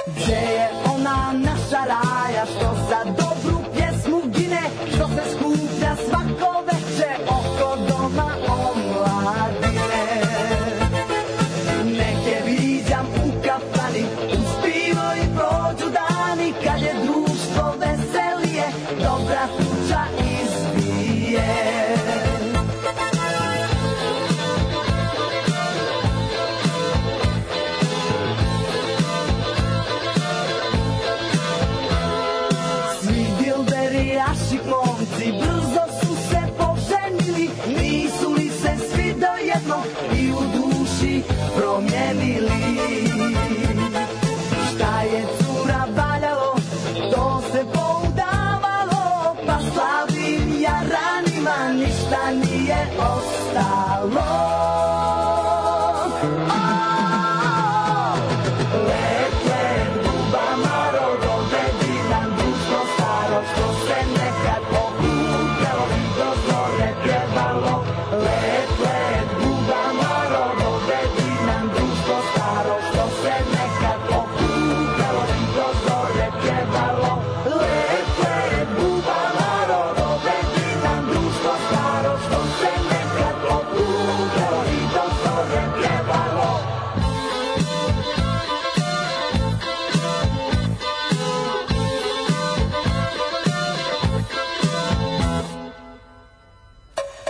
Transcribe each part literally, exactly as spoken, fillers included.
Gdje je ona naša raja što za dobru pjesmu gine, što se skuplja svako veče oko doma omladine. Neke viđam u kafani, uz pivo i prođu dani, kad je društvo veselije, dobra tuča izbije. Naši momci brzo su se poženili, nisu li se svi dojedno i u duši promijenili. Šta je cura valjalo, to se poudavalo, pa slavim jaranima ništa nije ostalo.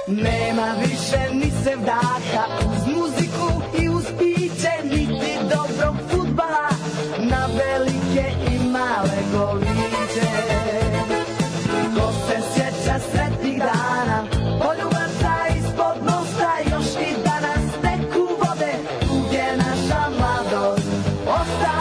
Nema više ni sevdaha, uz muziku i uz piće, niti dobrog fudbala, na velike i male goliće. Ko se sjeća sretnih dana, poljubaca ispod mosta, još i danas teku vode, tu gdje naša mladost osta.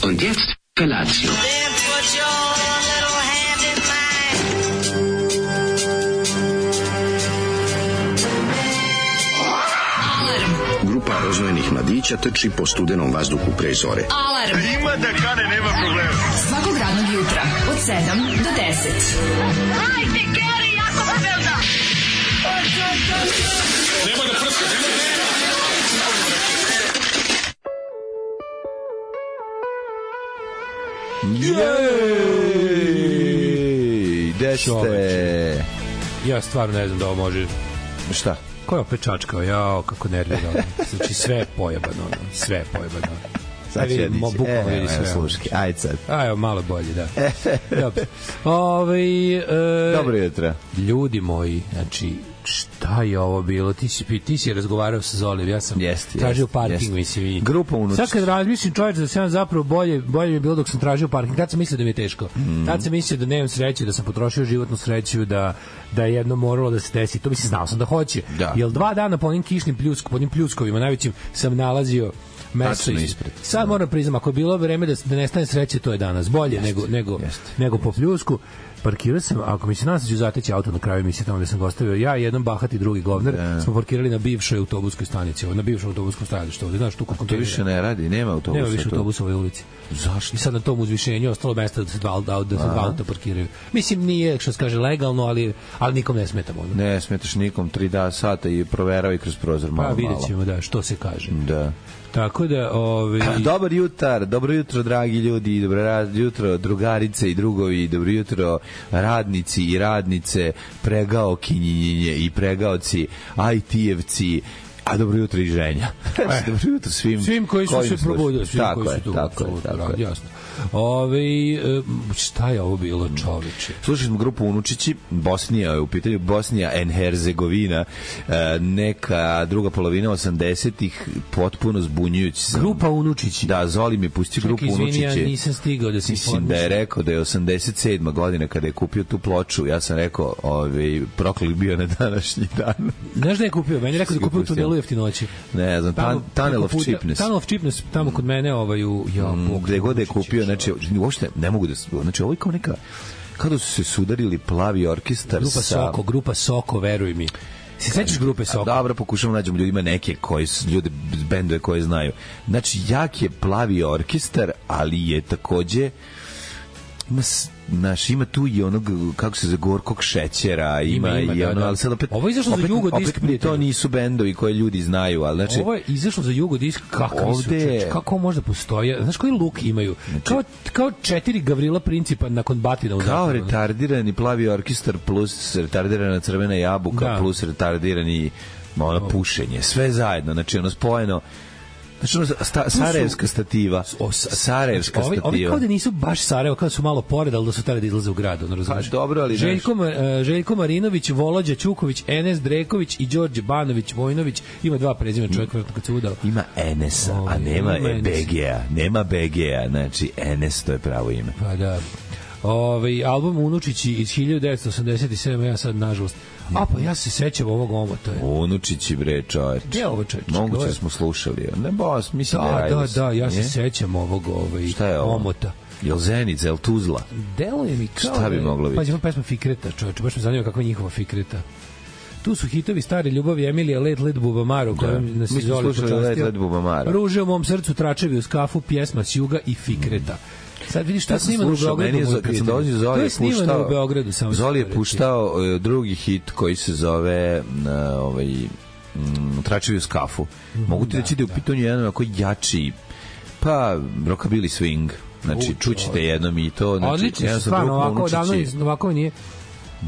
Und jetzt Felatio. Then put your little hand in mine. Grupa rozvojenih mladića trči po studenom vazduhu pre zore. Alarm! Ima da kane, nema problema. Svakog radnog jutra, od sedam do deset. Hajde, Geri, jako se velda! Nema da prska, nema da prska. Jej, gde ste? Ja stvarno ne znam da ovo može. Šta? Ko je opet čačkao? Jao, kako nervirano. Znači sve je pojebano, sve je pojebano. Sad će vidim, dići. bukvalno E, vidi sve. sluški, ajde sad. A, evo, malo bolje, da. Dobro. Ove, e, Dobro jutro. Ljudi moji, znači, šta je ovo bilo? Ti si, ti si razgovarao sa Zolijem, ja sam jest, tražio jest, parking, jest. mislim. I Grupa unuč. sad kad razmišljam, čovječ, da sam zapravo bolje, bolje mi je bilo dok sam tražio parking. Tad sam mislio da mi je teško. Mm. Tad sam mislio da nemam sreće, da sam potrošio životnu sreću, da, da je jedno moralo da se desi. To mislim, znao sam da hoće. Da. Jer dva dana po onim kišnim pljusk, po onim pljuskovima najvećim sam nalazio mesto ispred. Sad moram priznam, ako je bilo vreme da, da nestane sreće, to je danas bolje jest, nego, nego, nego po pljusku. Parkirao sam, ako mi se nas ću zateći auto na kraju emisije tamo gde sam ga ostavio, ja i jedan bahati drugi govner yeah. smo parkirali na bivšoj autobuskoj stanici, na bivšoj autobuskom stajalištu ovde, znaš, tu kod kontejnera. To više ne radi, nema autobusa. Nema više autobusa u ovoj ulici. Zašto? I sad na tom uzvišenju ostalo mesta da se dva, da, da se dva auta parkiraju. Mislim, nije, što se kaže, legalno, ali, ali nikom ne smetamo. Ne, ne smetaš nikom, tri da sata i proverao i kroz prozor malo, malo. Pa vidjet ćemo, da, što se kaže. Da. Tako da, ovi... Dobar jutar, dobro jutro, dragi ljudi, dobro jutro, drugarice i drugovi, dobro jutro, radnici i radnice, pregaokinjinje i pregaoci, aj ti-evci, A dobro jutro i ženja. E, dobro jutro svim, svim koji su se probudili, svim tako koji je, su tu. tako je, tako je. Jasno. Ove, šta je ovo bilo, čoveče? Slušali smo grupu Unučići, Bosnija je u pitanju, Bosnija and Herzegovina, neka druga polovina osamdesetih, potpuno zbunjujući. Grupa Unučići. Da, Zoli mi pusti grupu Unučići. Čekaj, izvini, ja nisam stigao da se Mislim da je rekao da je osamdeset sedma godina kada je kupio tu ploču, ja sam rekao, ovaj, proklik bio na današnji dan. Znaš da je kupio? Meni je rekao da je kupio u tunelu Jeftinoći. Ne znam, tamo, Tunnel of Cheapness. Tunnel of Cheapness, tamo kod mene, ovaj, u... Ja, mm, gde god je kupio, znači, uopšte ne mogu da... Znači, ovo je kao neka... Kada su se sudarili Plavi orkestar grupa sa... Soko, grupa Soko, veruj mi. Se sećaš grupe Soko? Dobro, pokušamo nađemo ljudima neke koji su, ljude, bendove koje znaju. Znači, jak je Plavi orkestar, ali je takođe... Ima, naš, ima tu i onog, kako se za gorkog šećera, ima, ima, ima i da, ono, da. Ali sad opet... Ovo je izašlo opet, za Jugodisk. Opet to nisu bendovi koje ljudi znaju, ali znači... Ovo je izašlo za Jugodisk, kakvi ovde... su, čeč, kako možda postoje, znaš koji luk imaju? Znači, kao, kao četiri Gavrila Principa nakon batina u kao zakonu. Retardirani Plavi orkestar plus retardirana Crvena jabuka da. Plus retardirani ono, pušenje, sve zajedno, znači ono spojeno. Znači, ono, sta, Sarajevska stativa. O, Sarajevska znači, stativa. Ovi kao da nisu baš Sarajevo, kao da su malo pored, ali da su tada da izlaze u gradu. Ono, pa dobro, ali... Željko, uh, Željko Marinović, Volođa Ćuković, Enes Dreković i Đorđe Banović Vojnović. Ima dva prezimena čovjek, vjerojatno kad se udao. Ima Enesa, o, a nema e, B G-a. Nema B G-a, znači Enes, to je pravo ime. Pa da. Ovaj album Unučići iz hiljadu devetsto osamdeset sedme, ja sad nažalost. A pa ja se sećam ovog omota. Unučići bre, čovjek. Gde je ovo čovjek? Moguće smo slušali. Ne bos, mislim da, da je. Da, da, ja se sećam ovog ovaj šta je ovo? Omota. Jel Zenica, jel Tuzla? Deluje mi kao... Šta bi moglo biti? Pa ćemo pesma Fikreta, čovječe, baš me zanima kakva je njihova Fikreta. Tu su hitovi Stare ljubavi, Emilija, Let, Let, Bubamaro, kojom nas mi smo slušali Let, Let, Bubamaro. Ruže u mom srcu, Tračevi uz kafu, pjesma s juga i Fikreta. Sad vidiš šta ja snimano u Beogradu. Je, kad sam dolazio, Zoli je puštao, u Beogradu, samo Zoli je puštao uh, drugi hit koji se zove uh, ovaj, um, Tračevi uz kafu. Mm, Mogu ti da, reći da je u pitanju jedan onako jači, pa rockabilly swing. Znači, čućite jednom i to. Znači, odlično, stvarno, ovako, odavno, ovako nije...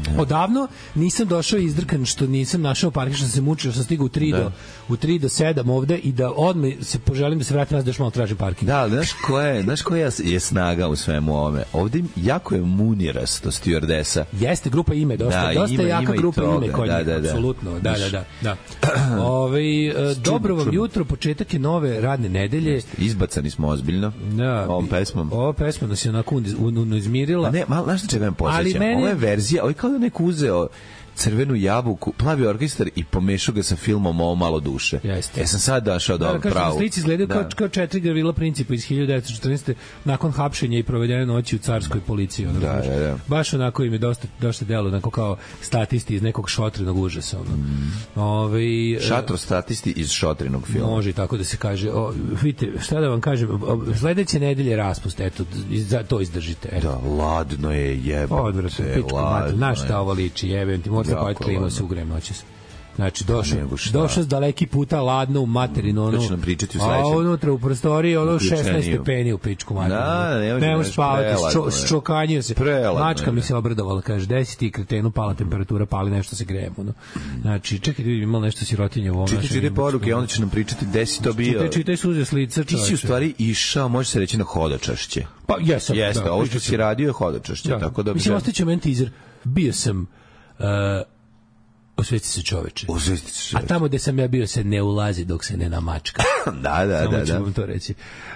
Ne. Odavno nisam došao izdrkan što nisam našao parking, što sam se mučio, što sam stigao u tri do u tri do sedam ovde i da odmah se poželim da se vratim nazad da još malo tražim parking. Da, ali znaš koja je, znaš koja je snaga u svemu ovome? Ovde jako je munirasto stewardesa. Jeste, grupa Ime, dosta, da, dosta ima, jaka ima grupa toga. Ime kod da, njih, da, da. apsolutno. Da, da, da, da. Ove, dobro vam jutro, početak je nove radne nedelje. Jeste, izbacani smo ozbiljno. Da. Ovom pesmom. Ova pesma nas je onako izmirila. A ne, malo, znaš čega me posjećam? Mene... Ova je verzija, ovo je kao da neko uzeo Crvenu jabuku, Plavi orkestar i pomešao ga sa filmom Ovo malo duše. Jeste. Ja sam sad došao do da, pravu. Kažem, slici izgledaju da. kao, kao četiri Gavrila Principa iz hiljadu devetsto četrnaeste. nakon hapšenja i provedene noći u carskoj policiji. Ono, da, da, da. Baš onako im je dosta, dosta delo, onako kao statisti iz nekog šotrenog užasa. Ono. Mm. Ove, Šatro statisti iz šotrenog filma. Može tako da se kaže. O, vidite, šta da vam kažem, sledeće nedelje raspust, eto, to izdržite. Eto. Da, ladno je jebate. Odvrati, pičko mater, na šta ovo liči, jebem ti, možda pojeti klimu se ugrem noćas. Znači, došao došao s daleki puta, ladno u materinu, ono, nam pričati u a unutra u prostoriji, ono, šesnaest stepeni u pičku materinu. Da, ne možeš nemaš spavati, ščokanjio se. Mačka mi se obradovala, kaže, daj si ti kretenu, pala temperatura, pali nešto se grejemo. No. Znači, čekaj, vidim, imalo nešto sirotinje u ovom našem. Čitaj, čitaj poruke, onda će nam pričati gde si to bio. Čitaj, čitaj suze s lica, čoveče. Ti si u stvari išao, može se reći, na hodočašće. Pa, jesam. Jeste, ovo što si radio je hodočašće. Tako da mislim, ostaće meni teaser. Bio sam osvesti se čoveče. Osvesti se čoveče. A tamo gde sam ja bio se ne ulazi dok se ne namačka. da, da, samo da. ću vam to reći.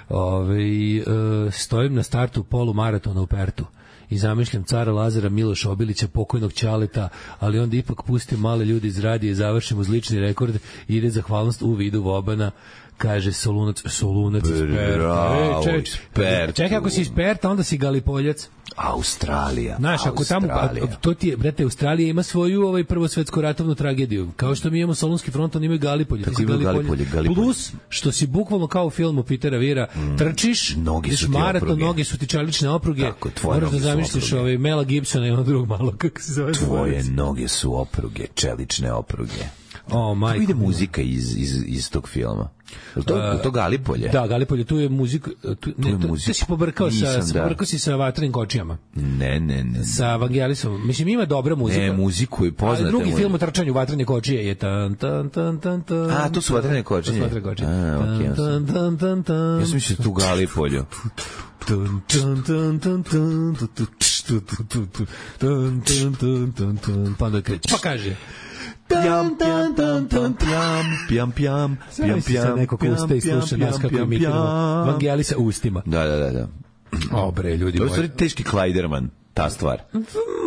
Ove, uh, stojim na startu polumaratona u Pertu i zamišljam cara Lazara Miloša Obilića, pokojnog Ćaleta, ali onda ipak pustim male ljudi iz radije, završim uz lični rekord i ide zahvalnost u vidu Vobana. Kaže Solunac, Solunac iz Perta. E, ček, čekaj, ako si iz Perta, onda si Galipoljac. Australija. Znaš, ako tamo, a, to ti je, brate, Australija ima svoju ovaj prvosvetsku ratovnu tragediju. Kao što mi imamo Solunski front, oni imaju Galipolje. Tako imaju Galipolje, Galipolje. Plus, što si bukvalno kao u filmu Petera Vira, mm. trčiš, nogi su ti maraton, opruge. Noge su ti čelične opruge. Tako, tvoje noge su opruge. Moraš da zamisliš ovaj Mela Gibsona i ono drugog malo, kako se zove. Tvoje noge su opruge, čelične opruge. O, majko. Kako ide muzika iz, iz, iz tog filma? Je to, uh, to Galipolje? Da, Galipolje, tu je muzika. Tu, ne, tu, tu si pobrkao sa, Nisam, pobrkao si sa Vatrenim kočijama. Ne, ne, ne. Sa Vangelisom. Mislim, ima dobra muzika. Ne, muziku je poznate. Ali drugi muzika. Film o trčanju Vatrene kočije je tan, tan, tan, tan, tan. A, to su Vatrene kočije? To su Vatrene kočije. A, okej. Okay, tan, tan, tan, tan. Ja sam mislio tu Galipolju. Tan, tan, tan, tan, tan, tan, tan, tan, tan, pa onda kreće. Pa kaže... Pjam, pjam, pjam, pjam, pjam, pjam, pjam, pjam, pjam, neko ko uste i sluša nas kako imitiramo Vangelisa ustima. Da, da, da, da. O, bre, ljudi moji. To je moji. stvari teški Klajderman, ta stvar.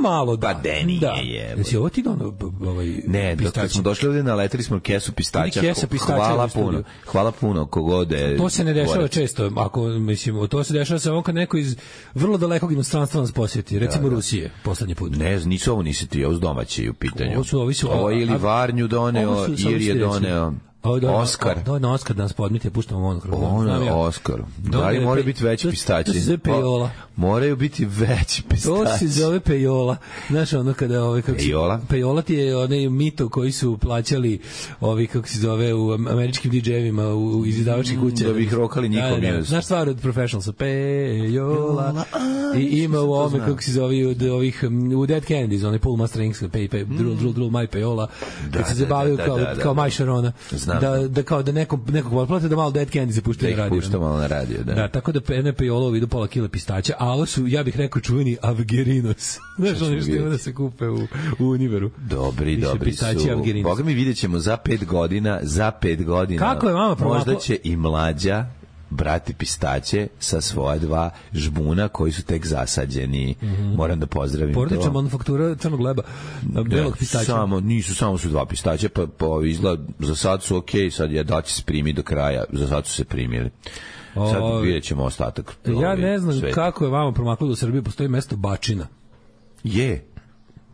Malo da. Pa de nije da. je. Jesi ovo ti dono ovaj, ne, dok kad smo došli ovdje, naleteli smo kesu pistaća. Kesa pistaća hvala u puno. studiju. Hvala puno, kogode. To se ne dešava često, ako, mislim, to se dešava samo kad neko iz vrlo dalekog inostranstva nas posjeti, recimo da, da. Rusije, poslednji put. Ne, nisu ovo nisi ti, ovo s domaći u pitanju. Ovo su, ovi su, ovo je ili Varnju doneo, ili je doneo... O, da, Oskar. Da, na Oskar da nas podmite, puštamo monokrom. Ono je Oskar. Da li moraju biti veći pistaći? To se zove pejola. Moraju biti veći pistaći. To se zove pejola. Znaš, ono kada... Ovaj, kako pejola? Pejola ti je onaj mito koji su plaćali ovi, kako se zove, u američkim di džejevima, u izdavačkih kuća. Da bi ih rokali njihov da, da, znaš stvar od Professionalsa? Pejola. I ima u ovome, kako se zove, od ovih, u Dead Kennedys, onaj Pull My Strings, pej, pej, drul, drul, drul, my pejola. Kad se zabavaju kao My Sharona. Da, da kao da neko nekog potplate da malo Dead Candy se pušta na radio. Pušta malo na radio, da. Da, tako da N P Olo vidu pola kile pistaća, a ovo su, ja bih rekao, čuveni Avgerinos. Znaš, oni što ima da se kupe u, u Univeru. Dobri, Više dobri su. Avgerinos. Boga mi vidjet ćemo za pet godina, za pet godina. Kako je vama promaklo? Možda će i mlađa brati pistaće sa svoja dva žbuna koji su tek zasađeni. Mm -hmm. Moram da pozdravim to. Porodična manufaktura crnog leba, belog pistaća. Samo, nisu, samo su dva pistaća, pa, pa izgleda, za sad su okej, okay, sad je da će se primi do kraja, za sad su se primili. Sad o, vidjet ćemo ostatak. Ja ne znam sveta. Kako je vama promaklo da u Srbiji postoji mesto Bačina. Je.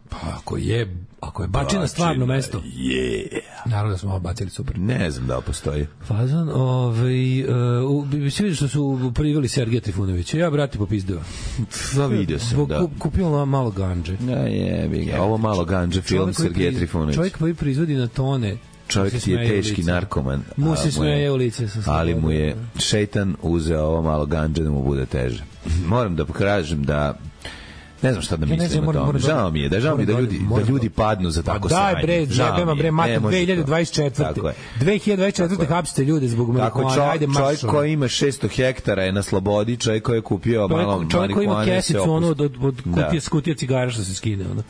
Pa ako je, ako je Bačina, Bačina stvarno mesto. Je. Naravno da smo ovo bacili super. Ne znam da li postoji. Fazan, ovaj, uh, svi vidio što su priveli Sergeja Trifunovića. Ja, brati, popizdeo. Da, vidio sam, da. Kupio malo ganđe. Ja, je, je, ovo malo ganđe, film Sergeja Trifunovića. Čovjek koji proizvodi na tone. Čovjek ti je teški narkoman. Mu se smeje u lice. Ali mu je šeitan uzeo ovo malo ganđe da mu bude teže. Moram da pokažem da ne znam šta da mislim ja znam, o tome. Žao mi je, da žao mi je da ljudi, da ljudi padnu za tako sranje. Daj bre, jebema bre, mate, dve hiljade dvadeset četvrte dve hiljade dvadeset četvrte hapsite ljude zbog marihuane, ajde marš. Čovjek koji ima šesto hektara je na slobodi, čovjek koji je kupio malo marihuane. Čovjek koji ima kesicu, ono, od, od kutije, s kutije cigara što se skine, ono.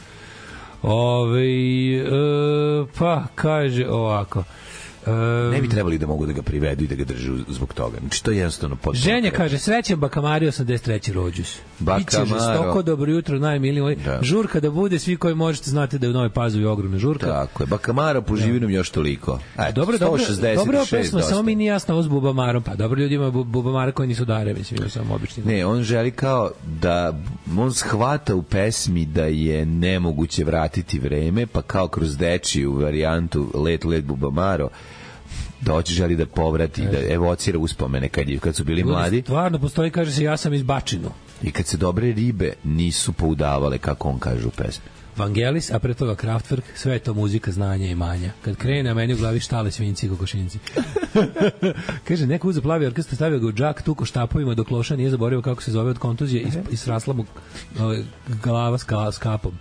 Ove, e, pa, kaže ovako. Um, ne bi trebali da mogu da ga privedu i da ga držu zbog toga. Znači, to je jednostavno potpuno. Ženja kaže, srećan Bakamari osamdeset treći rođus. Biće žestoko, dobro jutro, najmiliji. Da. Žurka da bude, svi koji možete znate da je u Novoj Pazovi ogromna žurka. Tako je, Bakamara po živinom još toliko. Ajde, dobro, dobro, dobro pesma, samo mi nije jasno ovo s Bubamarom. Pa dobro, ljudi ima Bubamara koji nisu dare, mislim, ima samo obični. Ne, on želi kao da, on shvata u pesmi da je nemoguće vratiti vreme, pa kao kroz dečiju varijantu Let, let Bubamaro, doći želi da povrati, da evocira uspomene kad, je, kad su bili mladi. Stvarno postoji, kaže se, ja sam iz Bačinu. I kad se dobre ribe nisu poudavale, kako on kaže u pesmi. Vangelis, a pre toga Kraftwerk, sve je to muzika znanja i manja. Kad krene, a meni u glavi štale, svinjci i kokošinci. Kaže, neko uze plavi orkestar, stavio ga u džak, tuko štapovima, dok loša nije zaboravio kako se zove od kontuzije i, i srasla mu ove, glava s, ka, s kapom.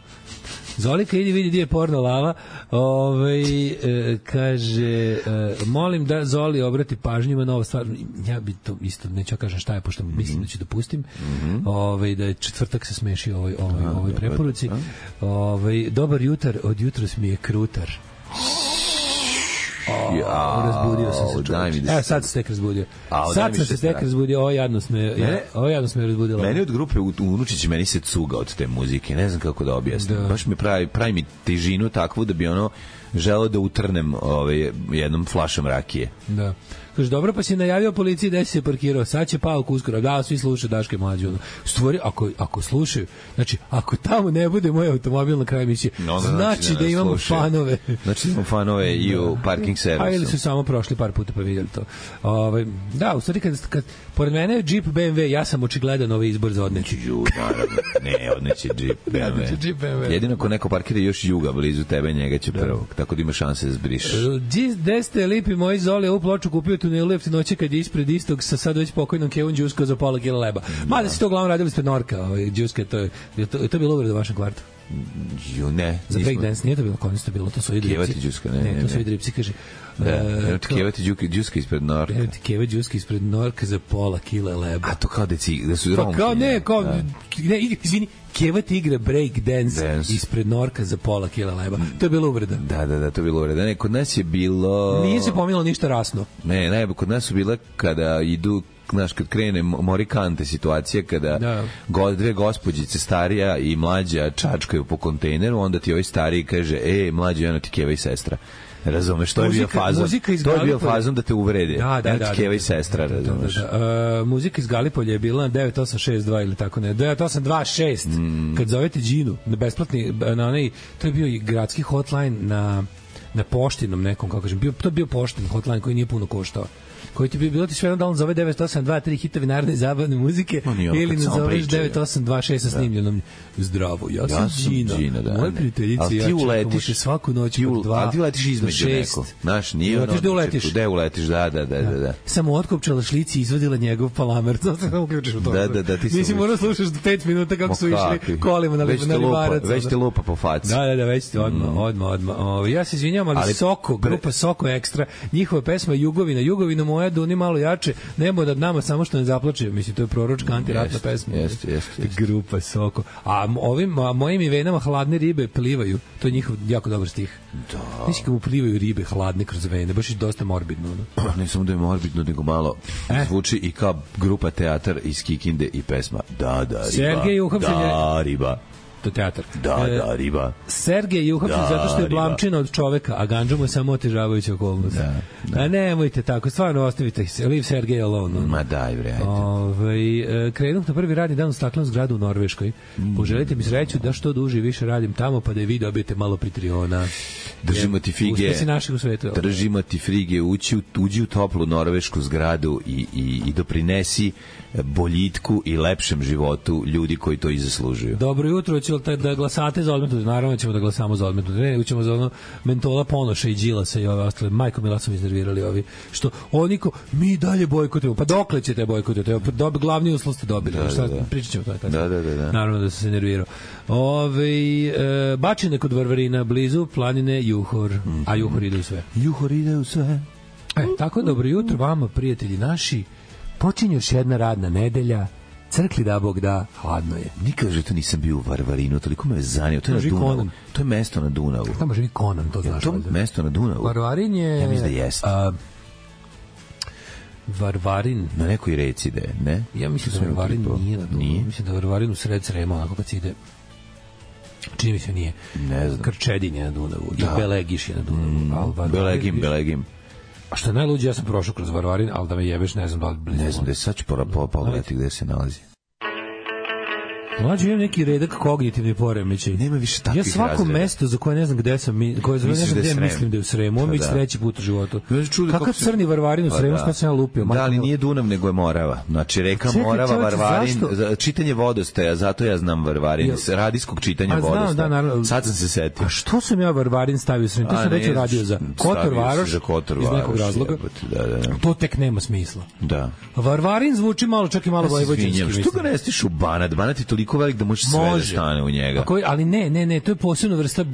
Zolika, idi vidi gdje je porno lava. Ove, e, kaže, e, molim da Zoli obrati pažnju na ovo stvar. Ja bi to isto, neću kažem šta je, pošto mm-hmm. mislim da ću dopustim. Mm-hmm. Ove, da je četvrtak se smeši ovoj, ovoj, ovoj preporuci. Ove, dobar jutar, od jutros mi je krutar. O, ja, razbudio sam se, čovječ. Evo, sad se tek razbudio. A, sad sam se tek razbudio, ovo jadno sme, ovo jadno sme razbudilo. Meni od grupe u, u Unučići, meni se cuga od te muzike, ne znam kako da objasnim. Da. Baš mi pravi, pravi mi težinu takvu da bi ono želeo da utrnem ovaj, jednom flašom rakije. Da. Kaže, dobro, pa si najavio policiji da si se parkirao, sad će Pauk uskoro. Da, svi slušaju Daške mlađe. Stvori, ako, ako slušaju, znači, ako tamo ne bude moj automobil na kraju emisije, no, znači, znači da imamo slušaju. Fanove. Znači imamo fanove i u parking catering servisu. A ili su samo prošli par puta pa vidjeli to. Ovaj da, u stvari kad, kad pored mene je Jeep B M W, ja sam očigledan ovaj izbor za odneći. Ju, naravno. Ne, odneći Jeep B M W. Jeep B M W. Jedino ko neko parkira još juga blizu tebe, njega će prvo. Tako da ima šanse da zbrišeš. Gde ste lipi moji Zoli, ovu ploču kupio tunelu jeftinoće kad je ispred istog sa sad već pokojnom Kevom Đusko za pola kila leba. Mada si to uglavnom radili ispred Norka, ovaj, Đuske, to je, to, je to bilo uvreda u vašem kvartu? Ju, ne. Za breakdance nije to bilo, konista bilo, to su i dripci. Kevati Đuska, ne, ne, ne, to su i dripci, kaže. Da, evo ti Kevati Đuska ispred Norka. Evo ti Keva Đuska ispred Norka za pola kila leba. A to kao da, ci, da su pa romki. Kao ne, kao, da. ne, izvini, Kevati igra break dance, dance ispred Norka za pola kila leba. To je bilo uvreda. Da, da, da, to je bilo uvreda. Ne, kod nas je bilo... Nije se pomilo ništa rasno. Ne, ne, kod nas su bile kada idu, znaš, kad krene morikante situacije, kada da. go, dve gospođice, starija i mlađa, čačkaju po kontejneru, onda ti ovaj stariji kaže, e, mlađa, jedno ti Keva i sestra. Razumeš, to je bio fazon. To je bio fazon da te uvrede. Da, da, da. Keva i sestra, razumeš. Da, da, da. Uh, muzika iz Galipolja je bila devet osam šest dva ili tako ne. devet osam dva šest. Mm. Kad zovete Đinu, na besplatni, na onaj, to je bio i gradski hotline na, na poštinom nekom, kako kažem. Bio, to je bio poštin hotline koji nije puno koštao. Koji ti bi bilo ti sve jedno da on zove devet osam dva tri hitovi narodne i zabavne muzike ili nazoveš devet osam dva šest sa snimljenom zdravo. Ja sam Đina, Đina da, moje prijateljice, ja čekamo te svaku noć od dva a ti letiš između neko. Znaš, nije ono... Gde uletiš? Gde uletiš, da, da, da. da, da. Samo otkopčala šlici i izvadila njegov palamer. To se samo uključiš u to. Da, da, da. Ti nisi morao slušaš pet minuta kako su išli kolima na Livarac. Već te lupa po faci. Da, da, da, već te odmah, odmah, odmah. Ja se izvinjam, ali Soko, grupa Soko Ekstra, njihova pesma Jugovina, Jugovina moja, Duni malo jače, nebo da nama samo što ne zaplače, mislim, to je proročka antiratna pesma. Jeste, jeste. Grupa Soko. A ovim, a mojim i venama hladne ribe plivaju, to je njihov jako dobar stih. Da. Mislim, kako mu plivaju ribe hladne kroz vene, baš je dosta morbidno. No? Ne samo da je morbidno, nego malo eh? zvuči i kao grupa teatar iz Kikinde i pesma Da, da, riba. Sergej uhapšen je... Da, riba. To teatar. Da, e, da, riba. Sergej je uhapšen da, zato što je blamčina od čoveka, a ganđa mu je samo otežavajuća okolnost. Da, da. A nemojte tako, stvarno ostavite se, leave Sergej alone. Ma daj, bre, ajde. Ovaj krenuh na prvi radni dan u staklenom zgradu u Norveškoj. Mm. Poželite mi sreću da što duže i više radim tamo, pa da i vi dobijete malo Patreona. Držimo ti fige. Uspesi naših u svetu. Držimo ti fige, ući, uđi u toplu norvešku zgradu i, i, i doprinesi boljitku i lepšem životu ljudi koji to i zaslužuju. Dobro jutro, ćemo da glasate za odmetnuti. Naravno ćemo da glasamo za odmetnuti. Ne, ćemo za ono mentola Ponoša i Đilasa i ove ostale. Majko Mila su iznervirali ovi. Što oni ko, mi dalje bojkotujemo. Pa dokle ćete bojkotujete? Dobi, glavni uslov ste dobili. Da, Šta, da, da. Pričat ćemo to. Da, da, da, da. Naravno da se nervirao. Ove, e, bačine kod Varvarina, blizu planine Juhor. Mm-hmm. A Juhor ide u sve. Juhor ide u sve. E, tako dobro jutro vama, prijatelji naši. Počinje još jedna radna nedelja. Crkli da Bog da, hladno je. Nikad že to nisam bio u Varvarinu, toliko me je zanio. To je na Dunavu. Konan. To je mesto na Dunavu. Tamo živi Konan, to znaš. Je to mesto na Dunavu? Varvarin je... Ja mislim da jeste. A, Varvarin... Na nekoj reci da je, ne? Ja mislim da Varvarin nije na Dunavu. Nije? Mislim da Varvarin u sred Srema, onako kad se ide... Čini mi se nije. Ne znam. Krčedin je na Dunavu. Da. I Belegiš je na Dunavu. Mm, Belegim, Belegim. A što je najluđe, ja sam prošao kroz Varvarin, ali da me jebeš, ne znam da li blizu. Ne znam, da je sad ću pogledati gde se nalazi. Mlađe, imam neki redak kognitivni poremećaj. Nema više takvih razreda. Ja svako razreda. Mesto za koje ne znam gde sam, koje za ne znam gde mislim da je u Sremu, on mi da. Treći put u životu. Kakav crni Varvarin u Sremu, šta sam ja lupio? Da, ali nije Dunav, nego je Morava. Znači, reka Čekaj, Morava, čovječe, Varvarin, zašto? Čitanje vodostaja, zato ja znam Varvarin, ja. Radijskog čitanja vodostaja. Da, naravno. Sad sam se setio. A što sam ja Varvarin stavio u Sremu? To sam već radio za Kotor Varoš, iz nekog razloga. To tek nema smisla. Da. Varvarin zvuči malo, čak i malo vojvođanski. Što ga ne stiš u Banat? Banat je toliko velik da možeš sve da stane u njega. Ako, ali ne, ne, ne, to je posebna vrsta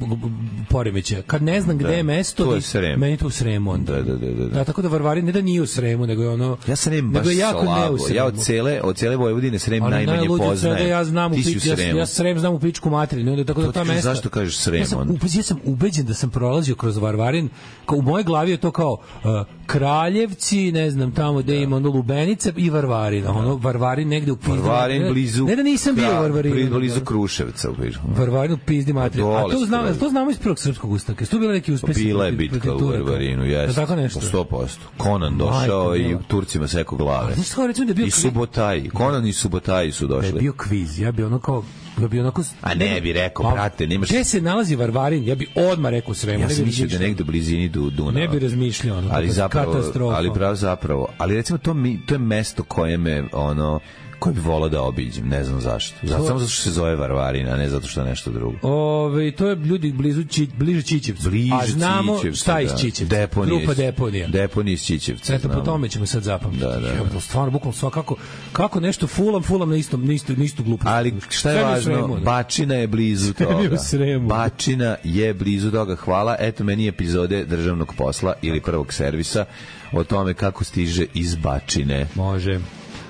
poremećaja. Kad ne znam gde da, je mesto, to je Srem. Meni to u Sremu onda. Da, da, da, da. Da, tako da Varvarin ne da nije u Sremu, nego je ono... Ja Srem baš slabo. Ja od cele, od cele Vojvodine Srem ali najmanje poznajem. Ja znam u pič, ja, ja Srem znam u pičku materinu, onda tako da ta mesta... Zašto kažeš Srem? Ja sam, ja sam ubeđen da sam prolazio kroz Varvarin, kao u mojoj glavi je to kao uh, Kraljevci, ne znam, tamo gde ima ono Lubenica i Varvarin. Ono, Varvarin negde u pizdi. Varvarin blizu... Ne da nisam bio u Varvarinu. Blizu Kruševca. Varvarinu pizdi materiju. A to znamo, to znamo iz prvog srpskog ustanka. Su bili neki uspesi? Bila je bitka u Varvarinu, jeste. Tako nešto. sto posto. Konan došao i Turcima sekao glave. Znači, recimo da je bio i Subotaj. Konan i Subotaj su došli. Da je bio kviz. Ja bi ono kao Ja bi onako... A ne bi rekao, brate, nemaš... Gde se nalazi Varvarin? Ja bi odmah rekao Sremu. Ja sam mislio da negde u blizini Dunava. Ne bi razmišljao, ono, ali zapravo, katastrofa. ali pravo zapravo. Ali recimo, to, mi, to je mesto koje me, ono, koje bi volao da obiđem, ne znam zašto. Zato, samo zato što se zove Varvarin, a ne zato što je nešto drugo. Ove, to je ljudi blizu Či, bliže Čičevcu. Bliže a znamo Čičevcu, šta iz da. Čičevca. Deponije, Grupa Deponija. Deponije iz Čičevca. Eto, po tome ćemo sad zapamtiti. Da, da, da. Ja, stvarno, bukvalno sva, kako, kako nešto fulam, fulam na istom, na istu, na istu glupost. Ali šta je važno, Sremu, Bačina je blizu toga. Bačina je blizu toga. Hvala. Eto meni epizode državnog posla ili prvog servisa o tome kako stiže iz Bačine. Može.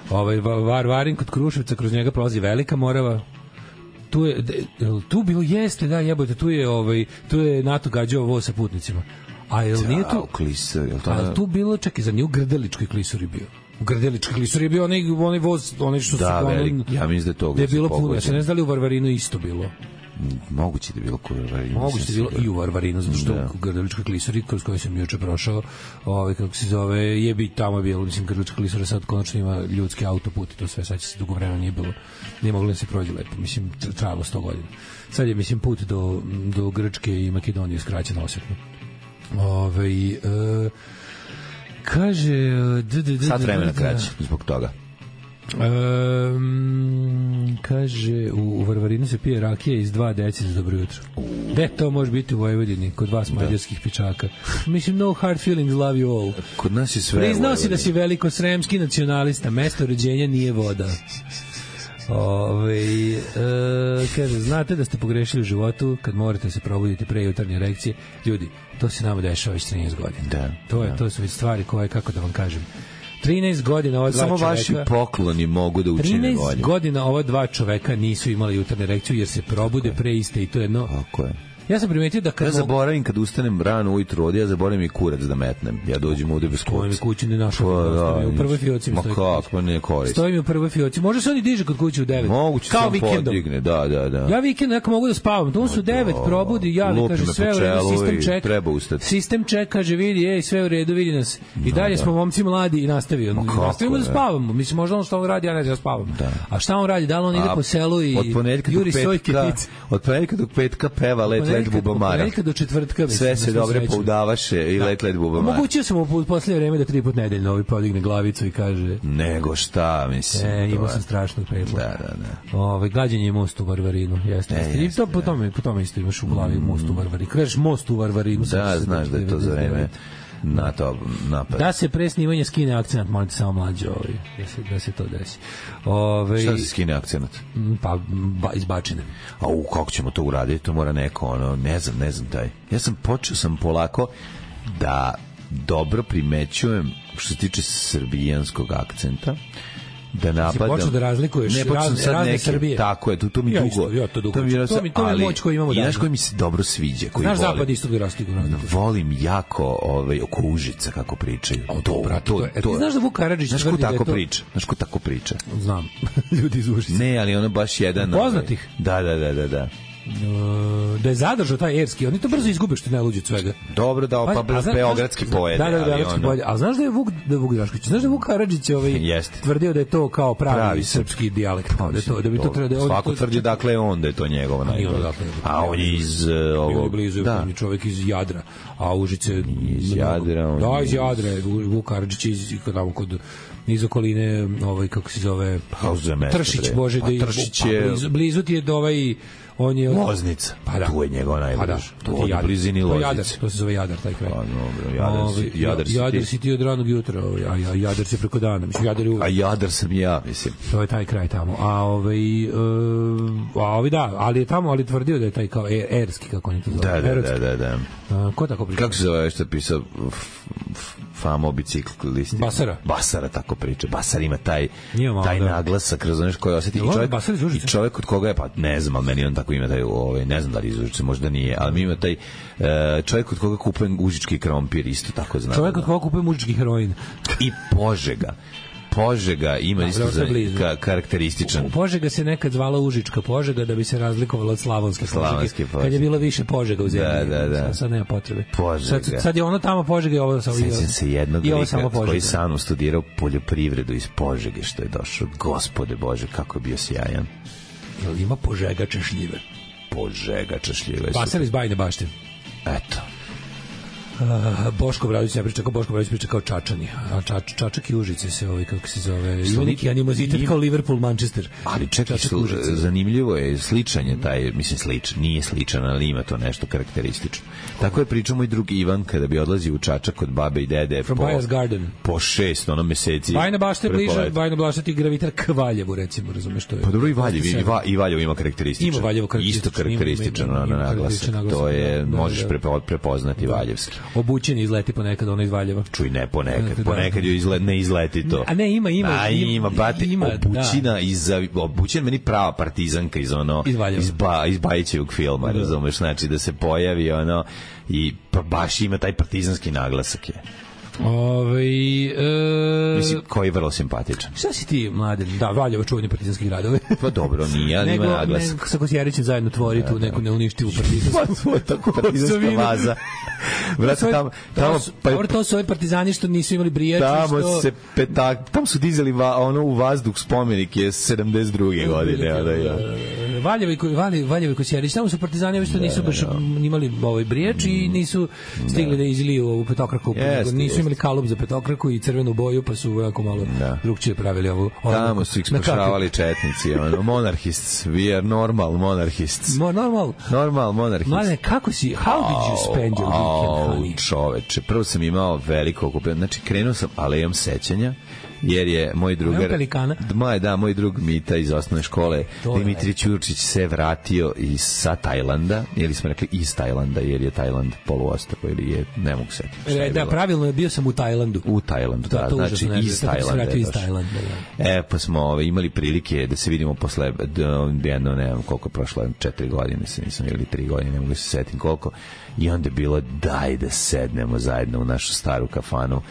Ovaj Varvarin kod Kruševca, kroz njega prolazi Velika Morava. Tu je tu bilo jeste, da, jebote, tu je ovaj tu je NATO gađao voz sa putnicima. A jel nije tu Klisur, jel to? A tu bilo, čekaj, za nju u Grdeličkoj Klisuri bio. U Grdeličkoj Klisuri je bio onaj onaj voz, onaj što da, su velik, ja mislim da je to je bilo puno. Ja se ne znam da li u Varvarinu isto bilo. Moguće da je bilo u Varvarinu. Moguće da je bilo i u Varvarinu, zato što da. U Grdeličkoj Klisuri, kroz koju sam juče prošao, ovaj, kako se zove, je bi tamo je bilo, mislim, Grdelička Klisura sad konačno ima ljudski autoput i to sve, sad će se dugo vremena nije bilo, nije moglo da se prođe lepo, mislim, trajalo sto godina. Sad je, mislim, put do, do Grčke i Makedonije skraćen osjetno. Ove, e, kaže... D, d, d, sad vremena kraće, zbog toga. Um, kaže u, u Varvarinu se pije rakija iz dva deci za dobro jutro. Gde to može biti u Vojvodini kod vas mađarskih pičaka? Mislim, no hard feelings, love you all. Kod nas je sve. Priznao si da si veliko sremski nacionalista, mesto rođenja nije voda. Ove, e, kaže, znate da ste pogrešili u životu kad morate se probuditi pre jutarnje erekcije. Ljudi, to se nama dešava već trinaest godina. Da, to, je, da. to su već stvari koje, kako da vam kažem, trinaest godina ova dva samo čoveka... Samo vaši pokloni mogu da učine bolje. trinaest godina ova dva čoveka nisu imali jutarnju erekciju jer se probude pre iste i to je jedno... Tako je. Ja sam primetio da kad... Ja zaboravim kad ustanem rano ujutro ovdje, ja zaboravim i kurac da metnem. Ja dođem ovdje bez kurca. Stoji mi kući ne našao. Pa, da, u prvoj fioci mi stoji. Ma kako, pa ne koristi. Stoji mi u prvoj fioci. Može se oni diže kod kuće u devet. Moguće kao sam vikendom. Podigne, da, da, da. Ja vikend neko mogu da spavam. To su u devet, probudi, javi, kaže sve u redu, sistem čeka. Treba ustati. Sistem čeka, kaže vidi, ej, sve u redu, vidi nas. I dalje smo momci mladi i nastavio. Nastavimo da spavamo. Mislim, možda on što on radi, ja ne znam, spavam. A šta on radi? Da li on ide po selu i juri sojke pice? Od ponedjeljka do petka peva Let Let Bubamara. Do četvrtka mislim, sve se dobro poudavaše i da. Let Let Bubamara. Mogućio sam u poslednje vreme da tri put nedeljno ovi podigne glavicu i kaže nego šta mislim. E, imao sam strašnog predloga. Da, da, da. Ove, gađanje je most u Varvarinu. Jeste. E, I to po tome, po tome isto imaš u glavi mm. most u Varvarinu. Kažeš most u Varvarinu. Da, znaš da je to za vreme na to napad. Da se pre snimanja skine akcenat, molite samo mlađe ovaj, da se, da se to desi. Ove, šta se skine akcenat? Pa, ba, izbačene. A u, kako ćemo to uraditi? To mora neko, ono, ne znam, ne znam taj. Ja sam počeo sam polako da dobro primećujem što se tiče srbijanskog akcenta, da napadam. Si počeo da razlikuješ ne, raz, razne neke, Srbije. Tako je, to, to mi ja dugo. Isto, ja to dugo. To mi, to mi, to mi moć koju imamo danas. I znaš koji mi se dobro sviđa, koji znaš volim. Zapad isto da rastigu. Volim jako ovaj, oko Užica, kako pričaju. O, to, brate, to, to, to, to, znaš da Vuk Karadžić znaš ko tako to... priča? Znaš ko tako priča? Znam. Ljudi iz Užica. Ne, ali ono baš jedan... Poznatih? Da, da, da, da, da. Da je zadržao taj erski, oni to brzo izgube što ne luđe od svega. Dobro, da, pa, pa beogradski pojede. Da, da, beogradski ono... pojede. A znaš da je Vuk, da je Vuk Drašković, znaš da je Vuk Karadžić ovaj, tvrdio da je to kao pravi, pravi srpski dijalekt. Pa, da, to, da bi to, to, da svako tvrdi dakle on da je to njegovo najbolje. A on je iz ovog... blizu, da. Je čovjek iz Jadra, a Užice... Iz Jadra. Da, iz Jadra, Vuk Karadžić iz kod... iz okoline, ovaj, kako se zove, Tršić, Bože, pa, da Tršić je... blizu, blizu ti je do ovaj, on je... Loznica, pa da. Tu je njegov najbliž. Pa da, to ti je Jadar. Blizini Loznice. To, Jadar, to se zove Jadar, taj kraj. Pa dobro, Jadar, Ove, si, Jadar, si, Jadar ti. si ti od ranog jutra, ovaj, a, a Jadar si preko dana. Mislim, Jadar je uvijek. A Jadar sam ja, mislim. To je taj kraj tamo. A ovaj, uh, a ovaj da, ali je tamo, ali tvrdio da je taj kao er, erski, kako oni to zove. Da, da, da, da, da. A, ko tako priča? Kako se zove što je pisao Famo biciklisti? Basara. Basara tako priča. Basar ima taj, malo, taj da. naglasak, razumiješ, koji osjeti. I čovjek, I čovjek od koga je, pa ne znam, ali meni on tako ima taj, ovaj, ne znam da li iz Užice, možda nije, ali mi ima taj uh, čovjek od koga kupujem užički krompir, isto tako znam. Čovjek od koga kupujem užički heroin. I Požega. Požega ima da, isto za, ka, karakterističan. U Požega se nekad zvala Užička Požega da bi se razlikovala od Slavonske Požege. Kad je bilo više Požega u zemlji. Da, da, da. Sad, sad nema potrebe. Požega. Sad, sad je ono tamo Požega i ovo samo Sjećam se jednog lika koji sam studirao poljoprivredu iz Požege što je došao. Gospode Bože, kako je bio sjajan. Jel ima požegače šljive? Požegače šljive. Pasali iz Bajine Bašte. Eto. Uh, Boško Bradović ne priča kao Boško Bradović priča kao Čačani. A čač, Čačak i Užice se ovaj, kako se zove, ima neki animozitet kao Liverpool, Manchester. Ali čekaj, slu, zanimljivo je sličan je taj, mislim sličan, nije sličan, ali ima to nešto karakteristično. Tako je pričao moj drug Ivan kada bi odlazio u Čačak kod babe i dede From po, Bajas Garden. Po šest, ono meseci. Bajna Bašta je bliže, Bajna Bašta ti gravitira k Valjevu, recimo, razumeš to je. Pa dobro i Valjevo, i, Va, i Valjevo ima karakteristično. Ima Valjevo karakteristično. Isto karakteristično na naglasak. To je, možeš prepoznati valjevski. Obućen izleti ponekad ono iz Valjeva. Čuj, ne ponekad, da, ponekad joj izlet, ne izleti to. A ne, ima, ima. A ima, bate, ima, obućina da. iz, obućina meni prava partizanka iz ono, iz, iz, ba, iz Bajićevog filma, da. Razumeš, znači da se pojavi ono, i pa baš ima taj partizanski naglasak je. Ove, e... Mislim, koji je vrlo simpatičan. Šta si ti, Mladen? Da, Valjevo čuveni partizanski gradovi. Pa dobro, nije, ali ima naglasak. Nego sa Kosjerićem zajedno tvori tu neku neuništivu partizansku. Pa to je tako partizanska vaza. Vrati, tamo, tamo, pa, dobro, to su ovi partizani što nisu imali brijači. Tamo što... se petak, tamo su dizali va, ono u vazduh spomenik je sedamdeset druge godine. Da, ja. Valjevo i Valjevo, Valjevo i Kosjerić, tamo su partizani što nisu baš imali ovaj brijač i nisu stigli da izliju ovu petokraku. Nisu imali kalup za petokraku i crvenu boju, pa su jako malo drugčije pravili ovu. Tamo su ih spašavali četnici, ono, monarhists, we are normal monarhists. Mo, normal? Normal monarhists. Mladene, kako si, how did you spend your weekend, honey? Čoveče, prvo sam imao veliko okupljeno, znači krenuo sam alejom sećanja, jer je moj drugar, moj, da, moj drug Mita iz osnovne škole, Dimitrij Ćurčić se vratio iz, sa Tajlanda, ili smo rekli iz Tajlanda, jer je Tajland poluostrvo, ili je, ne mogu setiti. E, da, pravilno je, bio sam u Tajlandu. U Tajlandu, da, da znači iz Tajlanda. Iz Tajlanda, da. E, pa smo ove, imali prilike da se vidimo posle, jedno, ne znam koliko je prošlo, četiri godine, se nisam, ili tri godine, ne mogu se setim koliko, i onda je bilo, daj da sednemo zajedno u našu staru kafanu,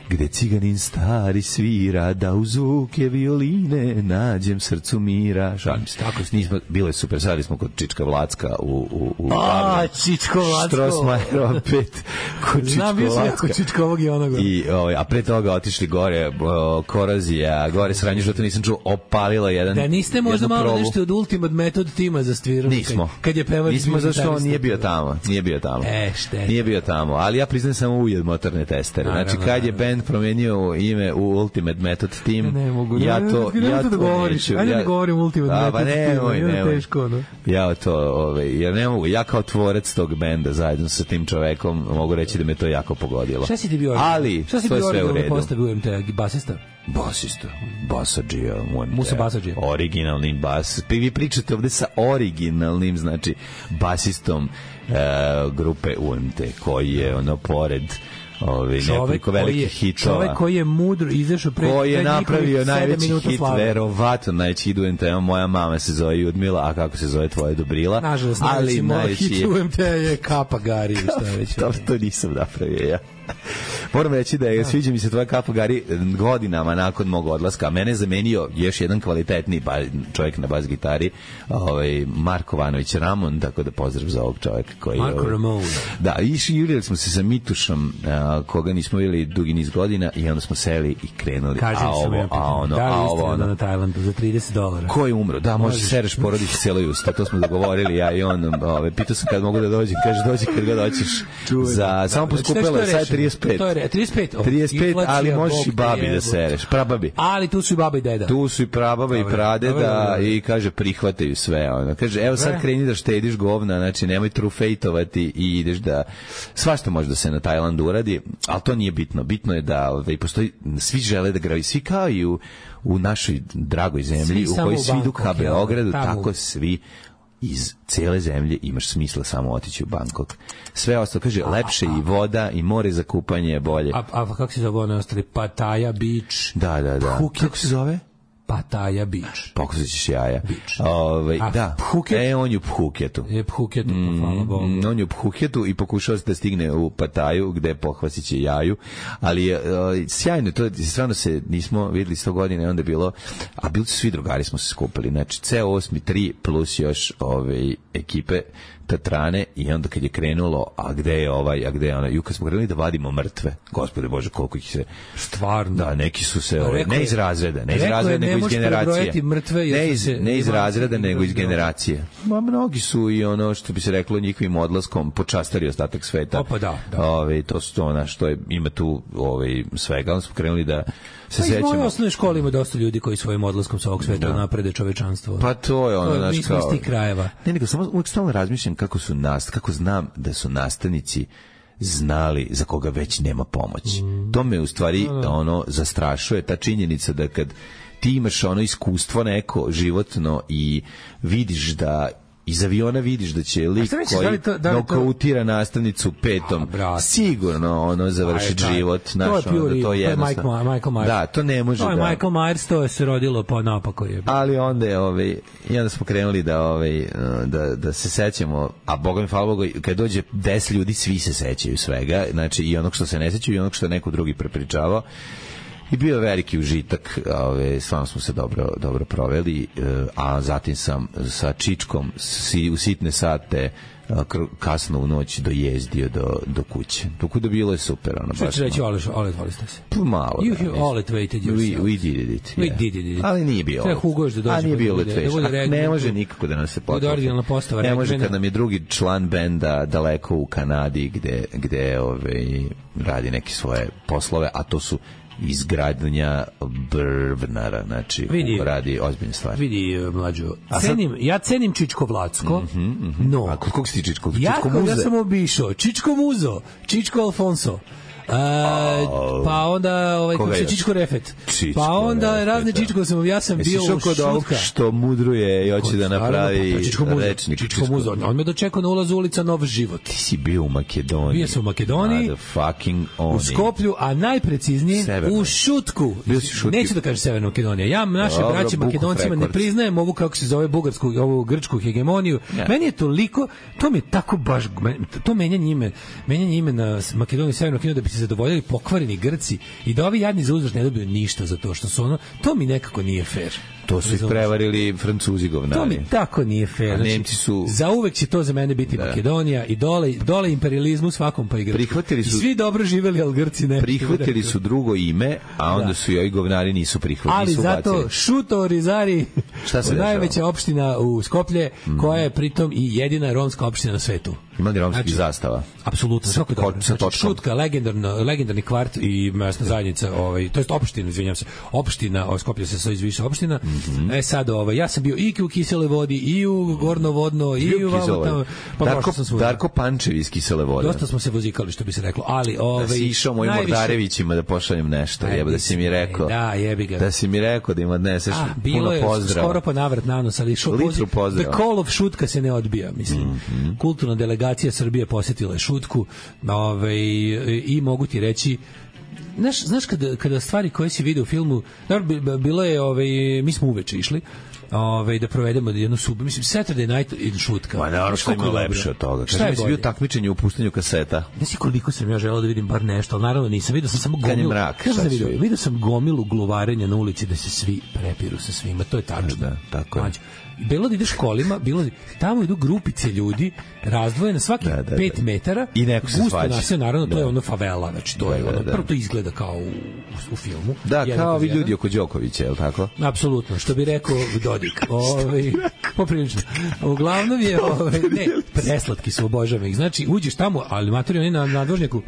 gde ciganin stari svira, da u zvuke violine nađem srcu mira. Šalim se, tako nismo, bilo je super, sadili smo kod Čička Vlacka u, u, u A, Čičko Vlacko. Štrosmajerova pet, kod Čičko Znam, bio sam jako Čičkovog i onoga. I, o, a pre toga otišli gore, o, korozija, gore sranje, što to nisam čuo, opalilo jedan. Da niste možda malo probu. Nešto od Ultimate Method tima za sviranje? Nismo. Kad je pevač. Nismo, zašto on nije bio tamo. Nije bio tamo. E, šte. Nije bio tamo, ali ja priznajem samo ujed motorne testere. Znači, kad je band promenio ime u Ultimate Method Team, ne mogu, ja to, ne, ja to to govoriš. Ajde ja, ne govorim Ultimate a, Method Team. Nemoj, nemoj. Teško, no? Ja to, ove, jer ne mogu, ja kao tvorac tog benda zajedno sa tim čovekom mogu reći da me to jako pogodilo. Šta si ti bio? Ali, šta si to je sve u redu. Šta si ti bio U M T, basista? Basista, basadžija, Musa basadžija. Originalni bas. Vi pričate ovde sa originalnim, znači, basistom e, grupe U M T, koji je ono pored Ovi, nekoliko velikih hitova. Čovek koji je mudro izašao pre koji je napravio najveći hit, verovatno najveći hit u M T-a. Moja mama se zove Judmila, a kako se zove tvoja Dobrila? Nažalost, ali najveći hit u M T-a je Kapa Gari. Šta već. to, to nisam napravio ja. Moram reći da je, sviđa mi se tvoja Kapa Gari godinama nakon mog odlaska. Mene je zamenio još jedan kvalitetni čovjek na bas gitari, ovaj, Marko Vanović Ramon, tako da pozdrav za ovog čovjeka. Koji Marko ovaj, Ramon. Da, i jurili smo se sa Mitušom, a, koga nismo vidjeli dugi niz godina, i onda smo seli i krenuli. Kažem a ovo, a ono, da, a ovo, ono. Na Tajlandu za trideset dolara. Ko je umro? Da, možeš sereš porodići cijelo usta, to smo dogovorili, ja i on. Ove, pitao sam kad mogu da dođem, kaže dođi kad ga doćiš. Za, samo poskupilo je, sad je trideset pet. To je trideset pet, trideset pet, ali možeš i babi da sereš, prababi. Ali tu su i baba i deda. Tu su i prababa i pradeda i kaže prihvataju sve. Ono. Kaže, evo sad kreni da štediš govna, znači nemoj trufejtovati i ideš da... Svašta može da se na Tajlandu uradi, ali to nije bitno. Bitno je da ovaj, postoji, svi žele da gravi, svi kao i u, u našoj dragoj zemlji, svi u kojoj svi idu ka Beogradu, tako svi iz cele zemlje imaš smisla samo otići u Bangkok. Sve ostalo, kaže, lepše i voda i more za kupanje je bolje. A, a kako se zove one ostali? Pattaya Beach. Da, da, da. Phuket. Kako se zove? Pattaya Beach. Pokušat ćeš jaja. Ove, da. Phuket? E, on je u Phuketu. Je Phuketu, mm, hvala Bogu. On je u Phuketu i pokušao se da stigne u Pattaju, gde pohvasit će jaju. Ali je uh, sjajno, to stvarno se nismo videli sto godina, onda je bilo, a bili su svi drugari smo se skupili. Znači, C osam tri plus još ove ekipe Tatrane i onda kad je krenulo, a gde je ovaj, a gde je ona, i kad smo krenuli da vadimo mrtve, gospode Bože, koliko ih se... Stvarno. Da, neki su se, ovaj, Rekao ne je- iz razreda, ne iz rekao je, razreda, ne nego iz možeš generacije. prebrojati mrtve, jer Ne su iz, se- ne iz ima- razreda, ima- nego iz ima- generacije. Ma, mnogi su i ono, što bi se reklo, njihovim odlaskom počastili ostatak sveta. O, pa da, da. Ove, to su to, znaš, to je, ima tu ovaj, svega, onda smo krenuli da se Pa iz moje sećamo. osnovne škole ima dosta ljudi koji svojim odlaskom sa ovog sveta Da. naprede čovečanstvo. Pa to je ono, To je- znaš, mi smo iz kao... tih krajeva. Ne, nego samo uvijek stalno razmišljam kako su nas, kako znam da su nastavnici znali za koga već nema pomoći. Mm. To me u stvari ono zastrašuje, ta činjenica da kad ti imaš ono iskustvo neko životno i vidiš da iz aviona vidiš da će lik šta misliš, koji da li to- da li to- nokautira nastavnicu petom A, brate. sigurno ono završiti Aj, daj. život, To znaš, je ono, pure da to evil, je to je jednostavno. Michael- Michael Myers. Da, to ne može To je da... Michael Myers, to je se rodilo po napako je. Ali onda je ovaj i onda smo krenuli da ovaj da da se sećamo, a boga mi hvala Bogu, kad dođe deset ljudi svi se sećaju svega, znači i onog što se ne sećaju i onog što je neko drugi prepričavao. I bio je veliki užitak, ove, stvarno smo se dobro, dobro proveli, e, a zatim sam sa Čičkom si, u sitne sate a, kr- kasno u noć dojezdio do, do kuće. Tako da bilo je super. Ono, Što baš će reći, ono- Ole, Ole, voli ste se. Pa malo. You da, have mislim. all it waited We, yourself. we did it. We yeah. did it. Ali nije bio. Treba Hugo još da dođe A nije pa bio da bude- Letveš. da bude A ne regno. može nikako da nas se bude potpuno. originalna postava Ne može regmena. kad nam je drugi član benda daleko u Kanadi gde, gde ove, radi neke svoje poslove, a to su izgradnja brvnara, znači Vidi. radi ozbiljne stvari. Vidi, e, mlađo, A sad- cenim, ja cenim Čičko Vlacko, no, A kod kog si ti Čičko? ja, Čičko kao- ja muze? sam obišao Čičko Muzo, Čičko Alfonso, Uh, pa onda ovaj Koga kako se još? Čičko Refet. Čičko Pa onda Refet, razne da. Čičko sam ja sam Jesi bio išao u kod ovog Šutka. što mudruje i hoće da napravi Pa, Čičko Muzo, rečnik. Čičko Muzo. On me dočekao na ulazu ulica Nov život. Ti si bio u Makedoniji. Bio sam u Makedoniji, Motherfucking oni. U Skoplju, a najpreciznije Severnoj. u Šutku. Bio si u Šutki. Neću da kažem Severna Makedonija. Ja naše Dobro, braće Bukov Makedoncima ne Records. priznajem ovu kako se zove bugarsku, ovu grčku hegemoniju. Ja. Meni je toliko, to mi je tako baš to menjanje ime, menjanje imena Makedonije i Severne Makedonije da bi se zadovoljili pokvareni Grci i da ovi jadni za uzvrat ne dobiju ništa za to što su ono, to mi nekako nije fair. To su ih Razumeš? prevarili Francuzi govnari. To mi tako nije fair. A Znači, Nemci su- za uvek će to za mene biti Da. Makedonija i dole, dole imperializmu svakom pa i Grčkoj. Prihvatili su- I svi dobro živeli, ali Grci ne. Prihvatili su drugo ime, a onda Da. su i ovi govnari nisu prihvatili. Ali nisu zato ubacili. Šuto Rizari, Šta se dešava? najveća opština u Skoplje, koja je pritom i jedina romska opština na svetu. Ima li romskih Znači, zastava? Apsolutno, Sa svako ko- dobro. sa Znači, točkom. Šutka, legendarno, legendarni kvart i mesna zajednica, ovaj, to jest opština, izvinjavam se, opština, o, Skoplje se sastoji iz više opština. Mhm. E sad, ovaj, ja sam bio i u Kisele vodi, i u Gornovodno, i Bio u vamo Kisele tamo. vode. Pa Darko, prošao sam svuda. Darko Pančev iz Kisele vode. Dosta smo se vozikali, što bi se reklo, ali ovaj, Da si išao mojim najviše- Mordarevićima da pošaljem nešto, Aj, jebo, da si mi rekao. Da, jebi ga. Da si mi rekao da im odneseš A, bilo puno je pozdrava. skoro pa navrat nanos, ali šo, Litru poziv- pozdrava. The call of Šutka se ne odbija, mislim. Mhm. Kulturna delegacija Srbije posjetila je Šutku, ovaj, i mogu ti reći, znaš, znaš kada, kada stvari koje si vidio u filmu, naravno, bi- bilo je, ovaj, mi smo uveče išli, ovaj, da provedemo jednu subu, mislim, Saturday night in Šutka. Ma naravno što Koliko ima je dobro. lepše od toga. Šta Kaži je mi si bio bolje? takmičenje u puštanju kaseta. Znaš koliko sam ja želeo da vidim bar nešto, ali naravno nisam, vidio sam samo Kad je gomilu. mrak, Znaš šta šta sam si vidio? vidio? Vidio sam gomilu gluvarenja na ulici da se svi prepiru sa svima, to je tačno. Da, tako je. Mlađe. Bilo da ideš kolima, bilo da, tamo idu grupice ljudi razdvojene svaki Da, da, pet da. metara I neko se gusto svađa. naselje, naravno to Da. je ono favela, znači to Da, je da, ono, da. prvo to izgleda kao u, u filmu. Da, Jedan kao kroz ovi jedan. ljudi oko Đokovića, je li tako? Apsolutno, što bi rekao Dodik. Ovaj poprilično. Uglavnom je ovaj ne, preslatki su, obožavam ih. Znači, uđeš tamo, ali matori oni na nadvožnjaku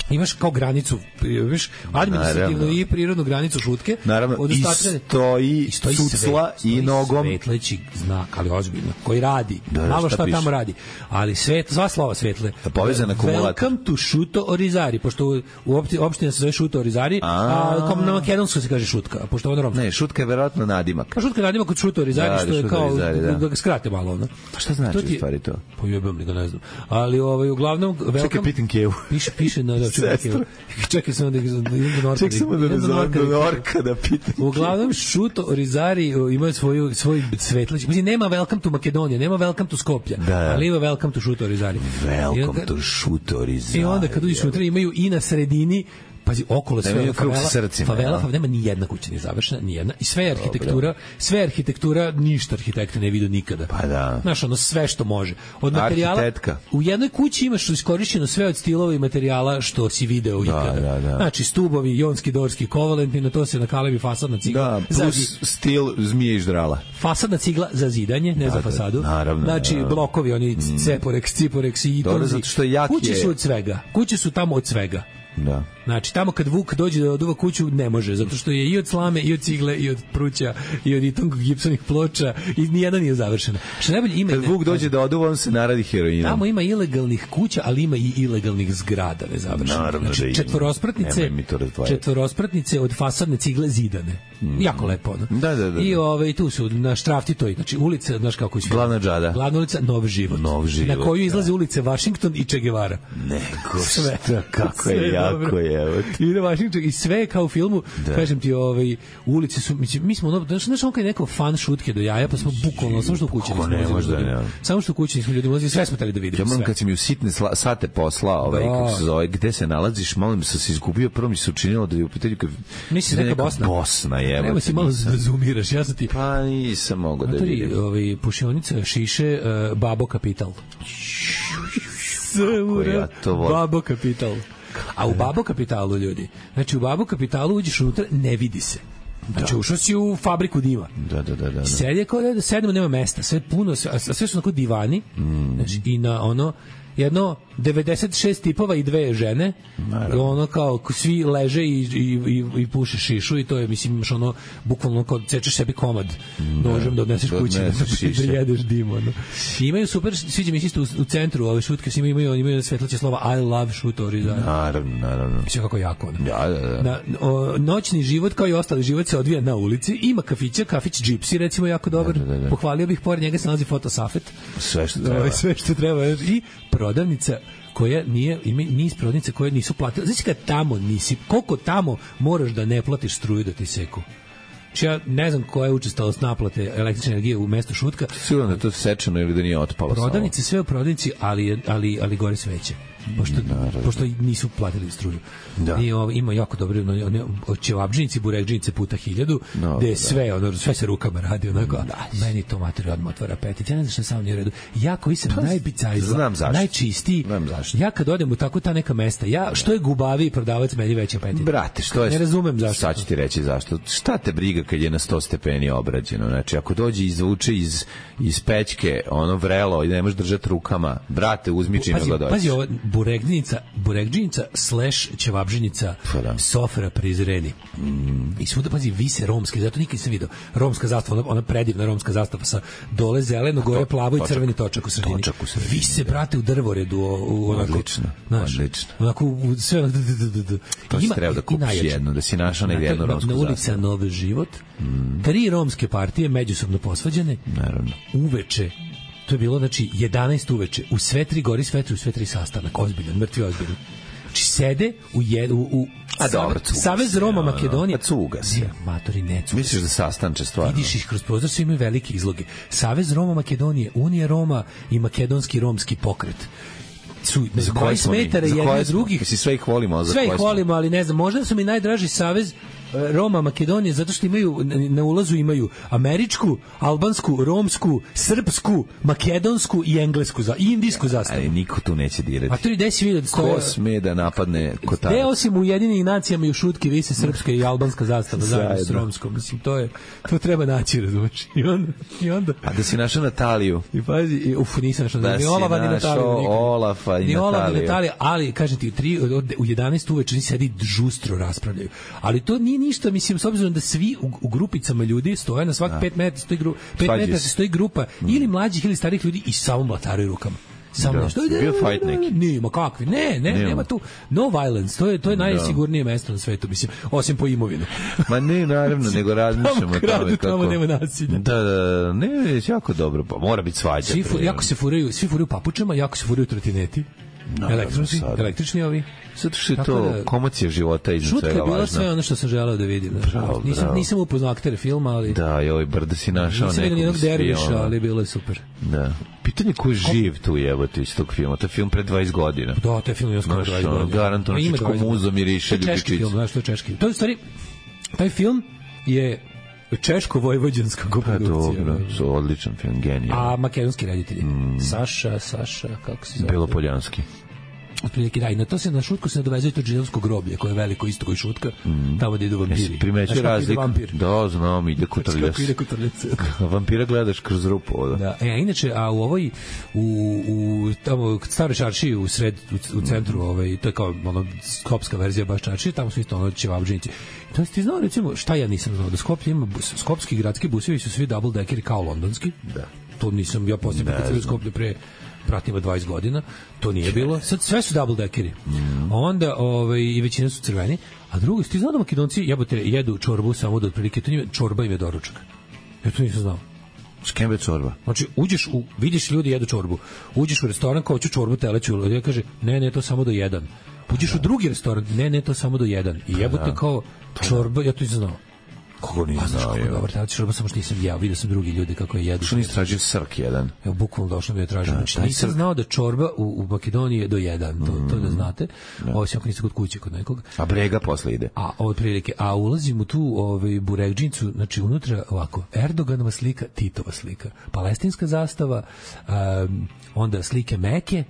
imaš kao granicu, imaš administrativnu Naravno. i prirodnu granicu Šutke. Naravno, od i ostatka- stoji i stoji cucla svet- stoji i nogom. svetleći znak, ali ozbiljno, koji radi. Da, da, Malo šta šta piše? tamo radi. Ali svet, sva slova svetle. Da, povezan akumulator. Welcome to Šuto Orizari, pošto u, u opti- opština se zove Šuto Orizari, a, A. kao na makedonsku se kaže Šutka, pošto ono romsko. Ne, Šutka je verovatno nadimak. Pa Šutka radimo kod Šuto Orizari, Da, što je Šuto kao, Orizari, da. da ga skrate malo, ono. Pa šta znači To ti- u stvari to? Pa jebam li ga, ne znam. Ali ovaj, uglavnom, Čekaj, welcome, pitam Kevu. piše, piše na, da, čekaj, Sestru. čekaj samo da, da idem do Norka. Ček samo da ne idem do zovem Norka do da- Norka da pitam. Uglavnom, Šuto Orizari o, ima svoju, svoj svetlić. Mislim, nema Welcome to Makedonija, nema Welcome to Skoplja, Da. ali ima Welcome to Šuto Orizari. I Welcome onda- to Šuto Orizari. I onda kad uđeš unutra imaju i na sredini pazi, okolo sve Nemaju krug favela, sa srcima, favela, ja. favela, nema ni jedna kuća nije završena, ni jedna. I sve je arhitektura, sve je arhitektura, ništa arhitekta ne vidio nikada. Pa da. Znaš, ono sve što može. Od materijala, Arhitetka. u jednoj kući imaš iskorišćeno sve od stilova i materijala što si video ikada. da, da. Znači, stubovi, jonski, dorski, kovalentni, na to se nakalevi fasadna cigla. Da, za plus zi- stil zmije i ždrala. fasadna cigla za zidanje, ne Da, za da, fasadu. naravno, Znači, naravno. blokovi, oni ceporeks, ciporeks i Dobro, itonzi. zato što jak Kuće je- su od svega. Kuće su tamo od svega. Da. Znači, tamo kad Vuk dođe da oduva kuću, ne može, zato što je i od slame, i od cigle, i od pruća, i od itong gipsonih ploča, i nijedna nije završena. Što najbolje ima... Kad Vuk dođe da oduva, on se naradi heroinom. Tamo ima ilegalnih kuća, ali ima i ilegalnih zgrada nezavršenih. Naravno da Znači, ima. četvorospratnice, Nemoj mi to razdvajati. četvorospratnice od fasadne cigle zidane. Mm. Jako lepo, ono. Da, da, da, I da. ove, tu su na Štrafti toj, znači ulica, znaš kako su. Glavna džada. Glavna ulica, Nov život. Nov život, Na koju izlaze da. ulice Washington i Che Guevara. Nego Sve. šta, kako Sve je je jako dobro. je. Evo ti. I na Washington i sve je kao u filmu, Da. kažem ti, ovaj ulice su, mislim, mi smo ono, znaš, znaš ono kad je neko fan šutke do jaja, pa smo bukvalno samo što u kući Kako nismo ne, ulazili možda ljudima. ne. Samo što u kući nismo ljudi ulazili, sve smo teli da vidimo. Ja moram sve. kad si mi u sitne sla, sate posla, ovaj, Da. kako se zove, gde se nalaziš, malo mi sam se izgubio, prvo mi se učinilo da je u pitanju kad... Misliš da je neka Bosna? Bosna, je. Nemoj si malo da zoomiraš, ja sam ti... Pa nisam mogao da Matori, vidim. ovaj, pušionica, šiše, uh, Babo Kapital. ja to volim. Babo Kapital. A u Babo Kapitalu, ljudi, znači u Babo Kapitalu uđeš unutra, ne vidi se. Znači, ušao si u fabriku dima. Da, da, da, da. da. Sedi je kao da sedemo, nema mesta, sve puno, sve, a sve su onako divani, mm. znači, i na ono, jedno devedeset šest tipova i dve žene, i ono kao svi leže i, i, i, i puše šišu i to je, mislim, imaš ono, bukvalno kao cečeš sebi komad nožem da odneseš da kući da, odneseš šiše. da jedeš dim, ono. I imaju super, sviđa mi se isto u, u centru ove šutke, svi imaju, imaju, imaju svetleće slova I love šutori, da. Naravno, naravno. Sve kako jako, ono. Da, da, da. Na, o, noćni život kao i ostali život se odvija na ulici. Ima kafića, kafić Gypsy recimo jako dobar. Da, da, da. Pohvalio bih, pored njega se nalazi fotosafet. Sve što Ovo treba. je sve što treba. I prodavnica koja nije, ima niz prodavnica koje nisu platile. Znači kad tamo nisi, koliko tamo moraš da ne platiš struju da ti seku? Znači ja ne znam koja je učestalost naplate električne energije u mestu Šutka. Sigurno da je to sečeno ili da nije otpalo. Prodavnice sve u prodavnici, ali, ali, ali gore sveće. Pošto, pošto nisu platili struju. Da. I ovo, ima jako dobre ono, ono, ćevabdžinici, burekdžinice puta hiljadu, No, gde je da. sve, ono, sve se rukama radi, onako, da, meni to materi odmah otvara apetit. Ja ne znam što samo nije u redu. Ja koji sam najbicajzla, znam zašto. najčistiji, Znam zašto. ja kad odem u tako ta neka mesta, ja, što je gubaviji prodavac, meni veći apetit. Brate, što je... Ne razumem zašto. Sad ću ti reći zašto. Šta te briga kad je na sto stepeni obrađeno? Znači, ako dođe i izvuče iz, iz pećke ono vrelo i ne možeš držati rukama, brate, uzmi čime Pazi, ga dođe. pazi ovo, burekdžinica, burekdžinica slash ćevabdžinica, Pa da. Sofra prizreni. Mm. I svuda, pazi, vise romske, zato nikad nisam video. Romska zastava, ona, ona predivna romska zastava sa dole zeleno, gore plavo i točak. crveni točak u sredini. Točak u sredini, Vise, brate, u drvoredu. U, u, onako, Odlično, znaš, odlično. Onako, u, sve onako, d, d, d, d. To si Ima- treba da i kupiš najjače. jednu, da si našao negdje Na- jednu na- romsku Na ulica zastavu. Novi život, tri romske partije međusobno posvađane, Naravno. uveče, to je bilo, znači, jedanaest uveče, u sve tri gori svetri, u sve tri sastanak, ozbiljan, mrtvi ozbiljan. Znači, sede u, jed, u, u A dobro, cuga Savez se, Roma ono, Makedonije. a cuga se. Ne, matori, ne cuga. Misliš da sastanče stvarno? Vidiš ih kroz prozor, svi imaju velike izloge. Savez Roma Makedonije, Unija Roma i Makedonski romski pokret. Su Za koje dvadeset smo mi? metara Za jedni koje od smo? drugih. Mislim, sve ih volimo, ali za Sve koje ih smo? volimo, ali ne znam, možda su mi najdraži savez e, Roma Makedonije, zato što imaju, na ulazu imaju američku, albansku, romsku, srpsku, makedonsku i englesku, za, i indijsku zastavu. Ali niko tu neće dirati. A to je gde si vidio da stoje... Ko sme da napadne Gde Kotarac? osim u Ujedinjenim nacijama i u šutki vise srpska i albanska zastava zajedno s Zajedno. romskom. Mislim, to je, to treba naći, razumiješ. I onda, i onda... A da si našao Nataliju? I pazi, i, uf, nisam našao Da ni si Olava ni našao Nataliju. nikad. Olafa i ni Olaf, ni Nataliju. Natalija, ali, kažem ti, u, tri, od- u jedanaest uveče ni sedi žustro raspravljaju. Ali to nije ništa, mislim, s obzirom da svi u, u grupicama ljudi stoje, na svak pet metara stoji, gru, pet Svađaju metara se. stoji grupa ili mlađih ili starih ljudi i samo mlataraju rukama. Samo Da. nešto. Bio fight neki? Nema kakvi. Ne, ne, Nema. nema tu. No violence. To je, to je najsigurnije mesto na svetu, mislim, osim po imovinu. Ma ne, naravno, nego razmišljamo Tamo o kradu, tome kako... tamo nema nasilja. Da, da, da, ne, jako dobro, pa mora biti svađa. Svi fu, pre. jako se furaju, svi furaju papučama, jako se furaju trotineti. Električni, električni ovi. Zato što je to da, komocija života iznad svega važna. Šutka je bila sve ono što sam želeo da vidim. Bravo, nisam, bravo. nisam upoznao aktere filma, ali... Da, i ovaj brda si našao nisam nekog nijednog derviša, ali bilo je super. Da. Pitanje ko je živ tu jebote iz tog filma. To je film pre dvadeset godina. Da, to je film još skoro dvadeset godina. Garantovno čičko muzo miriše ljubičice. To je češki film, znaš, to je češki. To je u stvari, taj film je češko-vojvođanska koprodukcija. Pa dobro, odličan film, genijalno. A makedonski reditelji? Mm. Saša, Saša, kako se zove? Belopoljanski. Otprilike da, i na to se na šutku se nadovezuje to džinovsko groblje koje je veliko isto koji šutka, mm. tamo gde idu vampiri. Primećuje razliku. Da, znam, ide kutrljac. Ide kutrljac. Vampira gledaš kroz rupu. Ovdje. Da, e, a inače, a u ovoj, u, u tamo, stare čaršiji u sred, u, u centru, mm. ovaj, to je kao ono, skopska verzija baš čaršije, tamo su isto ono ćevabdžinici. To ti znao, recimo, šta ja nisam znao, da Skoplje ima, skopski gradski busevi su svi double deckeri kao londonski. Da. To nisam, ja posljedno kad sam u Skoplje pre pratima dvadeset godina, to nije bilo. Sad sve su double deckeri. Mm. Onda ovaj, i većina su crveni. A drugo, ti znao da Makedonci jebote jedu čorbu samo do otprilike, to njima, čorba im je doručak. Ja to nisam znao. Skembe čorba. Znači, uđeš u, vidiš ljudi jedu čorbu. Uđeš u restoran, kao ću čorbu teleću, ja kaže, ne, ne, to samo do jedan. Uđeš da. u drugi restoran, ne, ne, to samo do jedan. I jebote da. kao čorba, ja to nisam znao. Kako nisam znao, je. Dobar, znači čorba samo što nisam ja, vidio sam drugi ljudi kako je jedu. Što nisi tražio srk jedan? Evo, bukvalno došlo mi je tražio. Znači, nisam srk... znao da čorba u, u Makedoniji je do jedan, to, mm. to da znate. Da. Ovo si ako nisi kod kuće, kod nekog. A brega posle ide. A otprilike, a ulazim u tu ovaj, buregdžinicu, znači unutra ovako, Erdoganova slika, Titova slika, palestinska zastava, um, onda slike Meke,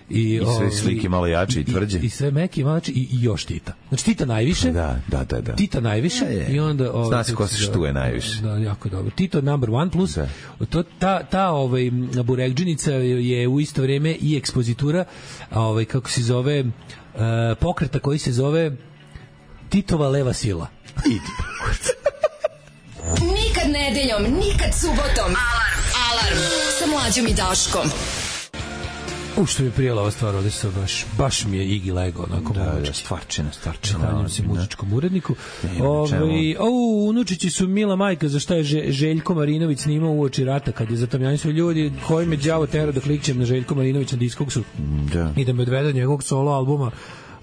I, I sve ovaj, slike malo jače i tvrđe. I, i sve meke i malo jače i, i još Tita. Znači Tita najviše. Da, da, da, da. Tita najviše. Ja, I onda ovaj, zna se ko se štuje najviše. Da, jako dobro. Tito number one plus. Da. To, ta, ta ovaj, buregdžinica je u isto vrijeme i ekspozitura ovaj, kako se zove uh, pokreta koji se zove Titova leva sila. Idi. Nikad nedeljom, nikad subotom. Alarm, alarm. Sa Mlađom i Daškom. U što mi je prijela ova stvar, ovdje se baš, baš mi je Igi lego, onako da, da, stvarčina, stvarčina. Stanjam se muzičkom uredniku. Ove, o, unučići su mila majka za šta je Željko Marinović snimao uoči rata, kad je zatamljani su ljudi koji me đavo tera da klikćem na Željko Marinović na diskoksu da. I da me odvede njegovog solo albuma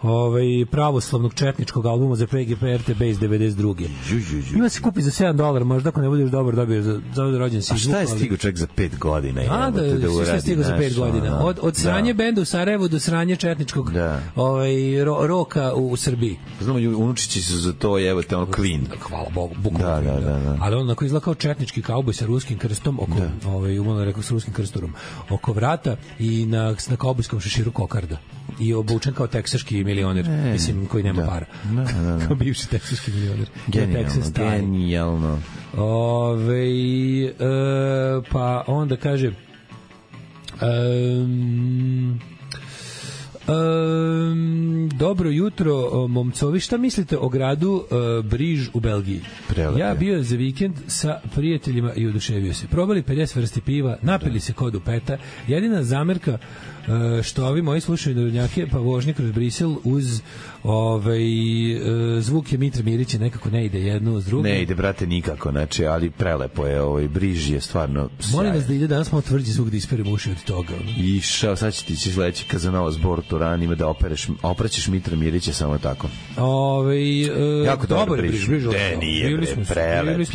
ovaj pravoslavnog četničkog albuma za P G P R T B iz devedeset druge. Ima se kupi za sedam dolara, možda ako ne budeš dobar dobiješ za za rođendan si. A šta je stigao čovjek za pet godina? A da, da šta je stigao za pet godina? Od od sranje benda u Sarajevu do sranje četničkog da. ovaj ro, roka u, u Srbiji. Znamo unučići su za to, evo te on clean. Hvala Bogu, bukvalno. Da, da, da, da. Ali on onako izgleda kao četnički kauboj sa ruskim krstom oko da. ovaj umano rekao sa ruskim krstorom oko vrata i na na kaubojskom šeširu kokarda. I obučen kao teksaški milioner, e, mislim, koji nema da. para. Da, da, da. Kao bivši teksaški milioner. Genijalno, genijalno. Ove, e, pa onda kaže um, um, dobro jutro, momcovi, šta mislite o gradu uh, Briž u Belgiji? Prelepe. Ja bio za vikend sa prijateljima i oduševio se. Probali pedeset vrsti piva, napili da. se kod u peta. Jedina zamerka Uh, što ovi moji slušaju narodnjake pa vožnje kroz Brisel uz ovaj, uh, zvuk je Mitra Mirića nekako ne ide jedno uz drugo. Ne ide, brate, nikako, znači, ali prelepo je, ovaj, Briž je stvarno sjaj. Molim vas da ide danas malo tvrđi zvuk da isperemo uši od toga. Išao, sad će ti će sledeći Kazanovo zbor Turan ima da opereš, oprećeš Mitra Mirića samo tako. Ovaj uh, jako dobro Briž. Briž ne, nije, bre, prelep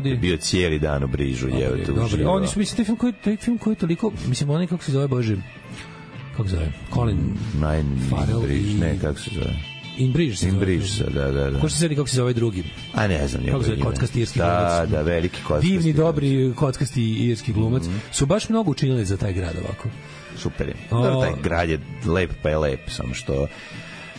je, bio cijeli dan u Brižu. Je, dobro, oni su, mislim, taj film koji, taj film koji je toliko, mislim, onaj kako se zove, Bože, kako se zove? Colin Nine Farrell Bridge, ne, kako se zove? In Bridge se In Bridge, da, da, da. Ko se sedi kako se zove drugi? A ne znam, kako se zove kockasti irski da, glumac? Da, da, veliki kockasti. Divni, dobri kockasti irski glumac. Mm-hmm. Su baš mnogo učinili za taj grad ovako. Super je. Dobro, taj grad je lep, pa je lep, samo što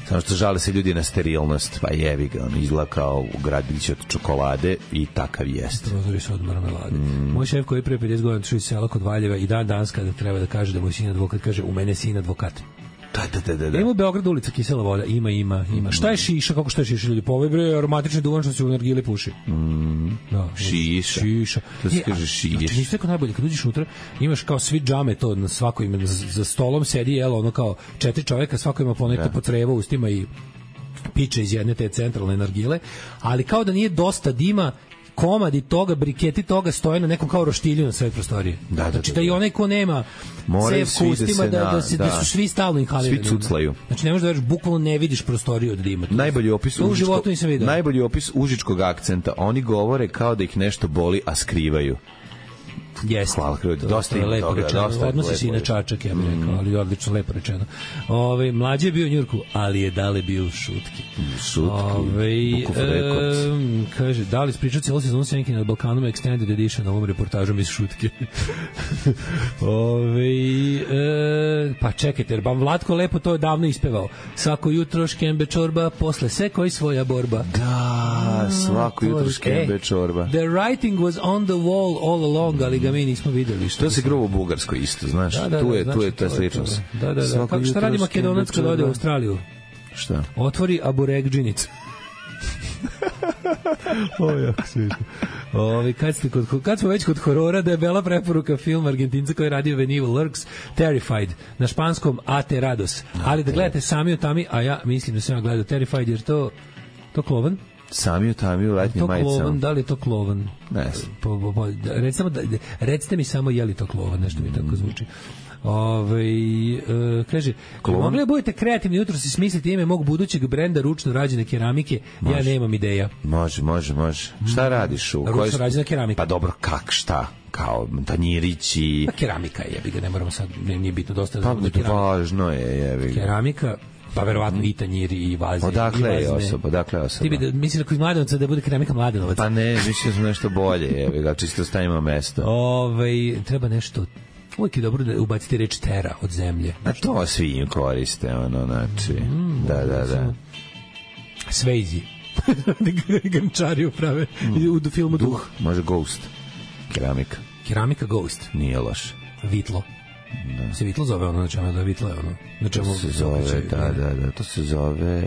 samo što žale se ljudi na sterilnost, pa jevi ga, on izgleda kao gradić od čokolade i takav jest. Prozori su od marmelade. Mm. Moj šef koji je pre pedeset godina otišao iz sela kod Valjeva i dan danas kada treba da kaže da moj sin advokat, kaže u mene sin advokat. Da, da, da, da. Ima u Beogradu ulica Kisela voda, ima, ima, ima. Šta je šiša, kako šta je šiša ljudi? Po ovoj bre aromatični duvan što se u nargile puši. Mm. Da, šiša. Šiša. To se kaže šiša. Znači, nisi tako najbolje, kad uđeš unutra, imaš kao svi džame to na svako ime, za, za stolom sedi, jelo, ono kao četiri čoveka, svako ima ponekto po trevo ustima i piče iz jedne te centralne nargile, ali kao da nije dosta dima, komadi toga, briketi toga stoje na nekom kao roštilju na sred prostorije. Da, da, znači da, da da. i onaj ko nema moraju cev ustima, da, da, se, da. da su svi stalno inhalirani. Svi cuclaju. Znači ne možeš da veriš, bukvalno ne vidiš prostoriju od dima. Najbolji opis to u životu nisam vidio. Najbolji opis užičkog akcenta. Oni govore kao da ih nešto boli, a skrivaju. Jeste. Hvala, dosta ima lepo toga. Rečeno. Dosta Odnosi se i na Čačak, ja bih rekao, mm. ali odlično, lepo rečeno. Ove, mlađe je bio u Njurku, ali je dale bio u Šutki. Šutki, Ove, e, kaže, da li ispričao cijelo sezonu Sjenke nad Balkanom Extended Edition ovom reportažom iz Šutke? Ove, e, pa čekajte, jer vam Vlatko lepo to davno ispevao. Svako jutro škembe čorba, posle se koji svoja borba. Da, svako jutro škembe čorba. The writing was on the wall all along, ali ga mi nismo videli. To se grovo u Bugarskoj isto, znaš. Da, da, tu je, da, tu je znači, ta sličnost. Da, da, da. Kako, šta radi Makedonac kad ode u Australiju? Šta? Otvori aburegdžinicu. Ovo je jako svišno. Ovi, kad, ste kod, kad smo već kod horora, da je bela preporuka film Argentinca koji je radio When Evil Lurks, Terrified, na španskom Aterados. Ali da gledate sami o tami, a ja mislim da sam ja gledao Terrified, jer to, to klovan? Sami u tami u letnjim majicama. Klovan, da li je to klovan? Ne. Po, po, po, recimo, da, recite mi samo je li to klovan, nešto mi tako zvuči. Ove, e, kaže, mogli da budete kreativni jutro si smisliti ime mog budućeg brenda ručno rađene keramike, može. Ja nemam ideja. Može, može, može. Šta radiš? U ručno rađena keramika. Pa dobro, kak, šta? Kao tanjirići. Pa keramika je, jebi ga, ne moramo sad, ne, nije bitno dosta. Pa da važno je, jebi ga. Keramika, pa verovatno mm. i tanjiri i vaze. Odakle je osoba, odakle je osoba? Ti bi da, misliš da kod Mladenovca da bude keramika Mladenovac? Pa ne, mislim da smo nešto bolje, jebi ga, čisto stavimo mesto. Ove, treba nešto. Uvijek je dobro da ubacite reč tera od zemlje. A to svi im koriste, ono, znači, mm, da, da, da. Svejzi. Gančari uprave mm. u filmu Duh. Duh. Može Ghost. Keramika. Keramika Ghost. Nije loš. Vitlo. Da. Se Vitlo zove ono, znači ono da Vitlo je ono. Znači to se zove, da, da, da, to se zove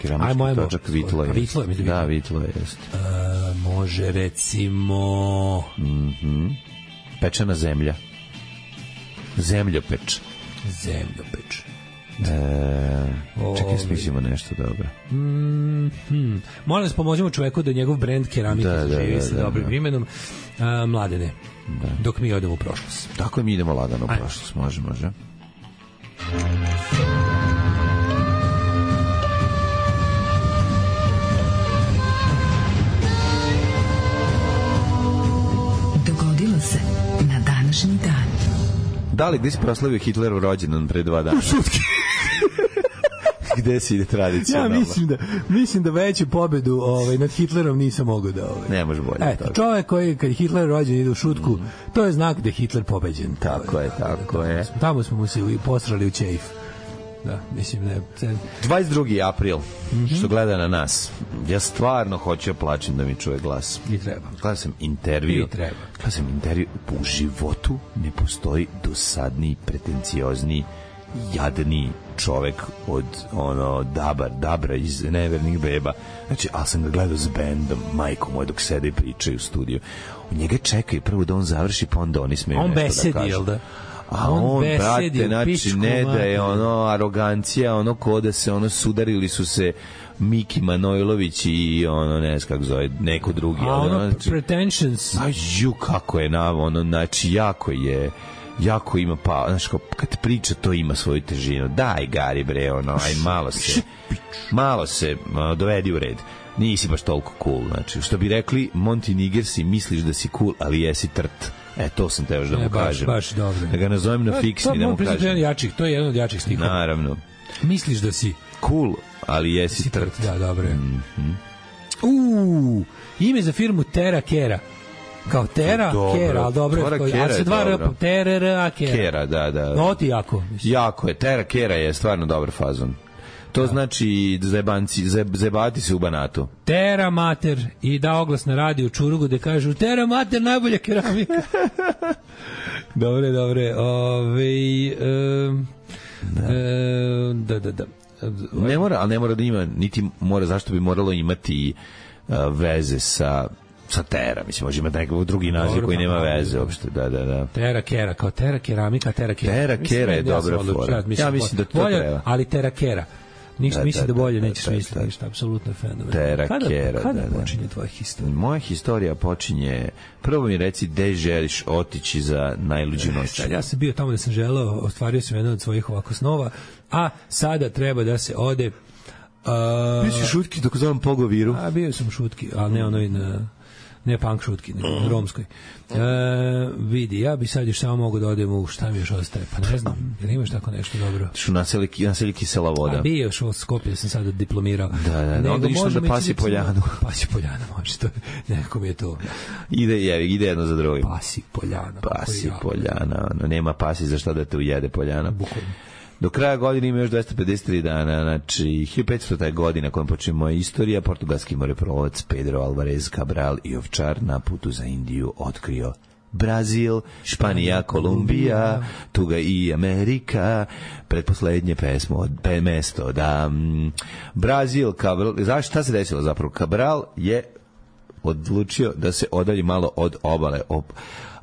keramički točak Vitlo je. Vitlo je, mislim. Da, Vitlo je, jest. Uh, može recimo... Mhm. Pečena zemlja. Zemljopeč. Zemljopeč. E, čekaj, smislimo nešto dobro. Mm, hmm. Molim vas, pomožemo čoveku da njegov brend keramike da, zaživi da, da, sa da, dobrim da. imenom. A, mladene, da. Dok mi odemo u prošlost. Tako je, mi idemo lagano u Ajde. prošlost. Može, može. Dogodilo se na današnji dan. Da li, gde si proslavio Hitlerov rođendan pre dva dana? U Šutki. Gde si ide tradicionalno? Ja mislim da, mislim da veću pobedu ovaj, nad Hitlerom nisam mogao da... Ovaj. Ne može bolje. Eto, čovjek koji kad Hitler rođen ide u Šutku, mm. to je znak da je Hitler pobeđen. Tako je, tako je. Tamo smo mu se postrali u ćejf. Da, mislim da je... dvadeset drugi april, mm-hmm. što gleda na nas. Ja stvarno hoću ja plačem da mi čuje glas. I treba. Gledao sam intervju. I treba. Gledao sam intervju. U životu ne postoji dosadniji, pretenciozniji, jadni čovek od ono Dabar, Dabra iz Nevernih beba. Znači, ali sam ga gledao s bendom, majko moj, dok sede i pričaju u studiju. U njega čekaju prvo da on završi, pa onda oni smeju on nešto da kažu. On besedi, jel da? A on, on brate, znači, ne da je ono arogancija, ono ko da se ono sudarili su se Miki Manojlović i ono, ne znam kako zove, neko drugi. A ono, znači, pretensions. A ju, kako je na ono, znači, jako je, jako ima, pa, znaš, kad priča, to ima svoju težinu. Daj, Gari, bre, ono, aj, malo se, malo se, ono, dovedi u red. Nisi baš toliko cool, znači, što bi rekli, Monty Nigersi, misliš da si cool, ali jesi trt. E, to sam te još da mu e, baš, kažem. Baš dobro. Da ga nazovem na fiksni, da mu kažem. To je jačih, to je jedan od jačih stihova. Naravno. Misliš da si cool, ali jesi trt. trt. Da, dobro je. Mm-hmm. Uuu, ime za firmu Tera Kera. Kao Tera Kera, ali dobro. Tera Kera ali se dva R, Tera Kera. Kera, da, da. No, ti jako. Mislim. Jako je. Tera Kera je stvarno dobar fazon. To da. Znači zebanci, zebati se u Banatu. Tera Mater i da oglas na radiju Čurugu da kažu Tera Mater najbolja keramika. Dobre, dobre. Ove, um, da. Um, da, da, da. Ne mora, ali ne mora da ima, niti mora, zašto bi moralo imati uh, veze sa sa Tera, mislim, može imati nekakav drugi naziv dobro, koji nema pa, veze uopšte, da, da, da. Tera Kera, kao Tera keramika, Tera Kera. Tera Kera je dobra fora. Ja mislim da to bolje, treba. Ali Tera Kera. Ništa Da, misli da, da bolje da, nećeš da, misliti da. ništa, apsolutno je fenomen. Tera, Kada, kera, kada da, da. počinje tvoja historija? Moja historija počinje, prvo mi reci gde želiš otići za najluđu noć. Sad, ja sam bio tamo da sam želeo, ostvario sam jedan od svojih ovako snova, a sada treba da se ode. Uh, Biće šutki dok zovem Pogoviru. A bio sam šutki, ali ne onoj na ne punk šutki, nego na romskoj. E, vidi, ja bi sad još samo mogu da odem u šta mi još ostaje, pa ne znam, jer imaš tako nešto dobro. Šu naseli, naseli kisela voda. A bio još u Skopje, sam sada diplomirao. Da, da, da, onda išlo da Pasi Poljanu. Pasi Poljanu, može, to nekako mi je to. Ide, je, ide jedno za drugim. Pasi Poljana. Pasi Poljana, ono, nema pasi za šta da te ujede Poljana. Bukvalno. Do kraja godine ima još dvesta pedeset tri dana, znači hiljadu petstota je godina kojom počne moja istorija. Portugalski moreplovac Pedro Alvarez Cabral i ovčar na putu za Indiju otkrio Brazil, Španija, Kolumbija, tuga i Amerika, pretposlednje pesmo od pe mesto da m, Brazil, Cabral, znaš šta se desilo zapravo? Cabral je odlučio da se odalji malo od obale, op,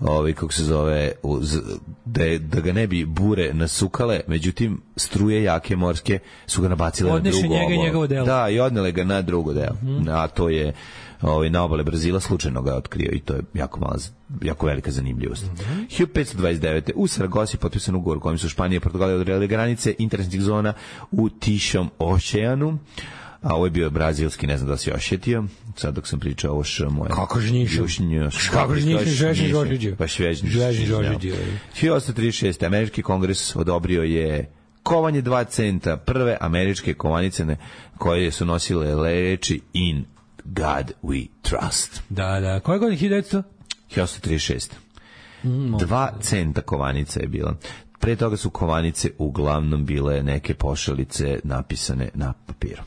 ovaj kako se zove, uz, da, da ga ne bi bure nasukale, međutim struje jake morske su ga nabacile Odneše na drugo njega i njegovo delo. Da, i odnele ga na drugo delo. Mm-hmm. A to je ovaj, na obale Brazila, slučajno ga je otkrio i to je jako mala, jako velika zanimljivost. Mm-hmm. hiljadu petsto dvadeset devete. u Saragosi potpisan ugovor kojim su Španija i Portugalija odredile granice interesnih zona u Tišom oceanu. A ovo je bio brazilski, ne znam da si ošetio, sad dok sam pričao ovo š moje. Kako žnjišem? Kako žnjišem, žvežni Žožiđio. Pa švežni Žožiđio. hiljadu osamsto trideset šeste. Američki kongres odobrio je kovanje dva centa, prve američke kovanice koje su nosile reči In God We Trust. Da, da. Koje godine? hiljadu devetsto? hiljadu osamsto trideset šeste. Mm, dva centa kovanica je bila. Pre toga su kovanice uglavnom bile neke pošalice napisane na papiru.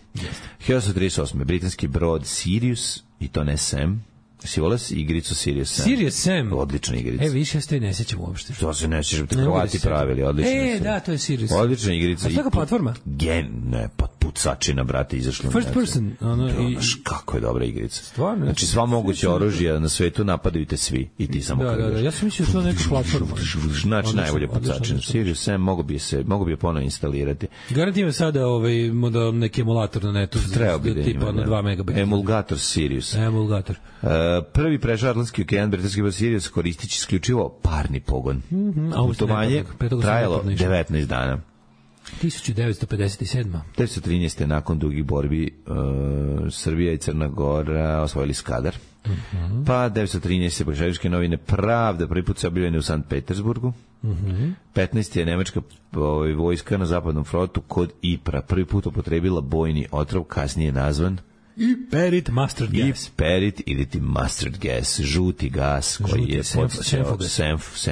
hiljadu osamsto trideset osme. britanski brod Sirius, i to ne Sam. Si volao si igricu Sirius Sam? Sirius Sam? Odlična igrica. E, više ja se ne sećam uopšte. Što se ne sećam, te Hrvati pravili, odlična. E, da, to je Sirius. Odlična igrica. A što je platforma? Gen, ne, pa pucačina, brate, izašla. First person. Ono, i... Kako je dobra igrica. Stvarno? Znači, sva moguće oružja na svetu napadaju te svi i ti samo da, da, da, ja sam mislio da to neka platforma. Znači, najbolje pucačina. Sirius Sam mogu bi se, mogu bi je ponovo instalirati. Garantijem sada ovaj, model, neki emulator na netu. Treba bi da tipa na dva megabita. Emulgator Sirius. Emulgator. Uh, prvi prešao Atlantski okean, britanski brod Sirius koristići isključivo parni pogon. Mm-hmm. Putovanje trajalo devetnaest dana. hiljadu devetsto pedeset sedma. devetsto trinaeste. nakon dugih borbi uh, Srbija i Crna Gora osvojili Skadar. Mm-hmm. Pa devetsto trinaeste. Bolševičke novine Pravda prvi put se objavljene u Sankt Petersburgu. Mm-hmm. petnaeste. je nemačka ovaj, vojska na zapadnom frontu kod Ipra prvi put upotrebila bojni otrov, kasnije nazvan Iperit mustard gas. Iperit ili ti mustard gas, žuti gas koji žuti, je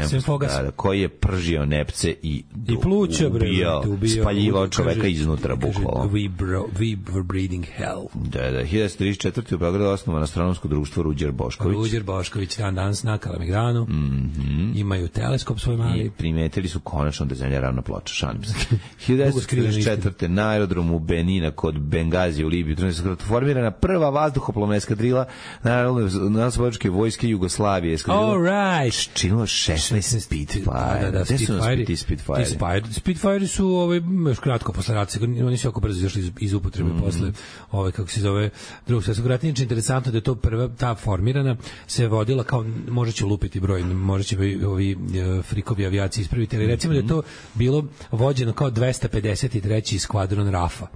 senfogas, koji je pržio nepce i, I pluća, ubijao, ubijao, spaljivao čoveka kaže, iznutra bukvalno. We, bro, we were breathing hell. Da, da, hiljadu devetsto trideset četvrte. u Beogradu osnovano astronomsko društvo Ruđer Bošković. Ruđer Bošković, dan danas na Kalemegdanu. Mm-hmm. Imaju teleskop svoj mali. I primetili su konačno da zemlja ravna ploča, šalim se. hiljadu devetsto trideset četvrte. na aerodromu Benina kod Bengazije u Libiji formirana prva vazduhoplovna eskadrila Narodnooslobodilačke vojske Jugoslavije. All right. Činilo šesnaest Spitfire. Da, da, Gde su nas ti Spitfire? Spitfire su ovaj, još kratko posle rata, oni su jako brzo izašli iz, iz upotrebe mm. posle, ovaj, kako se zove, drugog svjetskog rata. Inače, interesantno da je to prva, ta formirana, se vodila kao, možda će lupiti broj, možda će ovi frikovi avijaci ispraviti, ali recimo da je to bilo vođeno kao dvesta pedeset treći skvadron Rafa,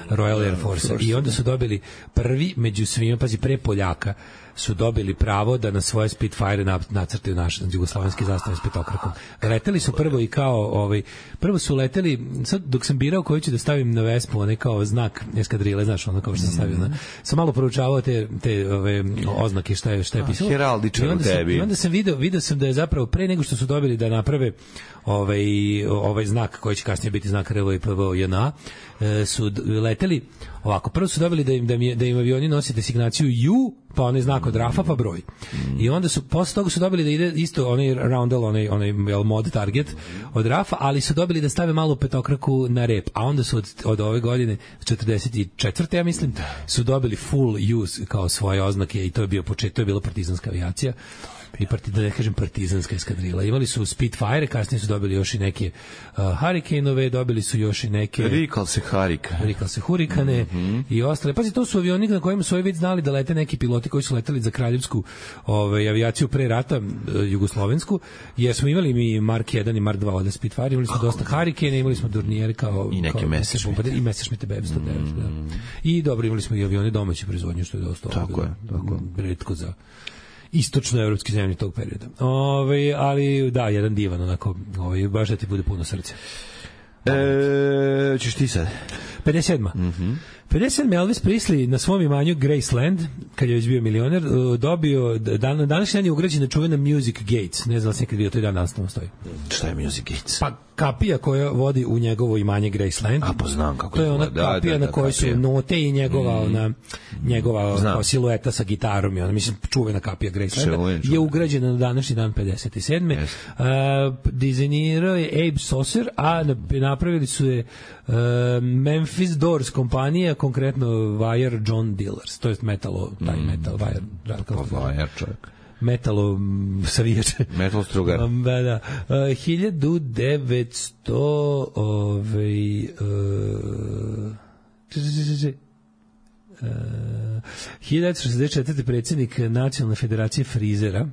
Royal Air Force. I onda su dobili prvi među svima, pazi, pre Poljaka, su dobili pravo da na svoje Spitfire nacrtaju naše jugoslovenske zastave s petokrakom. Leteli su prvo i kao, ovaj, prvo su leteli, sad dok sam birao koji ću da stavim na Vespu, onaj kao znak eskadrile, znaš, ono kao što sam stavio, na, sam malo proučavao te, te ove, oznake, šta je, šta je pisalo. Heraldičar u tebi. I onda sam video, video sam da je zapravo pre nego što su dobili da naprave ovaj, ovaj znak koji će kasnije biti znak R V I P V J N A, su leteli ovako, prvo su dobili da im, da im, da im avioni nose designaciju U, pa onaj znak od Rafa, pa broj. I onda su, posle toga su dobili da ide isto onaj roundel, onaj, onaj mod target od Rafa, ali su dobili da stave malu petokraku na rep, a onda su od, od ove godine, četrdeset četvrte ja mislim, su dobili full use kao svoje oznake i to je bio početak, to je bila partizanska avijacija. I parti, da ne kažem partizanska eskadrila. Imali su Spitfire, kasnije su dobili još i neke uh, Hurricane-ove, dobili su još i neke... Rikal se Harika. Rikal se Hurikane mm-hmm. i ostale. Pazi, to su avioni na kojima su ovi već znali da lete neki piloti koji su leteli za kraljevsku ovaj, avijaciju pre rata, uh, jugoslovensku, jer smo imali mi Mark jedan i Mark dva od Spitfire, imali smo dosta Hurricane, imali smo Dornier kao... I neke Messerschmitt. I Messerschmitt B sto devet, mm. da. I dobro, imali smo i avione domaće proizvodnje, što je dosta tako ovoga, je, tako retko za istočnoevropske zemlje tog perioda. Ove, ali da, jedan divan, onako, ovaj, baš da ti bude puno srce. E, ćeš ti sad? pedeset sedma Mhm. pedeset sedma Elvis Presley na svom imanju Graceland, kad je već bio milioner, dobio, dan, današnji dan je ugrađena čuvena Music Gates. Ne znam da sam nekad bio, to je dan nastavno stoji. Šta je Music Gates? Pa kapija koja vodi u njegovo imanje Graceland. A, poznam kako to je ona da, kapija da, da, na kojoj su note i njegova, mm. ona, njegova kao silueta sa gitarom. I ona, mislim, čuvena kapija Gracelanda je ugrađena na današnji dan pedeset sedme Yes. Uh, dizajnirao je Abe Saucer, a napravili su je uh, Memphis Doors kompanija, konkretno Wire John Dealers, to je metalo, taj metal, Wire, pa Wire čovjek. Metalo savijače. Metal strugar. Um, da, da. Uh, hiljadu devetsto ovaj, uh, uh, hiljadu devetsto šezdeset četvrte predsjednik Nacionalne federacije frizera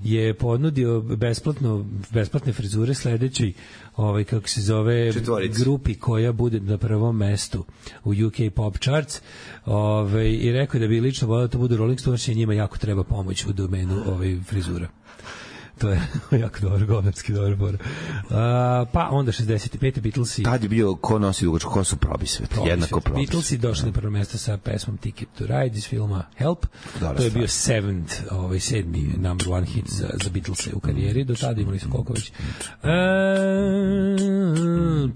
je ponudio besplatno besplatne frizure sledećoj ovaj kako se zove Četvorici. grupi koja bude na prvom mestu u U K Pop Charts, ovaj i rekao da bi lično voleo da to bude Rolling Stones, i njima jako treba pomoć u domenu ovaj frizura. To je jako dobro, gomerski dobro bora. Uh, pa onda šezdeset pete Beatlesi. Tad je bio ko nosi dugačku kosu Probisvet. Probisvet. Jednako Probisvet. Beatlesi došli na prvo mesto sa pesmom Ticket to Ride iz filma Help. Dobre, to je bio seventh, ovaj, sedmi number one hit za, za Beatlese u karijeri. Do tada imali su koliko već. Uh,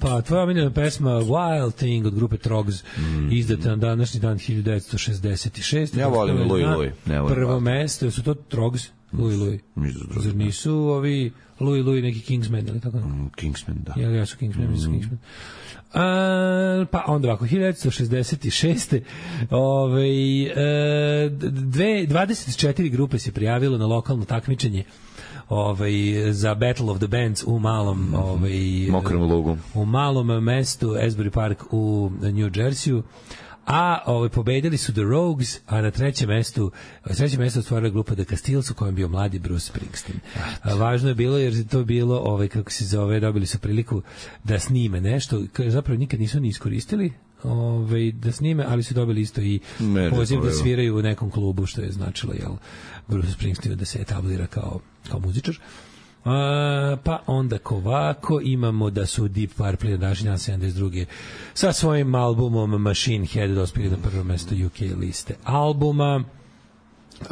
pa tvoja omiljena pesma Wild Thing od grupe Trogs, mm. izdata na današnji dan hiljadu devetsto šezdeset šeste. Ja volim Louis Louis. Prvo mesto, su to Trogs? Louis Louis. Zar nisu ovi Louis Louis neki Kingsman ili tako? Mm, Kingsman, da. Ja, ja su Kingsman, mm. su Kingsman. A, pa onda ovako, hiljadu devetsto šezdeset šeste ovaj, e, dve, dvadeset četiri grupe se prijavilo na lokalno takmičenje ovaj, za Battle of the Bands u malom ovaj, mokrom lugu. U malom mestu Asbury Park u New Jerseyu. A ovaj, pobedili su The Rogues, a na trećem mestu, na trećem mestu otvorila grupa The Castiles, u kojem bio mladi Bruce Springsteen. A, važno je bilo jer je to bilo, ovaj, kako se zove, dobili su priliku da snime nešto, zapravo nikad nisu ni iskoristili, ovaj, da snime, ali su dobili isto i poziv da sviraju u nekom klubu, što je značilo, jel, Bruce Springsteen da se etablira kao, kao muzičar. Uh, pa onda kovako imamo da su Deep Purple na današnji dan sedamdeset druge sa svojim albumom Machine Head dospjeli na prvo mesto U K liste albuma. Uh,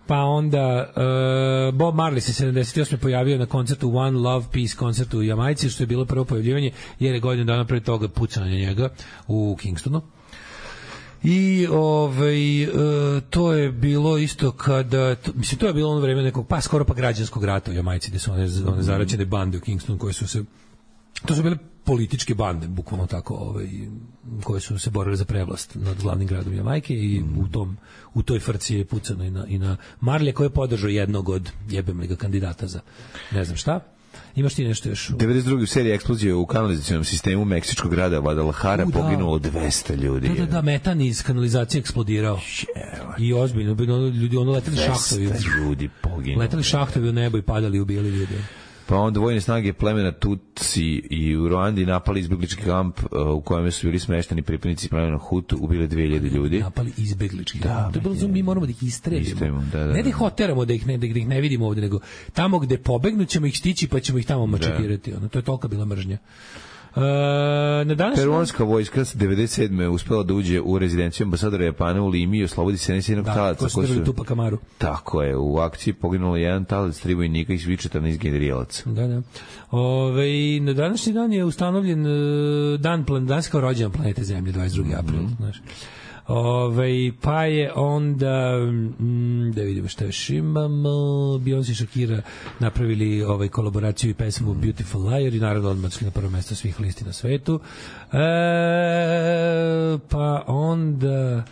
pa onda uh, Bob Marley se sedamdeset osme pojavio na koncertu One Love Peace koncertu u Jamajci, što je bilo prvo pojavljivanje jer je godinu dana pre toga pucanje njega u Kingstonu. I ovaj, e, to je bilo isto kada, to, mislim, to je bilo ono vreme nekog, pa skoro pa građanskog rata u Jamajci, gde su one, one zaraćene bande u Kingstonu koje su se, to su bile političke bande, bukvalno tako, ovaj, koje su se borili za prevlast nad glavnim gradom Jamajke i mm. u tom u toj frci je pucano i na, i na Marlija, koji je podržao jednog od jebem ga kandidata za ne znam šta. Imaš ti nešto još? devedeset druge u seriji eksplozije u kanalizacionom sistemu meksičkog grada Guadalajara, poginulo dvesta ljudi. Da, da, da, metan iz kanalizacije eksplodirao. Ševa. I ozbiljno, ljudi, ono leteli šahtovi. ljudi poginulo. Leteli šahtovi u nebo i padali, ubijali ljudi. Pa onda vojne snage plemena Tutsi i u Ruandi napali izbeglički kamp u kojem su bili smešteni pripadnici plemena Hutu, ubili dve hiljade ljudi. Napali izbeglički kamp. To je bilo, mi moramo da ih istrebimo. Da, da, ne da ih hoteramo, da ih ne, da ih ne vidimo ovde, nego tamo gde pobegnu ćemo ih stići pa ćemo ih tamo mačakirati. Ono, to je tolika bila mržnja. Uh, na danas peruanska vojska devedeset sedme uspela da uđe u rezidenciju ambasadora Japana u Limi i oslobodi sedamdeset jednog da, talaca koji su Tupac Amaru. Tako je, u akciji poginulo jedan talac, tri vojnika i svi četrnaest generalaca. Da, da. Ove, na današnji dan je ustanovljen uh, dan plan, danas kao rođendan planete Zemlje, dvadeset drugi april, mm-hmm. znaš. Ove, pa je onda mm, da vidimo šta još imamo. Beyoncé i Shakira napravili ovaj kolaboraciju i pesmu Beautiful Liar i naravno odmah na prvo mesto svih listi na svetu. E, pa onda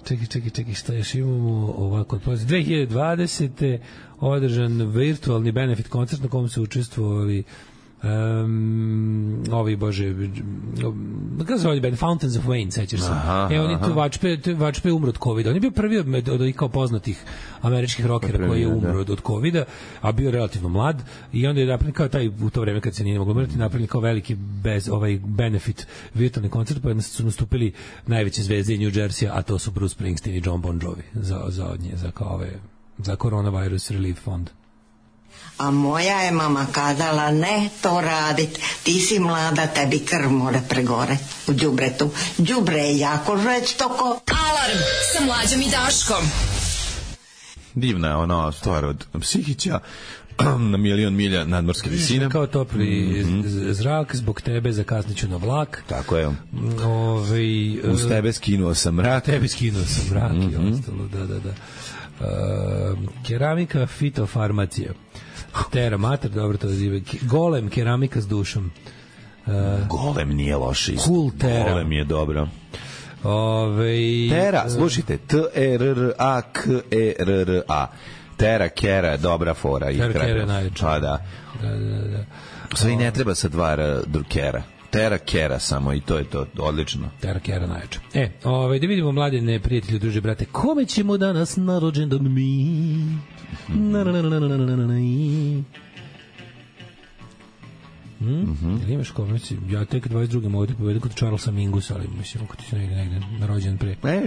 čekaj, čekaj, čekaj, šta još imamo ovako. dve hiljade dvadesete održan virtualni benefit koncert na kom su učestvovali Um, ovi bože kako se zove band Fountains of Wayne, sećaš se? E, oni tu Vačpe, Vačpe umro od kovida. On je bio prvi od, od, od kao poznatih američkih rockera koji je umro od, od kovida, a bio relativno mlad i onda je napravljen kao taj u to vreme kad se nije moglo umreti, napravljen kao veliki bez, ovaj benefit virtualni koncert, pa su nastupili najveće zvezde New Jersey, a to su Bruce Springsteen i John Bon Jovi za, za, od nje, za, kao ove, za Coronavirus Relief Fund. A moja je mama kazala, ne to radit, ti si mlada, tebi krv mora pregore u đubretu. Đubre je jako žveć toko. Alarm sa Mlađom i Daškom. Divna je ona stvar od Psihića na milion milja nadmorske visine. Kao topli mm-hmm. zrak, zbog tebe zakasniću na vlak. Tako je. Ove, uz tebe skinuo sam mrak. Tebe skinuo sam mrak mm-hmm. i ostalo, da, da, da. Uh, keramika, fitofarmacija. Tera mater, dobro to zive. Golem, keramika s dušom. Uh, Golem nije loše isto. Cool Tera. Golem je dobro. Ove, Tera, slušajte, T E R R A K E R R A. Tera, Kera, dobra fora. Tera, Kera je najveća. Pa da. Da, da, da. Sve i ne treba sa dva Kera. Tera, Kera samo i to je to, odlično. Tera, Kera najveća. E, ovaj, da vidimo mladine, prijatelji, druže, brate, kome ćemo danas na rođendan mi? Na, na, na, na, na, na, na, na. Hmm? Mm-hmm. Ili imaš ko, mislim, ja tek dvadeset druge mogu ti povedati kod Charlesa Mingusa, ali mislim, ako ti se negde, negde na rođendan pre. E,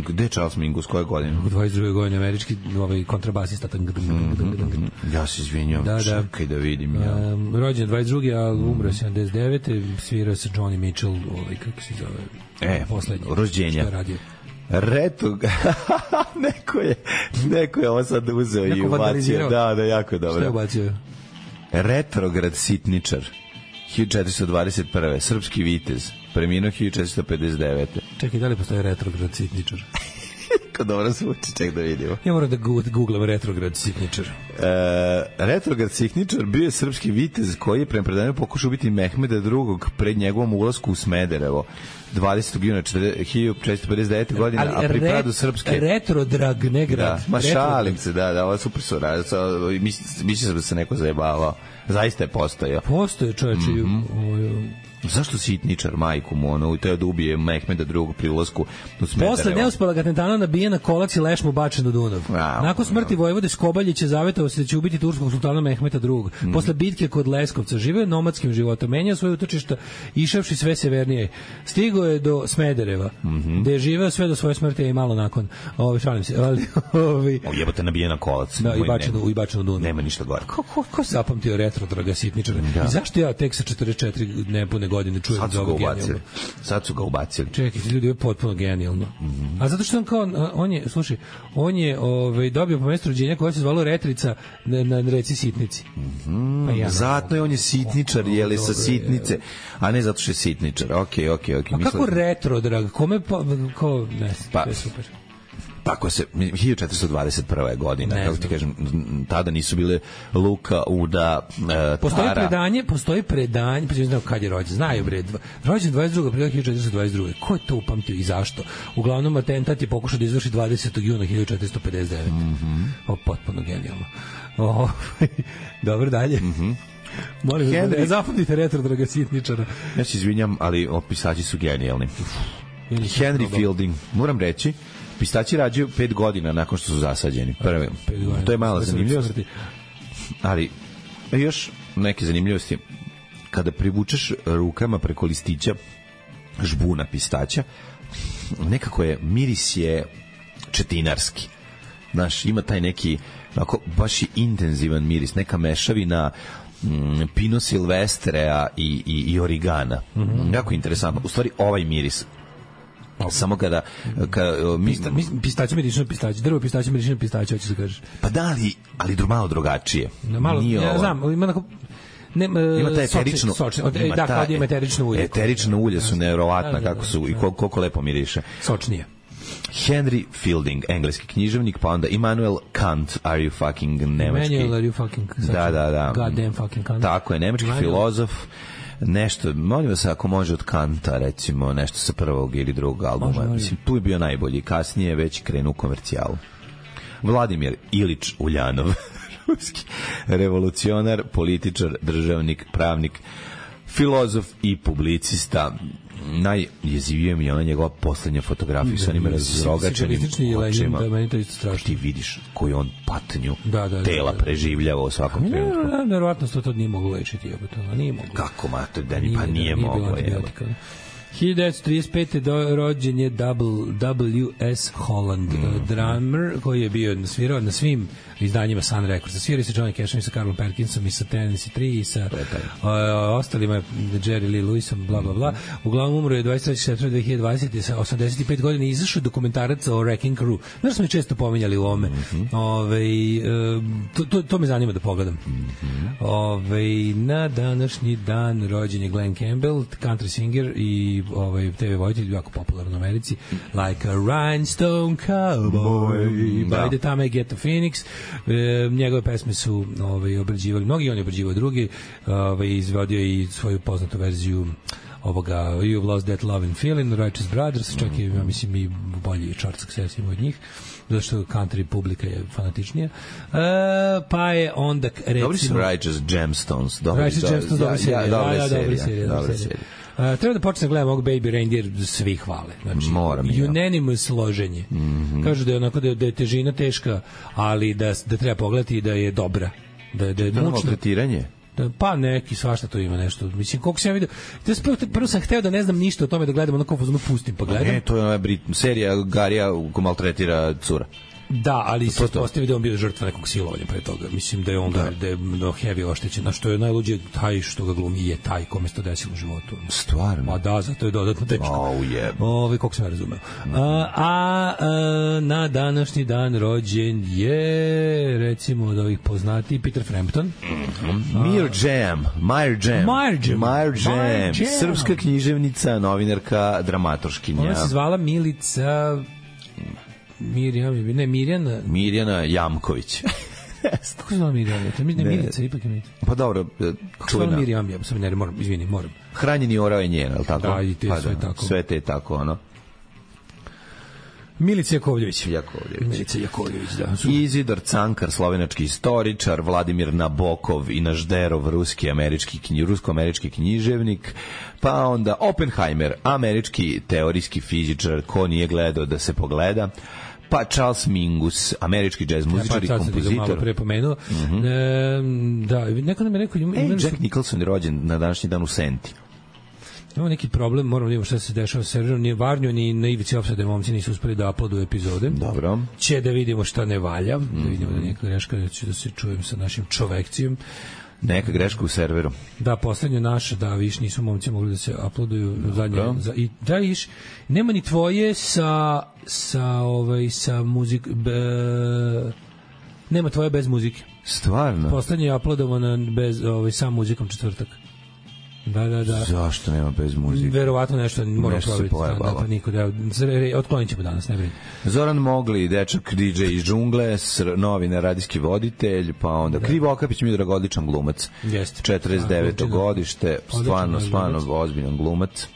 gde je Charles Mingus, koje godine? U dvadeset druge godine, američki ovaj, kontrabasista. Mm-hmm. Ja se izvinjam, da, da. Čekaj da vidim. Ja. Um, rođen dvadeset druge, ali umro sedamdeset devete svirao se Johnny Mitchell, ovaj, kako se zove, e, poslednji. Rođenja. Reto, neko je, neko je ovo sad uzeo neko i ubacio. Da, da, jako je dobro. Šta je ubacio? Retrograd sitničar. hiljadu četiristo dvadeset prve. Srpski vitez. Preminuo hiljadu četiristo pedeset devete. Čekaj, da li postoji retrograd sitničar? Kako dobro zvuči, ček da vidimo. Ja moram da googlam retrograd sitničar. E, retrograd sitničar bio je srpski vitez koji je prema predanju pokušao ubiti Mehmeda drugog pred njegovom ulasku u Smederevo dvadesetog juna hiljadu četiristo pedeset devete godine, ali a pri padu srpske... Retrodrag, ne grad. Da, ma šalim se, da, da, ovo je super su radili. Mislim da se neko zajebavao. Zaista je postojao. Postoje, čoveče. Mm-hmm. Zašto sitničar, majku mu, ono, teo da ubije Mehmeda drugog pri ulasku u Smederevo? Posle neuspelog atentata nabijen na kolac i leš mu bačen do Dunav. A, nakon smrti vojvode Skobaljića zavetovao se da će ubiti turskog sultana Mehmeta drugog. Mm. Posle bitke kod Leskovca živeo nomadskim životom, menjao svoje utočišta, išavši sve severnije. Stigao je do Smedereva, mm-hmm. gde je živeo sve do svoje smrti i malo nakon. Ovo, šalim se. Ali, ovi... O, jebote, nabijen na kolac. Da, i bačen, i bačen do Dunav. Nema ništa gore. Ko, ko, ko se zapamtio retrodraga sitničara? Da. I zašto ja tek sa četrdeset četiri nepune godine čujem sad su ga ubacili. Sad su ga ubacili. Čekajte, ljudi, je potpuno genijalno. Mm-hmm. A zato što on kao, on je, slušaj, on je ovaj, dobio po mestu rođenja koja se zvala Retrica na, na reci Sitnici. Mm-hmm. Pa ja zato je on je sitničar, oh, jeli sa Sitnice, a ne zato što je sitničar. Okej, okay, okej, okay, okej. Okay. A kako retro, drag? Kome pa, ko, ne, pa, to je super. Tako se, hiljadu četiristo dvadeset prva godina, ne kako ti kažem, tada nisu bile Luka, Uda, e, postoji Tara. predanje, postoji predanje, pa ne znam kad je rođen, znaju bre, rođen dvadeset drugog aprila hiljadu četiristo dvadeset druge. Ko je to upamtio i zašto? Uglavnom, atentat je pokušao da izvrši dvadesetog juna hiljadu četiristo pedeset devete. Mm-hmm. O, potpuno genijalno. O, dobro, dalje. Mm-hmm. Molim, Henry... ne zapamtite retrodraga sitničara. Ja se izvinjam, ali opisači su genijalni. Henry Fielding, moram reći, pistaći rađaju pet godina nakon što su zasađeni. Prve, to je malo zanimljivo. Ali još neke zanimljivosti. Kada privučeš rukama preko listića žbuna pistaća, nekako je, miris je četinarski. Znaš, ima taj neki, onako, baš je intenzivan miris, neka mešavina mm, Pino Silvestrea i, i, i origana. Mm-hmm. Jako interesantno. U stvari, ovaj miris samo kada, kada mi, Pista, mi, pistaće miriši na pistaće, drvo pistaće miriši na pistaće, hoćeš da kažeš. Pa da, ali, ali malo drugačije. No, malo, Nije ja ovo. znam, ima neko... Ne, ima ta eterično, sočni, sočni, ima da, ta, ima eterično ulje. Eterično ulje su nevjerovatno kako su i koliko, koliko lepo miriše. Sočnije. Henry Fielding, engleski književnik, pa onda Immanuel Kant, are you fucking nemački? Immanuel, are you fucking... Da, da, da. Goddamn fucking Kant. Tako je, nemački Immanuel. Filozof, nešto, molim vas ako može od Kanta, recimo, nešto sa prvog ili drugog albuma. Može, mislim, tu je bio najbolji, kasnije već krenu u komercijalu. Vladimir Ilić Uljanov, ruski revolucionar, političar, državnik, pravnik, filozof i publicista. Najjezivije mi je ona njegova poslednja fotografija sa onim razrogačenim očima. Ti vidiš koju on patnju da, da, tela da, da. preživljava u svakom trenutku. Verovatno to to nije moglo lečiti. Nije moglo. Kako, ma, to da ni pa nije moglo. hiljadu devetsto trideset pete do, rođen je W S Holland, mm. drummer koji je bio svirao na svim izdanjima Sun Records. Svirao se Johnny Cashom i sa Carlom Perkinsom i sa Tennessee tri i sa uh, ostalima, Jerry Lee Lewisom, bla, bla, bla. Uglavnom umro je dvadeset trećeg septembra dve hiljade dvadesete sa osamdeset pet godina i izašao dokumentarac o Wrecking Crew. Znaš, smo je često pominjali u ovome. Mm-hmm. Ove, uh, to, to, to me zanima da pogledam. Mm-hmm. Ove, na današnji dan rođen je Glenn Campbell, country singer i ovaj T V vojitelj, jako popularan u Americi, Like a Rhinestone Cowboy, By the Time I Get to Phoenix. E, njegove pesme su ovaj, obrađivali mnogi, on je obrađivao drugi, ovaj, izvodio i svoju poznatu verziju ovoga You've Lost That Love and Feeling, Righteous Brothers, čak i, ja mislim, i bolji chart success ima od njih, zato što country publika je fanatičnija. E, pa je onda, recimo... Dobri su Righteous Gemstones. Dobri, Righteous Gemstones, dobra serija. Dobra serija. Dobra serija. Uh, treba da počne da gledam ovog Baby Reindeer, svi hvale. Znači, moram. Unanimous složenje. Mm-hmm. Kažu da je onako da je, da je težina teška, ali da, da treba pogledati i da je dobra. Da, da je da mučno. Tretiranje? Da, pa neki, svašta to ima nešto. Mislim, koliko sam ja vidio... Prvo, prvo sam hteo da ne znam ništa o tome, da gledam onako fazonu pustim pa gledam. Ne, to je ona Brit, serija Garija ko maltretira cura. Da, ali se postavi da on bio žrtva nekog silovanja pre toga. Mislim da je on da, da je heavy oštećen. A što je najluđe, taj što ga glumi je taj kome se to desilo u životu. Stvarno? Pa da, zato je dodatno teško. Oh, yeah. Ove, koliko sam ja razumeo. Mm. A, a, a na današnji dan rođen je, recimo, od ovih poznati Peter Frampton. Mm-hmm. Mir Jam. Mir Jam. Mir Jam. Mir Jam. Jam. Srpska književnica, novinarka, dramaturškinja. Ona se zvala Milica... Mirjam, ne, Mirjana... Mirjana Jamković. Kako se zvala Mirjana? To mi ne Milica, ipak je Milica. Pa dobro, čujna. Kako se zvala Mirjam? Ja sam ne, moram, izvini, moram. Hranjeni orao je njen, ali tako? Da, i te pa sve da, tako. Sve te tako, ono. Milica Jakovljević. Jakovljević. Milica Jakovljević, da. Izidor Cankar, slovenački istoričar, Vladimir Nabokov i Našderov, ruski američki knji, rusko-američki književnik, pa onda Oppenheimer, američki teorijski fizičar, ko nije gledao da se pogleda, pa Charles Mingus, američki džez muzičar i ja, pa, kompozitor. Malo pre pomenuo. Mm-hmm. E, da, neko nam je rekao... E, Jack Nicholson je rođen na današnji dan u Senti. Imamo neki problem, moramo da vidimo šta se dešava sa serverom, ni Varnju, ni na Ivici Opsade momci nisu uspeli da uploaduju epizode. Dobro. Će da vidimo šta ne valja, mm-hmm. da vidimo da neka greška, da ću da se čujem sa našim čovekcijom. Neka greška u serveru. Da, poslednje naše, da, viš, nisu momci mogli da se uploaduju zadnje. Za, i, da, viš, nema ni tvoje sa, sa, ovaj, sa muzik... Be, nema tvoje bez muzike. Stvarno? Poslednje je uploadovano bez, ovaj, sa muzikom četvrtak. Da, da, da. Zašto nema bez muzike? Verovatno nešto moramo provjeriti. Da, pa niko da, otklonit ćemo danas, ne brini. Zoran Mogli, dečak D J iz džungle, novinar, radijski voditelj, pa onda da. Krivo Okapić, Miodrag, odličan glumac. Jeste. četrdeset deveto godište, stvarno, stvarno ozbiljan glumac.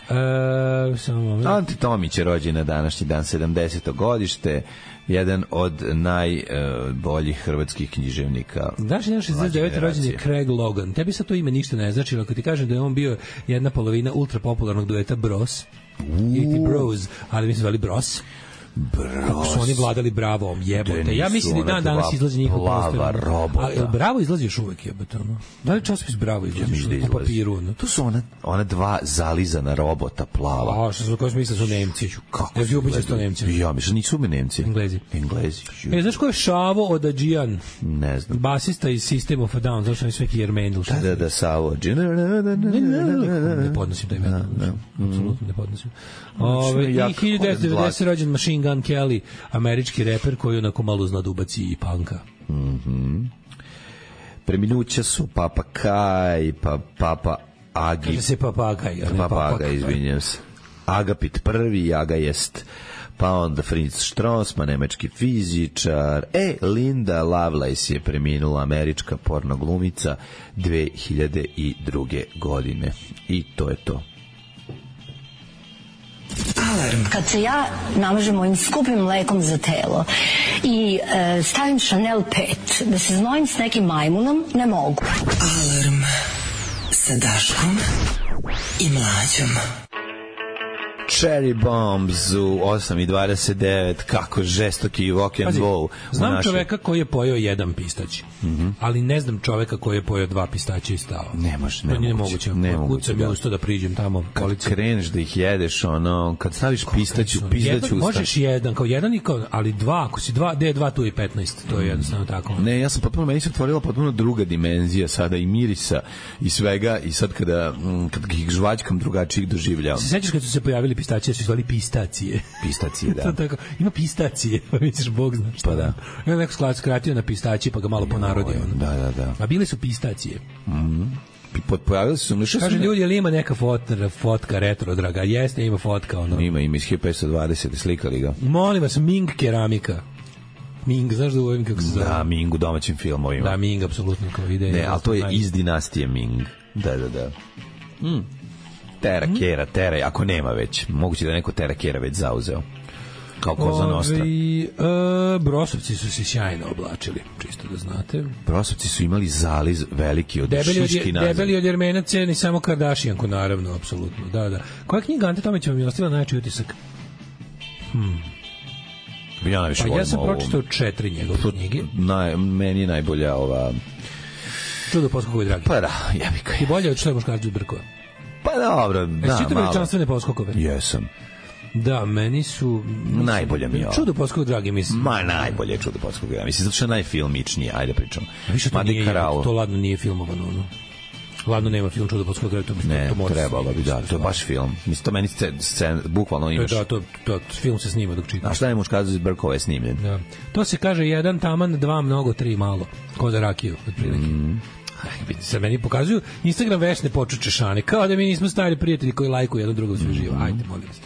E, samo Anti Tomić je rođen na današnji dan, sedamdeseto godište, jedan od najboljih uh, hrvatskih književnika. Znaš, jedan šezdeset devete rođen je Craig Logan. Tebi sad to ime ništa ne znači, ako ti kažem da je on bio jedna polovina ultrapopularnog dueta Bros, ili ti Bros, ali mi se zvali Bros. Bros. Kako su oni vladali Bravom, jebote. Ja mislim da dan danas izlazi njihov plava robota. A Bravo izlazi još uvek, jebote. Da li časopis Bravo izlazi još uvek po papiru? No? To su ona, ona dva zalizana robota plava. A, što su koji smisla su Nemci. Kako ja ti ubićeš to Nemci? Ja, mislim, nisu mi Nemci. Englezi. Englezi. E, znaš ko je Šavo Odadžijan? Ne znam. Basista iz System of a Down, znaš oni sve Jermendel. Da, da, da, Savo. Ne podnosim taj metal. Apsolutno ne podnosim. Ove, i hiljadu devetsto devedeset rođen Machine Gun Kelly, američki reper koji onako malo zna da ubaci i panka. Mhm. Preminuća su Papa Kaj, pa Papa Agi. Kaže se Papa Kaj, a ne Papa Papa Aga, izvinjam se. Agapit prvi, Aga jest pa onda Fritz Strassmann, nemački fizičar. E, Linda Lovelace je preminula, američka porno glumica dve hiljade druge. godine. I to je to. Alarm. Kad se ja namažem mojim skupim mlekom za telo i e, stavim Chanel pet da se znojim s nekim majmunom, ne mogu. Alarm sa Daškom i Mlađom. Cherry Bombs u osam i dvadeset devet, kako žestoki rock and roll. Znam našoj... čoveka koji je pojeo jedan pistać, mm-hmm. ali ne znam čoveka koji je pojeo dva pistaća i stao. Ne može, ne, ne moguće. Ne moguće. Kucam ja usto da priđem tamo. Kad policija. Kreneš da ih jedeš, ono, kad staviš pistaću, pistaću usta. Možeš jedan, kao jedan i kao, ali dva, ako si dva, D dva tu je petnaest, to je jednostavno tako. Ne, ja sam potpuno, meni se otvorila potpuno druga dimenzija sada i mirisa i svega i sad kada, kad ih žvaćkam drugačijih doživljavam. Se sećaš kad su se pojavili pistacije, su zvali pistacije. Pistacije, da. To tako, ima pistacije, pa misliš, Bog zna šta. Pa da. Ima neko sklad skratio na pistacije, pa ga malo ponarodio. Da, da, da. A bile su pistacije. Mhm. Pojavili su mi što kaže ljudi, ali ima neka fotka, fotka retro draga. Jeste, ima fotka ono. Ima, ima iz hiljadu petsto dvadeset slikali ga. Molim vas, Ming keramika. Ming, znaš da ovim kako se zove? Da, Ming u domaćim filmovima. Da, Ming apsolutno kao ide. Ne, ali to je iz dinastije Ming. Da, da, da. Mm. Tera Kera, Tera, ako nema već. Moguće da neko Tera Kera već zauzeo. Kao Koza Nostra. E, Brosovci su se sjajno oblačili, čisto da znate. Brosovci su imali zaliz veliki od debeli šiški od, nazad. Debeli od Jermenaca, ni samo Kardashijanku, naravno, apsolutno. Da, da. Koja knjiga Ante Tomić vam je ostavila najjači utisak? Hmm. Ja najviše pa volim ja sam ovu. pročitao četiri njegove knjige. Naj, meni je najbolja ova... Čudo poskokove dragi. Pa da, jebika je. I bolje od što je muškarci od Brkova. Pa dobro, da, malo. Jesi veličanstvene poskokove? Jesam. Da, meni su... Mislim, najbolja mi je ovo. Čudo poskokove dragi, mislim. Ma, najbolje je Čudo poskokove dragi. Mislim, zato što je najfilmičnije, ajde pričam. A više to nije, to ladno nije filmovano, ono. Ladno nema film Čudo poskokove dragi. Ne, trebalo bi, da, to je baš film. Mislim, to meni scen, bukvalno imaš... Da, to, to, film se snima dok čitaš. A šta je muškarci iz Brkova je snimljen? Da. To se kaže jedan taman, dva mnogo, tri malo. Ko za rakiju, otprilike. Mm. Se meni pokazuju Instagram vešne počuče šane, kao da mi nismo stari prijatelji koji lajkuju jedno drugo sve živo. Ajde, molim vas.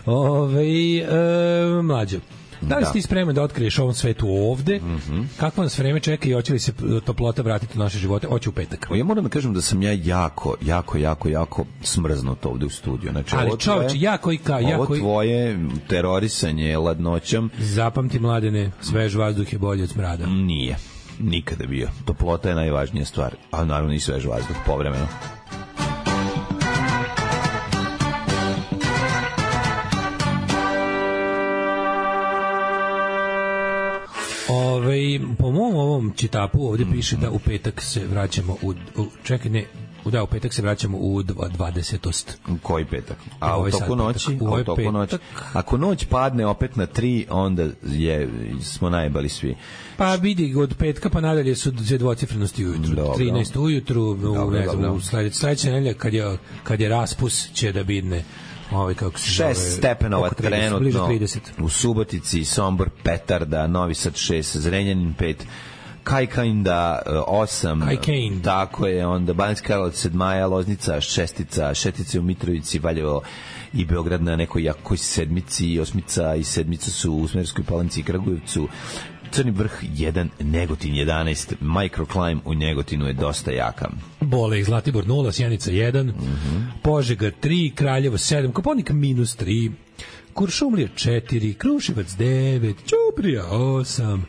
Ove, e, mlađo, da li si ti spreman da otkriješ ovom svetu ovde? Mm-hmm. Kako nas vreme čeka i hoće li se toplota vratiti u naše živote? Hoće u petak. Ja moram da kažem da sam ja jako, jako, jako, jako smrznut ovde u studiju. Znači, ali ovo čovječ, tvoje, jako i ka, jako ovo tvoje terorisanje ladnoćom... Zapamti, mladene, svež vazduh je bolje od smrada. Nije. Nikada bio. Toplota je najvažnija stvar, a naravno i svež vazduh povremeno. Ove, po mom ovom čitapu ovdje piše da u petak se vraćamo u, u čekaj, ne, da, u petak se vraćamo u dvadesetost. U koji petak? A u toku noći? A u toku noći? Ako noć padne opet na tri, onda je, smo najbali svi. Pa vidi, od petka pa nadalje su dvije dvocifrenosti ujutru. Dobro. trinaest ujutru, u, ne znam, u sledeće nedelje kad je, kad je raspus će da bidne ovaj kako se zove, šest stepenova trenutno trideset. U Subotici, Sombor, Petarda, Novi Sad šest, Zrenjanin pet, Kajkajnda osam, Kajkajn. Tako je, onda Banjska Karlovac sedmaja, Loznica šestica, Šestice u Mitrovici, Valjevo i Beograd na nekoj jakoj sedmici, osmica i sedmica su u Smederskoj Palanci i Kragujevcu, Crni vrh jedan, Negotin jedanaest, Microclimb u Negotinu je dosta jaka. Bole i Zlatibor nula, Sjenica jedan, mm-hmm. Požega tri, Kraljevo sedam, Koponik minus tri, Kuršumlija četiri, Kruševac devet, Ćuprija osam,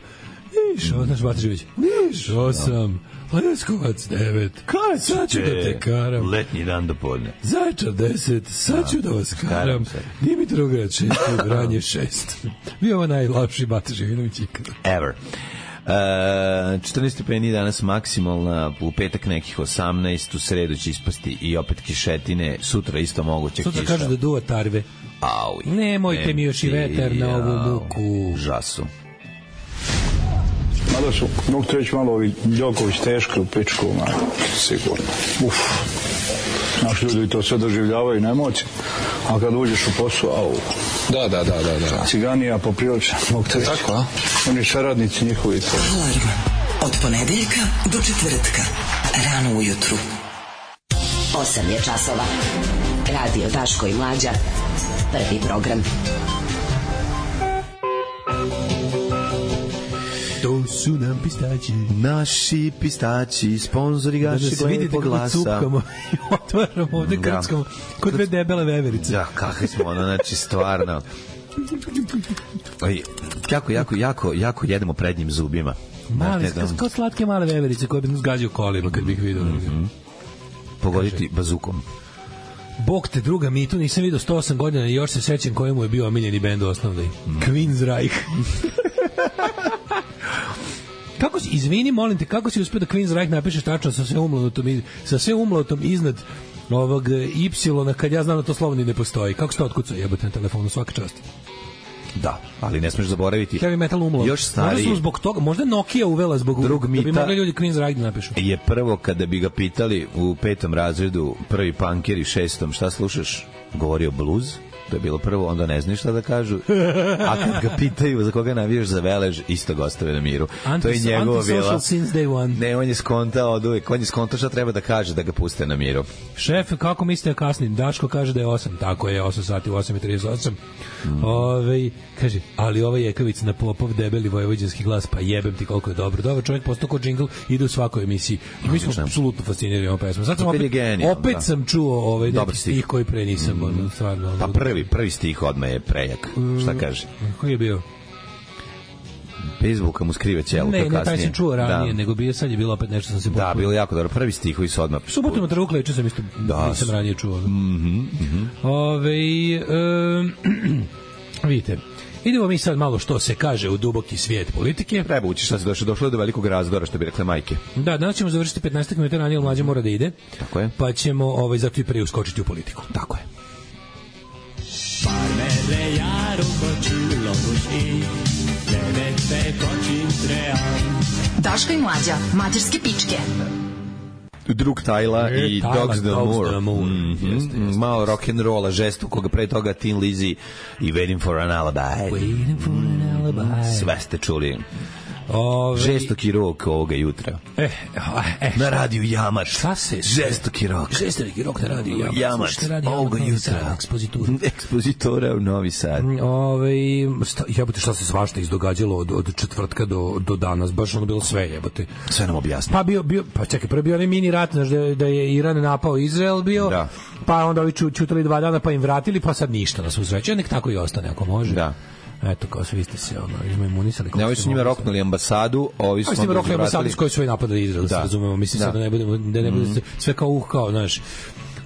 Niš, mm. znaš Batižević, Niš osam, Leskovac devet, Kaj sad ću da te karam. Letnji dan do podne. Zaječar deset, sad ću da vas karam. Dimitrograd šest, Vranje šest. Bio ovo najlapši Batiževinović ikada. Ever. Uh, četrnaest stepeni danas maksimalna, u petak nekih osamnaest, u sredu će ispasti i opet kišetine, sutra isto moguće sutra kiša. Sutra kažu da duva tarve. Auj. Nemojte mi još i vetar na ovu muku. Žasu. Mada su, mogu te reći malo ovi Đoković teško u pičku, sigurno. Uf. Naši ljudi to sve doživljavaju na emocije, a kad uđeš u posao, au. Da, da, da, da, da. Ciganija poprilična, mogu te reći. Tako, a? Oni saradnici njihovi. Alarm. Od ponedeljka do četvrtka. Rano ujutru. osam je časova. Radio Daško i Mlađa. Prvi program. To su nam pistaći. Naši pistaći, sponzori gašeg lepog glasa. Da se vidite kako cupkamo i otvaramo ovde krckamo kod dve debele veverice. Da, kakvi smo, ono, znači, stvarno. Oj, jako, jako, jako, jako jedemo prednjim zubima. Mali, kao slatke male veverice koje bi nas gađaju kolima kad bih vidio. Mm-hmm. Pogoditi bazukom. Bog te druga, mi tu nisam vidio sto osam godina i još se sećam kojemu je bio omiljeni bend osnovni. Mm. Queensryche. Kako si, izvini, molim te, kako si uspio da Queensryche napišeš tačno sa sve umlatom, sa sve umlatom iznad ovog Y, kad ja znam da to slovo ni ne postoji. Kako se to otkucao jebote na telefonu, svaka čast. Da, ali ne smeš zaboraviti. Heavy metal umlo. Još stariji. Možda zbog toga, možda Nokia uvela zbog drug da bi mogli ljudi Queensryche da napišu. Je prvo kada bi ga pitali u petom razredu, prvi punkeri, šestom, šta slušaš? Govorio blues. To je bilo prvo, onda ne znaš šta da kažu. A kad ga pitaju za koga navijaš za Velež, isto ga ostave na miru. Anti, to je njegovo bila. Since day one. Ne, on je skontao od uvijek. On je skontao šta treba da kaže da ga puste na miru. Šef, kako mislite kasnim? Daško kaže da je osam. Tako je, osam sati, osam i trideset osam. Mm. Ove, kaže, ali ovaj Jekavic na Popov debeli vojvođanski glas, pa jebem ti koliko je dobro. Dobar čovjek, postao ko džingl, ide u svakoj emisiji. I mi smo apsolutno fascinirani ovom pesmom. Sad sam opet, genijal, opet da. sam čuo ovaj neki stih koji pre nisam. Mm. Stvarno, pa prvi, prvi stih odmah je prejak. Mm. Šta kaže? Koji je bio? Facebooka mu skrive ćelo. Ne, ne, taj sam čuo ranije, da. nego bio sad je bilo opet nešto sam se popio. Da, bilo jako dobro. Prvi stihovi su odmah. Subotom od Rukle, če sam isto da, nisam ranije čuo. Mhm, mhm. Ove, um, vidite, idemo mi sad malo što se kaže u duboki svijet politike. Treba ući šta se došlo, došlo je do velikog razdora, što bi rekle majke. Da, danas ćemo završiti petnaest minuta ranije, mlađe mora da ide. Tako je. Pa ćemo ovaj, zato i pre uskočiti u politiku. Tako je. Farmerre jár okocsilagos ég, levette kacsintreján. Daško i Mlađa, mađarske pičke. Drug Tajla e, i Tajla, Dogs the Moor. Moor. Mm -hmm. jeste, jeste. Malo rock'n'rolla, žestu, koga pre toga Tin Lizzy i Waiting for an Alibi. Waiting for an Alibi. Sve ste čuli. Ove... Žestoki rok ovoga jutra. Eh, eh, na radiju Jamač. Šta se? Žestoki rok. Žestoki rok na radiju Jamač. Jamač. Ovoga jutra. Ekspozitura. Ekspozitora u Novi Sad. Ove, sta, jebote, šta se svašta izdogađalo od, od četvrtka do, do danas. Baš ono bilo sve, jebote. Sve nam objasni. Pa bio, bio, pa čekaj, prvo bio onaj mini rat, znaš, da, da je Iran napao Izrael bio, da. Pa onda ovi čutali dva dana, pa im vratili, pa sad ništa na svu sreću. Nek tako i ostane, ako može. Da. Eto, kao svi ste se ono, izmaimunisali. Ne, ovi su njima roknuli ambasadu, ovi su njima roknuli ambasadu s kojoj su napadali Izrael, da se razumemo. Mislim, da. sad da ne budemo, da ne bude mm. sve kao uh, kao, znaš,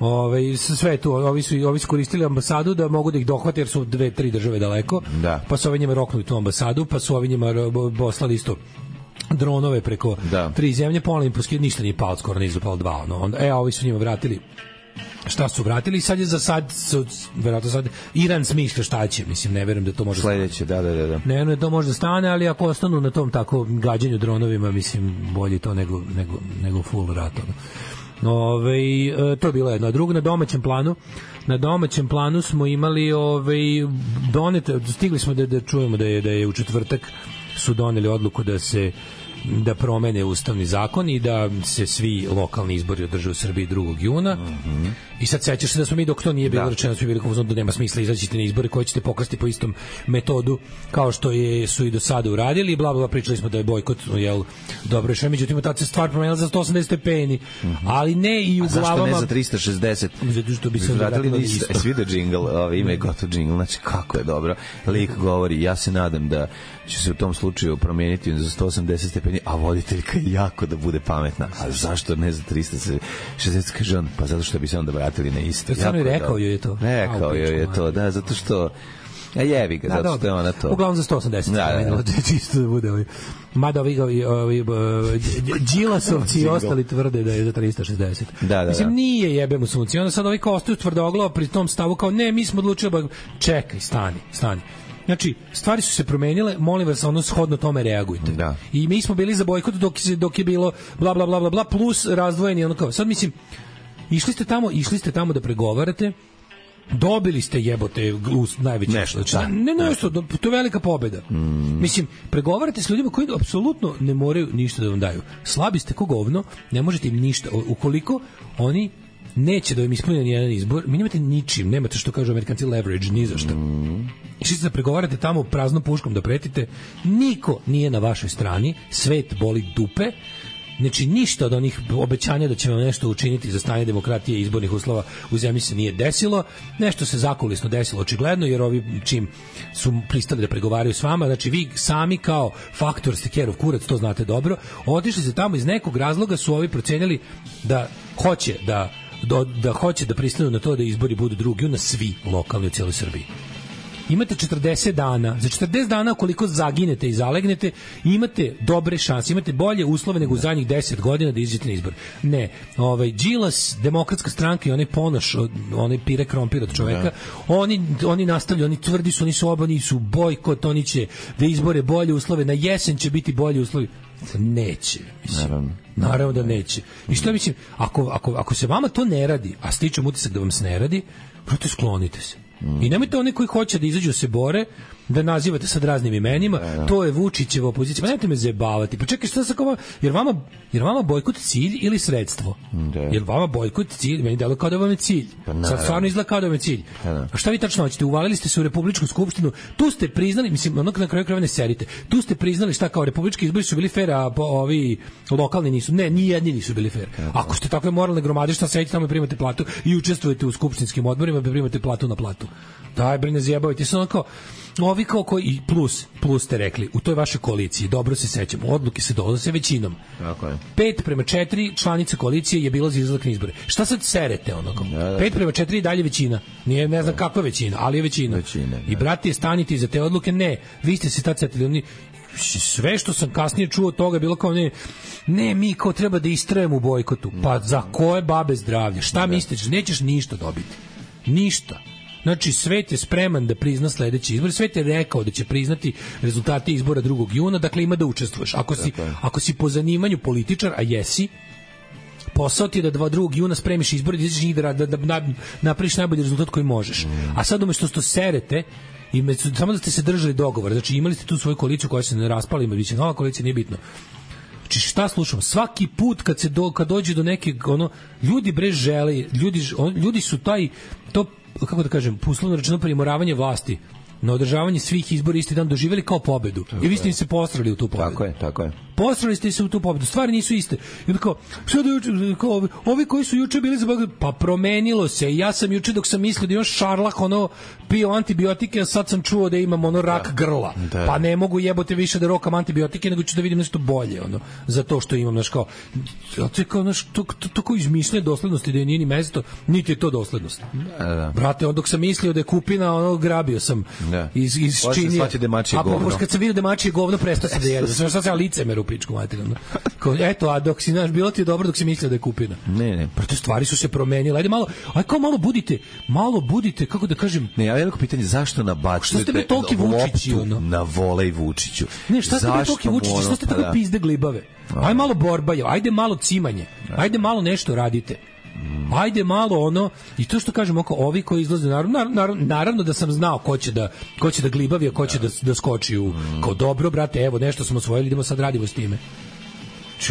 ove, sve tu, ovi su, ovi su koristili ambasadu da mogu da ih dohvate jer su dve, tri države daleko, da. Pa su ovi njima roknuli tu ambasadu, pa su ovi njima poslali isto dronove preko da. tri zemlje, pola im poskid, ništa nije palo, skoro nije zapalo dva, ono, onda, e, ovi su njima vratili šta su vratili i sad je za sad su, verovatno sad Iran smišlja šta će, mislim, ne verujem da to može sledeće, da, da, da, da. Ne, ne, to može da stane, ali ako ostanu na tom tako gađanju dronovima, mislim, bolje to nego, nego, nego full rat. Ove, to je bilo jedno. A drugo, na domaćem planu na domaćem planu smo imali ove, donete, stigli smo da, da čujemo da je, da je u četvrtak su doneli odluku da se da promene ustavni zakon i da se svi lokalni izbori održe u Srbiji drugog juna. Mm-hmm. I sad sećaš se da smo mi, dok to nije bilo da. rečeno, smo bili kao da nema smisla, izaći na izbore koji ćete pokrasti po istom metodu kao što je su i do sada uradili, bla bla, pričali smo da je bojkot, jel, dobro rešenje, međutim tad se stvar promenila za sto osamdeset stepeni. Mm-hmm. Ali ne i u A glavama. Zašto ne za trista šezdeset? Zato što bi se vratili na isto. E, svi da džingl, ovaj ime je gotov džingl, znači kako je dobro. Lik govori, ja se nadam da će se u tom slučaju promijeniti za sto osamdeset stepeni, a voditeljka jako da bude pametna. A zašto ne za trista šezdeset, kaže on, pa zato što bi se onda vratili na isto. Samo je rekao joj je to. Rekao joj je to, da, zato što a jevi ga, zato što je ona to. Uglavnom za sto osamdeset. Da, da, da. Čisto da bude ovaj. Mada ovi, ovi, ovi Đilasovci i ostali tvrde da je za trista šezdeset. Da, da, mislim, da. nije jebemo sunce. Onda sad ovi kao ostaju tvrdoglavo pri tom stavu kao ne, mi smo odlučili, čekaj, stani, stani. Znači, stvari su se promenile, molim vas, ono shodno tome reagujte. Da. I mi smo bili za bojkot dok, dok je bilo bla, bla, bla, bla, bla, plus razdvojeni, ono kao, sad mislim, išli ste tamo, išli ste tamo da pregovarate, dobili ste jebote glus najveće nešto, znači, da, ne nešto, to je velika pobeda. Mm. Mislim, pregovarate s ljudima koji apsolutno ne moraju ništa da vam daju. Slabi ste ko govno, ne možete im ništa. Ukoliko oni neće da im ispune nijedan izbor, mi nemate ničim, nemate što kažu Amerikanci leverage, ni za šta. Mm. Išli ste da pregovarate tamo praznom puškom da pretite, niko nije na vašoj strani, svet boli dupe, znači ništa od onih obećanja da će vam nešto učiniti za stanje demokratije i izbornih uslova u zemlji se nije desilo, nešto se zakulisno desilo očigledno, jer ovi čim su pristali da pregovaraju s vama, znači vi sami kao faktor ste kerov kurac, to znate dobro, otišli se tamo iz nekog razloga su ovi procenjali da hoće da Da, da hoće da pristanu na to da izbori budu drugi na svi lokalni u cijeloj Srbiji. Imate četrdeset dana, za četrdeset dana koliko zaginete i zalegnete, imate dobre šanse, imate bolje uslove nego u zadnjih deset godina da izađete na izbor. Ne, ovaj Đilas, Demokratska stranka i onaj Ponoš, onaj pire krompir od čoveka, oni, oni nastavljaju, oni tvrdi su, oni su oba, oni su bojkot, oni će da izbore bolje uslove, na jesen će biti bolji uslovi. Neće, mislim. Naravno. Naravno da neće. I što mislim, ako, ako, ako se vama to ne radi, a stičem utisak da vam se ne radi, proto sklonite se. I nemojte oni koji hoće da izađu se bore, da nazivate sad raznim imenima, to je Vučićeva opozicija. Pa nemojte me zajebavati. Pa čekaj, šta sa kova? Jer vama, jer vama bojkot cilj ili sredstvo? Da. Jer vama bojkot cilj, meni delo kao da vam je cilj. Pa sad stvarno izgleda kao da vam je cilj. Pa a šta vi tačno hoćete? Uvalili ste se u Republičku skupštinu, tu ste priznali, mislim, onog na kraju krajeva ne serite, tu ste priznali šta kao republički izbori su bili fer, a ovi lokalni nisu. Ne, ni jedni nisu bili fer. Ako ste takve moralne gromade, šta sedite tamo i primate platu i učestvujete u skupštinskim odborima i primate platu na platu. Daj, bre, ne zjebavajte se, onako, ovi kao koji, plus, plus ste rekli, u toj vašoj koaliciji, dobro se sećamo, odluke se donose većinom. Tako je. Pet prema četiri članice koalicije je bilo za izlazak na izbore. Šta sad serete, onako? Da, da. Pet prema četiri i dalje većina. Nije, ne znam kakva većina, ali je većina. većina I, brate, stanite iza te odluke, ne, vi ste se tad setili, oni, sve što sam kasnije čuo od toga je bilo kao ne, ne, mi kao treba da istrajemo u bojkotu. Pa za koje babe zdravlje? Šta misliš? Nećeš ništa dobiti. Ništa. Znači, svet je spreman da prizna sledeći izbor. Svet je rekao da će priznati rezultate izbora drugog juna, dakle ima da učestvuješ. Ako si, ako si po zanimanju političar, a jesi, posao ti je da drugog juna spremiš izbor, da izađeš njih da, da, da napraviš najbolji rezultat koji možeš. A sad umešto što serete, i među, samo da ste se držali dogovora, znači imali ste tu svoju koaliciju koja se ne raspala, ima biće nova koalicija, nije bitno. Znači šta slušamo? Svaki put kad se do, kad dođe do neke, ono, ljudi bre žele, ljudi, on, ljudi su taj, to, kako da kažem, uslovno rečeno primoravanje vlasti na održavanje svih izbora isti dan doživjeli kao pobedu. Tako I vi ste im se postrali u tu pobedu. Tako je, tako je. Postrali ste se u tu pobedu. Stvari nisu iste. I onda kao, šta da juče, kao, ovi, ovi koji su juče bili za Bog, pa promenilo se. Ja sam juče dok sam mislio da imam šarlah, ono, pio antibiotike, a sad sam čuo da imam ono rak da. grla. Da. Pa ne mogu jebote više da rokam antibiotike, nego ću da vidim nešto bolje, ono, za to što imam, znaš, kao, to je kao, znaš, to, to, to kao izmišljanje doslednosti da je nije ni mesto, niti je to doslednost. Da, da. Brate, on dok sam mislio da je kupina, ono, grabio sam da. iz, iz činije. A pa kad sam vidio da je mačije govno, prestao sam da jedem. Sve što sam licemer u pičku materijalno. Eto, a dok si, znaš, bilo ti je dobro dok si mislio da je kupina. Ne, ne. Proto stvari su se promenile. Ajde malo, aj kao malo budite, malo budite, kako da kažem. Ne, ja veliko pitanje zašto nabacujete loptu na Volej Vučiću? Ne, šta ste vi toliki Vučići, šta ste tako da. pizde glibave? Aj malo borba, ajde malo cimanje. Ajde malo nešto radite. Ajde malo ono, i to što kažem oko ovi koji izlaze, naravno, naravno, naravno da sam znao ko će da, ko će da glibavi, a ko će da, da skoči u, kao dobro, brate, evo, nešto smo osvojili, idemo sad radimo s time.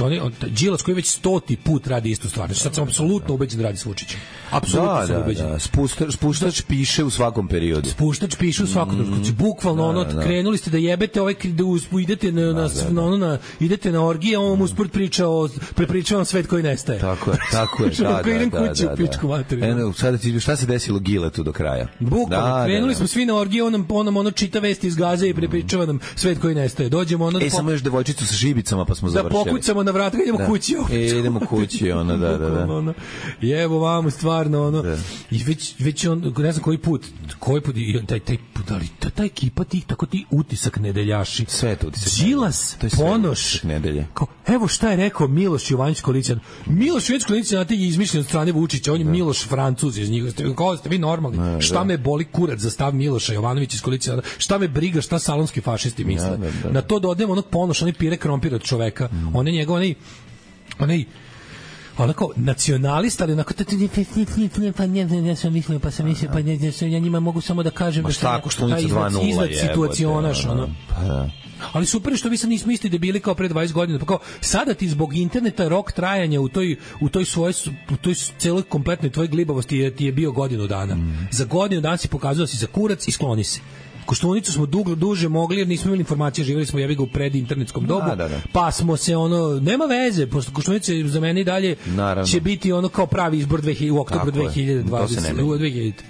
Oni, on, Đilas koji već stoti put radi istu stvar. Znači, sad sam apsolutno ubeđen da radi s Vučićem. Apsolutno da, sam da, ubeđen. Da. Spuštač, spuštač piše u svakom periodu. Spuštač piše u svakom periodu. Mm, bukvalno, ono, da, da. krenuli ste da jebete, ovaj, da uspu, idete na, na, da, da. Ono, na, idete na orgije, a on mu usport priča o, prepričavam svet koji nestaje. Tako je, tako je. da, da, idem da, kući da, u pičku materiju. Eno, sada ti, šta se desilo Giletu do kraja? Bukvalno, da, krenuli da, da. smo svi na orgije, on nam, on nam ono čita vesti iz Gaze i prepričava nam svet koji nestaje. Dođemo ono... E, samo još devojčicu sa žibicama, pa smo završili. Da pokucamo na vrata, idemo kući. E, idemo kući, ono, da, da, da. Ono, jevo vamo, stvarno, ono, da. I već, već on, ne znam koji put, koji put, i taj, taj, ali ta, ta ekipa, ti, tako ti utisak nedeljaši. Sve to utisak. Đilas, Ponoš, nedelje. Kao, evo šta je rekao Miloš Jovanović Koalicija. Miloš Jovanović Koalicija, znate, je izmišljen od strane Vučića, on je da. Miloš Francuz iz njih. Kao ste vi normalni. Da, šta da. me boli kurac za stav Miloša Jovanovića iz Koalicije? Šta me briga šta salonski fašisti misle? Da, da, da. Na to dodajem onog Ponoša, onaj pire krompir od čoveka. Mm. On je njegov, onaj onaj onako nacionalista, ali onako pa ne, ne, ne sam mislio, pa sam mislio, pa ne, ne, ja njima mogu samo da kažem da šta, ako Štunica dva nula izgled situacionaš, ono. Pa da. Ali super što vi sad nismo isti debili kao pre dvadeset godina, pa kao sada ti zbog interneta rok trajanja u toj u toj svojoj u toj celoj kompletnoj tvojoj glibavosti je, ti je bio godinu dana. Mm. Za godinu dana si pokazao da si za kurac i skloni se. Koštunicu smo dugo duže mogli jer nismo imali informacije, živjeli smo jebi ga u predinternetskom dobu, da, da, da. Pa smo se ono nema veze, pošto Koštunica za mene i dalje Naravno. će biti ono kao pravi izbor dve hiljade u oktobru dve hiljade dvadeset.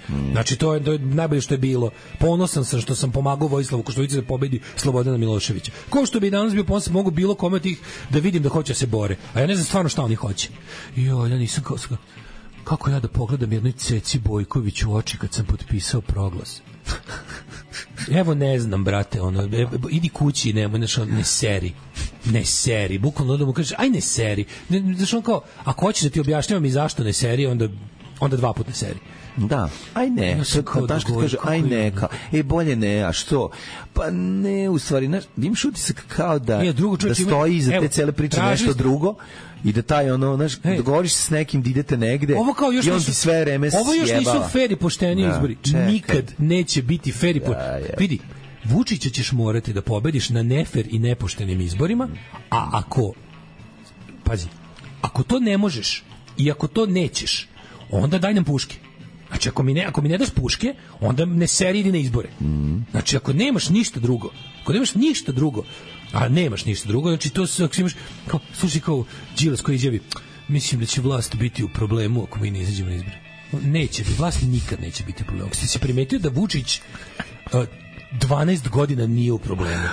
Mm. Znači to je, to je najbolje što je bilo. Ponosan sam što sam pomagao Vojislavu Koštunici da pobedi Slobodana Miloševića. Ko što bi danas bio ponosan, mogu bilo kome od tih da vidim da hoće da se bore. A ja ne znam stvarno šta oni hoće. Jo, ja nisam kao kako ja da pogledam jednoj Ceci Bojković u oči kad sam potpisao proglas. Evo ne znam, brate, ono, e, idi kući, nemoj, znaš, ne seri, ne seri, bukvalno da mu kažeš, aj ne seri, ne, znaš, on kao, ako hoćeš da ti objašnjavam i zašto ne seri, onda, onda dva puta ne seri. Da, aj ne, ja sad kao da kaže, aj neka, e bolje ne, a što? Pa ne, u stvari, znaš, imaš utisak kao da, ja, da stoji iza te cele priče nešto drugo, i da taj ono, znaš, hey. dogovoriš se s nekim da idete negde i on ti sve vreme sjebava. Ovo još nisu fer i pošteni da, izbori. Čekaj. Nikad neće biti fer i pošteni. Ja, ja. Vidi, Vučića ćeš morati da pobediš na nefer i nepoštenim izborima, a ako, pazi, ako to ne možeš i ako to nećeš, onda daj nam puške. Znači, ako mi ne, ako mi ne daš puške, onda ne seri idi na izbore. Mm. Znači, ako nemaš ništa drugo, ako nemaš ništa drugo, a nemaš ništa drugo, znači to se, ako imaš, kao, slušaj, kao Đilas koji izjavi, mislim da će vlast biti u problemu ako mi ne izađemo na izbore. Neće, vlast nikad neće biti u problemu. Ako si primetio da Vučić uh, dvanaest godina nije u problemu.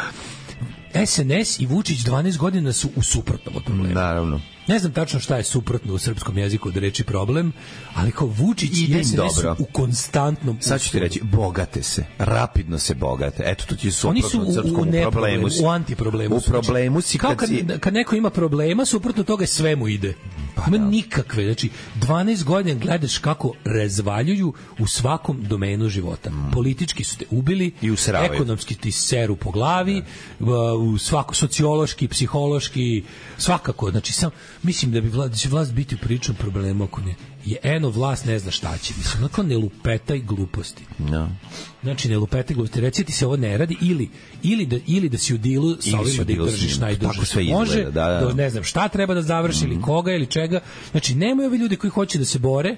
S N S i Vučić dvanaest godina su u suprotnom od problema. Naravno. Ne znam tačno šta je suprotno u srpskom jeziku od reči problem, ali kao Vučić i S N S u konstantnom... Sad ću ti reći, bogate se, rapidno se bogate. Eto, to ti je suprotno od srpskom u, u, u problemu. U antiproblemu. U problemu si kao kad, kad, kad neko ima problema, suprotno toga sve mu ide. Pa ima da. Nikakve. Znači, dvanaest godina gledaš kako razvaljuju u svakom domenu života. Mm. Politički su te ubili, i ekonomski ti seru po glavi, da. U svako, sociološki, psihološki, svakako. Znači, sam mislim da bi vlast, da će vlast biti u pričom problemu ako ne. Je eno vlast ne zna šta će. Mislim, onako ne lupetaj gluposti. No. Znači, ne lupetaj gluposti. Reci ti se ovo ne radi ili, ili, da, ili da si u dilu sa ovima da ih držiš najdrže se može, da, da. Da ne znam šta treba da završi mm. ili koga ili čega. Znači, nemaju ovi ljudi koji hoće da se bore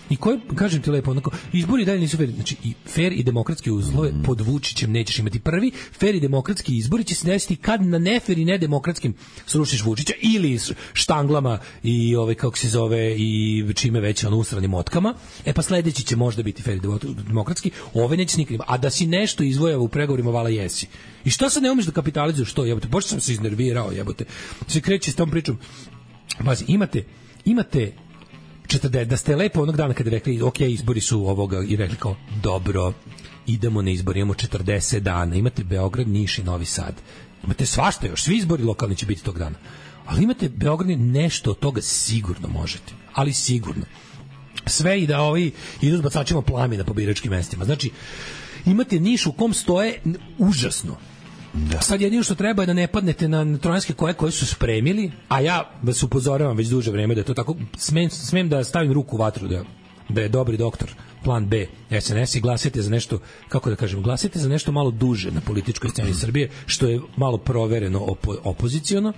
i koji, kažem ti lepo, onako, izbori dalje nisu fer, znači i fer i demokratski uslove mm. pod Vučićem nećeš imati. Prvi fer i demokratski izbori će se desiti kad na nefer i nedemokratskim srušiš Vučića ili štanglama i ovaj kako se zove i čime već ono usranim motkama. E pa sledeći će možda biti fer i demokratski, ove neće nikad. A da si nešto izvojava u pregovorima vala jesi. I šta sad ne umeš da kapitalizuješ što, jebote? Baš sam se iznervirao, jebote. Se kreće s tom pričom. Pazi, imate imate četrdeset da ste lepo onog dana kada rekli ok, izbori su ovoga i rekli kao dobro, idemo na izbori, imamo četrdeset dana, imate Beograd, Niš i Novi Sad, imate svašta još, svi izbori lokalni će biti tog dana, ali imate Beograd, nešto od toga sigurno možete, ali sigurno sve i da ovi idu s bacačima plamena po biračkim mestima. Znači imate Niš u kom stoje užasno. Da. Sad jedino što treba je da ne padnete na trojanske koje koje su spremili, a ja vas upozoravam već duže vreme da je to tako, smem, smem da stavim ruku u vatru da, da je dobri doktor plan B S N S i glasite za nešto, kako da kažem, glasite za nešto malo duže na političkoj sceni Srbije, što je malo provereno opo, opoziciono,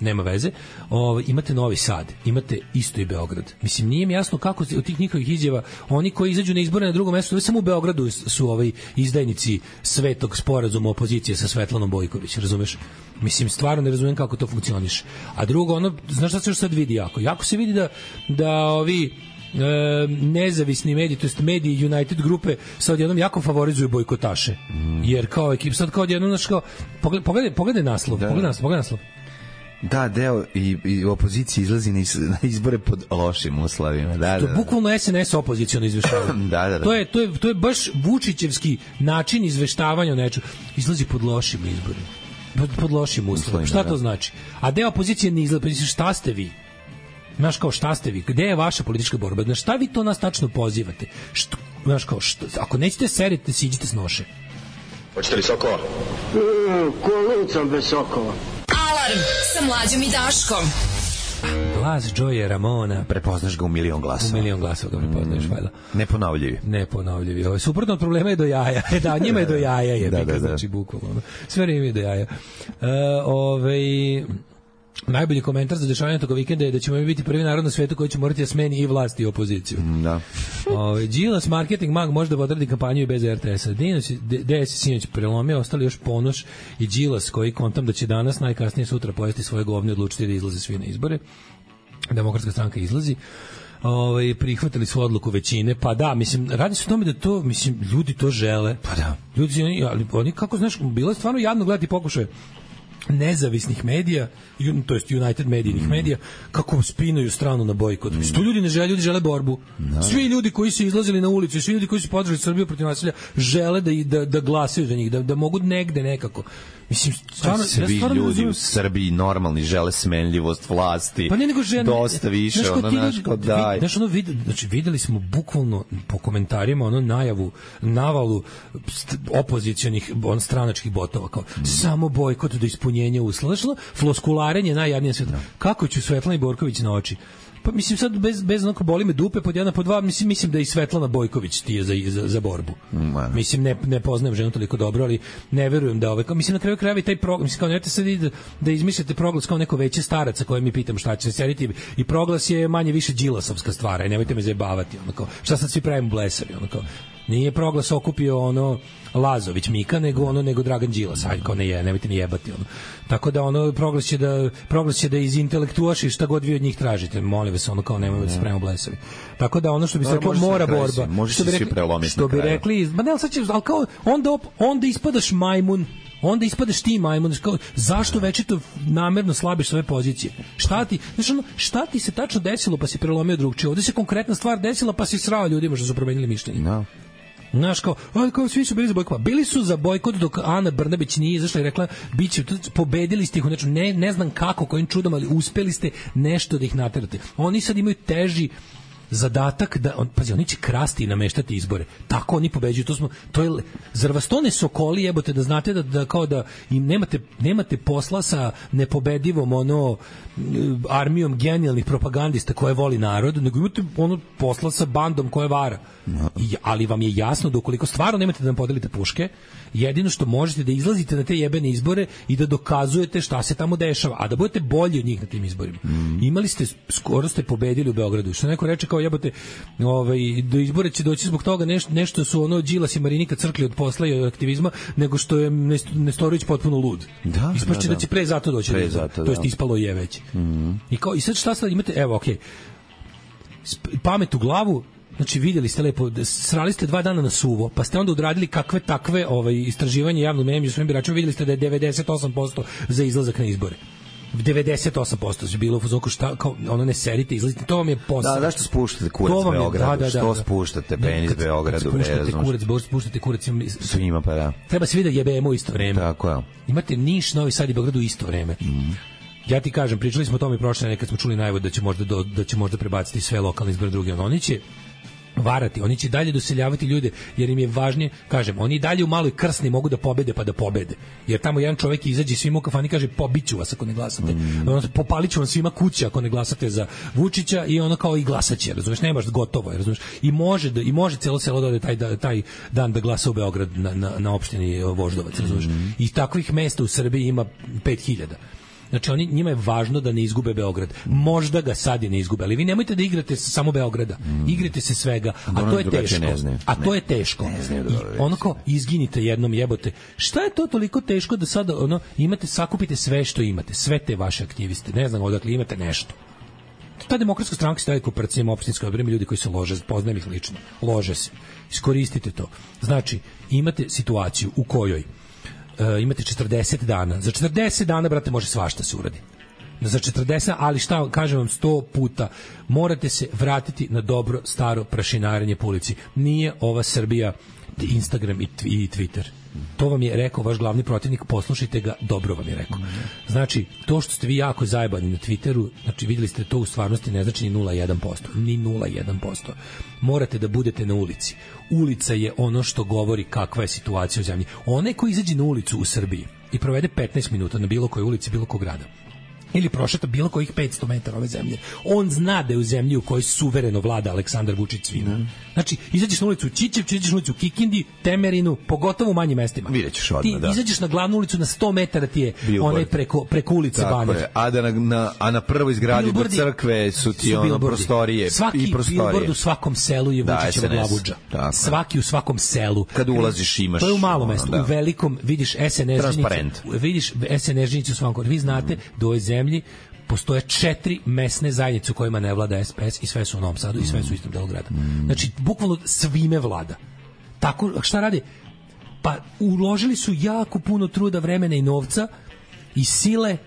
nema veze. O, imate Novi Sad, imate isto i Beograd. Mislim, nije mi jasno kako od tih njihovih izjava, oni koji izađu na izbore na drugom mestu, samo u Beogradu su ovaj izdajnici svetog sporazuma opozicije sa Svetlanom Bojković, razumeš? Mislim, stvarno ne razumem kako to funkcioniše. A drugo, ono, znaš šta se još sad vidi jako? Jako se vidi da, da ovi E, nezavisni mediji, to jest mediji United grupe sad odjednom jako favorizuju bojkotaše. Mm. Jer kao ekip sad kao odjednom, znaš, kao pogledaj, pogledaj, pogledaj naslov, da. pogledaj naslov, pogledaj naslov. Da, deo i, i opozicija izlazi na, iz, na izbore pod lošim uslovima. Da, to da, je bukvalno S N S opoziciono izveštavanje. da, da, da. To je, to, je, to je baš Vučićevski način izveštavanja o nečemu. Izlazi pod lošim izborima. Pod, pod lošim uslovima. Šta to znači? A deo opozicije ne izlazi. Šta ste vi? Znaš kao šta ste vi? Gde je vaša politička borba? Znaš šta vi to nas tačno pozivate? Što, znaš kao, što, ako nećete serite, siđite s noše. Hoćete li sokova? Mm, ko lucam bez sokova. Alarm sa Mlađom i Daškom. Glas Joye Ramona. Prepoznaš ga u milion glasova. U milion glasova ga prepoznaš, mm. valjda. Neponovljivi. Neponovljivi. Ovo, suprotno od problema je do jaja. Da, njima je do jaja, je, da, da, da. Znači, bukvalno. Sve vreme je do jaja. Uh, ovaj... Najbolji komentar za dešavanje tog vikenda je da ćemo biti prvi narod na svetu koji će morati da smeni i vlast i opoziciju. Da. Ovaj Đilas marketing mag može da odradi kampanju i bez er te esa. Dinos D S sinoć prelomio, ostali još Ponoš i Đilas koji kontam da će danas najkasnije sutra pojesti svoje govne, odlučiti da izlaze svi na izbore. Demokratska stranka izlazi. Ovaj prihvatili su odluku većine. Pa da, mislim, radi se o tome da to, mislim, ljudi to žele. Pa da. Ljudi oni, ali oni kako znaš, bilo je stvarno jadno gledati pokušaje nezavisnih medija, to jest United medijnih mm. medija, kako spinuju stranu na bojkot. Mm. Što ljudi ne žele, ljudi žele borbu. No. Svi ljudi koji su izlazili na ulicu, svi ljudi koji su podržali Srbiju protiv nasilja, žele da, da, da glasaju za njih, da, da mogu negde nekako. Mislim, stvarno, svi ja stvarno ljudi u Srbiji normalni žele smenljivost vlasti. Pa ne nego žene. Dosta više, znaš, ono, znaš, kao daj. Znaš, ono, vid, znači, videli smo bukvalno po komentarima, ono, najavu, navalu opozicionih, on, stranačkih botova, kao, mm. samo bojkot do ispunjenja uslova. Znaš, ono, floskularenje najjadnije sveta. Mm. Kako ću Svetlana Borković na oči? Pa mislim sad bez bez onako boli me dupe pod jedan pod dva, mislim mislim da i Svetlana Bojković ti je za za, za borbu. Man. Mislim ne ne poznajem ženu toliko dobro, ali ne verujem da ovaj mislim na kraju krajeva i taj program, mislim kao nemojte sad da, da izmislite proglas kao neko veće staraca koje mi pitam šta će se sediti i proglas je manje više đilasovska stvar, i nemojte me zajebavati, onako. Šta sad svi pravimo blesavi, onako. Nije proglas okupio ono Lazović Mika, nego ono nego Dragan Đilas, ajde kao ne je, nemojte mi jebati ono. Tako da ono proglas će da proglas će da izintelektuaši šta god vi od njih tražite, molim vas, ono kao nemojte da se pravimo blesavi. Tako da ono što bi se reklo mora borba, može što bi rekli, što bi rekli, ma ne, al sad će, al kao onda op, onda ispadaš majmun. Onda ispadaš ti majmun, kao, zašto večito namerno slabiš svoje pozicije? Šta ti, znači ono, šta ti se tačno desilo pa si prelomio drugčije? Ovde se konkretna stvar desila pa si srao ljudima što su promenili mišljenje. No. Znaš, kao, ali kao svi su bili za bojkot. Bili su za bojkot dok Ana Brnabić nije izašla i rekla, biće, pobedili ste ih, znači, ne, ne znam kako, kojim čudom, ali uspeli ste nešto da ih naterate. Oni sad imaju teži zadatak da on pazi, oni će krasti i nameštati izbore. Tako oni pobeđuju. To smo to je zar vas to ne sokoli, jebote, da znate da, da kao da im nemate nemate posla sa nepobedivom ono armijom genijalnih propagandista koje voli narod, nego imate ono posla sa bandom koja vara. I, ali vam je jasno da ukoliko stvarno nemate da nam podelite puške, jedino što možete da izlazite na te jebene izbore i da dokazujete šta se tamo dešava, a da budete bolji od njih na tim izborima. Mm. Imali ste, skoro ste pobedili u Beogradu. Što neko reče kao jebote, ovaj, do izbora će doći zbog toga nešto, nešto su ono Đilas i Marinika crkli od posla i od aktivizma, nego što je Nestorović potpuno lud. Da, ispašće da, da. da će pre zato doći. Pre zato, to jest ispalo je već. Mm. I, kao, I sad šta sad imate, evo, okej, okay. pamet u glavu. Znači vidjeli ste lepo, srali ste dva dana na suvo, pa ste onda odradili kakve takve ovaj, istraživanje javnog mnjenja među svojim biračima, vidjeli ste da je devedeset osam posto za izlazak na izbore. devedeset osam posto je bilo u fazonu šta kao ono ne serite, izlazite, to vam je posao. Da, zašto spuštate kurac u Beogradu? Da, da, da, što da. Spuštate penis u Beogradu? Spuštate kurac, bo spuštate kurac svima, pa da. Treba svi da jebemo u isto vreme. Tako je. Imate Niš, Novi Sad i Beograd u isto vreme. Mm. Ja ti kažem, pričali smo o tome prošle nedelje kad smo čuli najavу da će možda do, da će možda prebaciti sve lokalne izbore druge, oni će varati, oni će dalje doseljavati ljude jer im je važnije, kažem, oni dalje u maloj Krsni mogu da pobede pa da pobede. Jer tamo jedan čovjek izađe svima u kafani i kaže pobiću vas ako ne glasate. Mm. Ono, popaliću vam svima kuće ako ne glasate za Vučića i ono kao i glasaće, razumeš, nemaš gotovo, razumeš. I može da i može celo selo da ode taj da, taj dan da glasa u Beograd na na na opštini Voždovac, razumeš. Mm. I takvih mesta u Srbiji ima pet hiljada. Znači oni, njima je važno da ne izgube Beograd. Možda ga sad i ne izgube, ali vi nemojte da igrate samo Beograda. Mm. Igrate se svega, a to je teško. A to je teško. I ono kao izginite jednom, jebote. Šta je to toliko teško da sada ono imate, sakupite sve što imate, sve te vaše aktiviste. Ne znam odakle imate nešto. Ta demokratska stranka staje kao parcijama opštinske odbrane, ljudi koji se lože, poznajem ih lično. Lože se. Iskoristite to. Znači, imate situaciju u kojoj Uh, imate četrdeset dana. Za četrdeset dana, brate, može svašta se uradi. Za četrdeset, ali šta, kažem vam sto puta, morate se vratiti na dobro staro prašinarenje po ulici. Nije ova Srbija Instagram i, i Twitter. To vam je rekao vaš glavni protivnik, poslušajte ga, dobro vam je rekao. Znači, to što ste vi jako zajebani na Twitteru, znači videli ste to u stvarnosti ne znači ni nula zarez jedan posto. Ni nula zarez jedan posto. Morate da budete na ulici. Ulica je ono što govori kakva je situacija u zemlji. Onaj ko izađe na ulicu u Srbiji i provede petnaest minuta na bilo kojoj ulici, bilo kog grada, ili prošeta bilo kojih petsto metara ove zemlje. On zna da je u zemlji u kojoj suvereno vlada Aleksandar Vučić svima. Mm. Znači, izađeš na ulicu u Ćićevcu, izađeš na ulicu u Kikindi, Temerinu, pogotovo u manjim mestima. Videćeš odmah, ti da. izađeš na glavnu ulicu, na sto metara ti je Billboard. Onaj preko, preko ulice Banjer. A, da na, na, a na prvoj zgradi do crkve su ti su ono prostorije. Svaki i prostorije. billboard u svakom selu je Vučićeva glavuđa. Svaki u svakom selu. Kad ulaziš imaš... To je u malom ono, mestu. Da. U velikom vidiš es en es žinicu. Vidiš es en es žinicu u svakom. Vi znate mm. da u ovoj zemlji postoje četiri mesne zajednice u kojima ne vlada es pe es i sve su u Novom Sadu i sve su u istom delu grada. Mm. Znači, bukvalno svime vlada. Tako, šta radi? Pa uložili su jako puno truda, vremena i novca i sile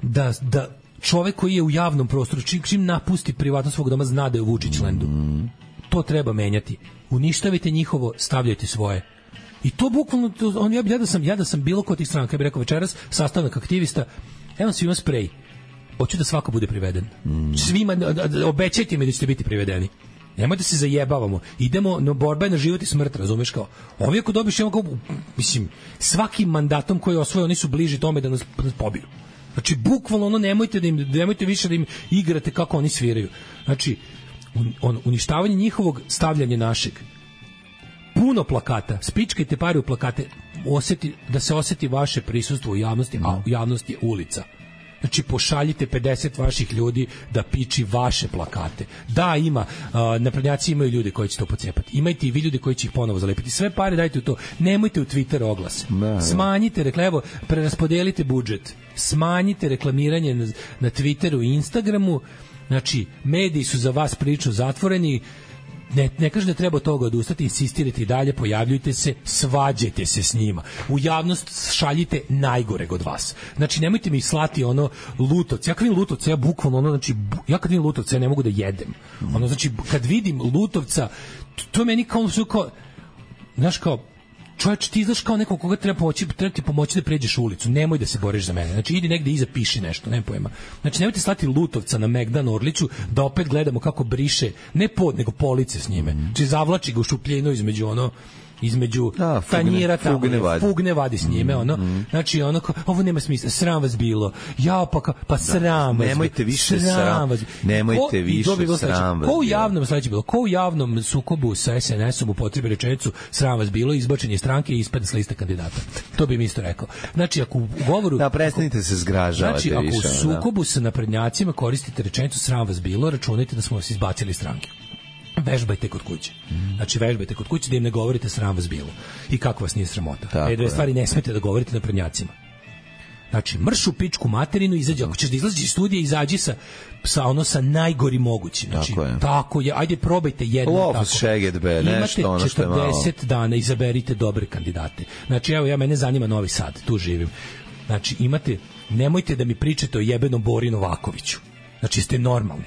da, da čovek koji je u javnom prostoru, čim, čim napusti privatnost svog doma, zna da je u Vučićlendu. Mm. To treba menjati. Uništavite njihovo, stavljajte svoje. I to bukvalno, to, on, ja, ja, da sam, ja da sam bilo kod tih stranaka, ja bih rekao večeras, sastavnak aktivista, evo svima sprej. Hoću da svako bude priveden. Mm. Svima, obećajte mi da ćete biti privedeni. Nemojte se zajebavamo. Idemo, no borba je na život i smrt, razumeš kao. Ovi ako dobiš, kao, mislim, svakim mandatom koji osvoje, oni su bliži tome da nas, da nas pobiju. Znači, bukvalno ono, nemojte, da im, nemojte više da im igrate kako oni sviraju. Znači, un, on, uništavanje njihovog, stavljanje našeg. Puno plakata, spičkajte pare u plakate, osjeti, da se osjeti vaše prisustvo u javnosti, a u javnosti je ulica. Znači, pošaljite pedeset vaših ljudi da piči vaše plakate. Da, ima, uh, naprednjaci imaju ljude koji će to pocepati. Imajte i vi ljudi koji će ih ponovo zalepiti. Sve pare dajte u to. Nemojte u Twitter oglase. Da, smanjite, rekla, evo, preraspodelite budžet. Smanjite reklamiranje na, na Twitteru i Instagramu. Znači, mediji su za vas prilično zatvoreni. Ne, ne kaže da treba od toga odustati, insistirajte i dalje, pojavljujte se, svađajte se s njima. U javnost šaljite najgoreg od vas. Znači, nemojte mi slati ono Lutovce. Ja kad vidim Lutovce, ja bukvalno ono, znači, ja kad vidim Lutovce, ja ne mogu da jedem. Ono, znači, kad vidim Lutovca, to, to je meni kao, kao, znaš, kao, čovječ, ti znaš kao neko koga treba pomoći, treba ti pomoći da pređeš ulicu, nemoj da se boriš za mene. Znači, idi negde iza, piši nešto, nema pojma. Znači, nemojte slati Lutovca na Megdan Orliću da opet gledamo kako briše, ne pod, nego police s njime. Znači, zavlači ga u šupljinu između ono, između da, tanjira tamo, fugne vadi. fugne vadi s njime, ono, mm. znači, ono, ovo nema smisla, sram vas bilo, ja pa, pa sram vas, nemojte više sram, vas, nemojte ko, više sram vas, ko u javnom, sledeće bilo, ko u javnom sukobu sa es en esom upotrebi rečenicu sram vas bilo, izbačen je stranke i ispadne s liste kandidata, to bi mi isto rekao. Znači, ako u govoru, da, prestanite se zgražavati, znači, ako više, u sukobu da. sa naprednjacima koristite rečenicu sram vas bilo, računajte da smo vas izbacili stranke. Vežbajte kod kuće. Znači, vežbajte kod kuće da im ne govorite sram vas bilo. I kako vas nije sramota. E, dve stvari ne smete da govorite na prednjacima. Znači, mrš u pičku materinu, izađi, ako ćeš da izlaziš iz studija, izađi sa, sa ono sa najgori mogući. Znači, tako je. Tako je. Ajde, probajte jedno Lofus tako. Šeged, be, nešto, ono što je malo. Imate četrdeset dana, izaberite dobre kandidate. Znači, evo, ja, mene zanima Novi Sad, tu živim. Znači, imate, nemojte da mi pričate o jebenom Bori Novakoviću. Znači, ste normalni.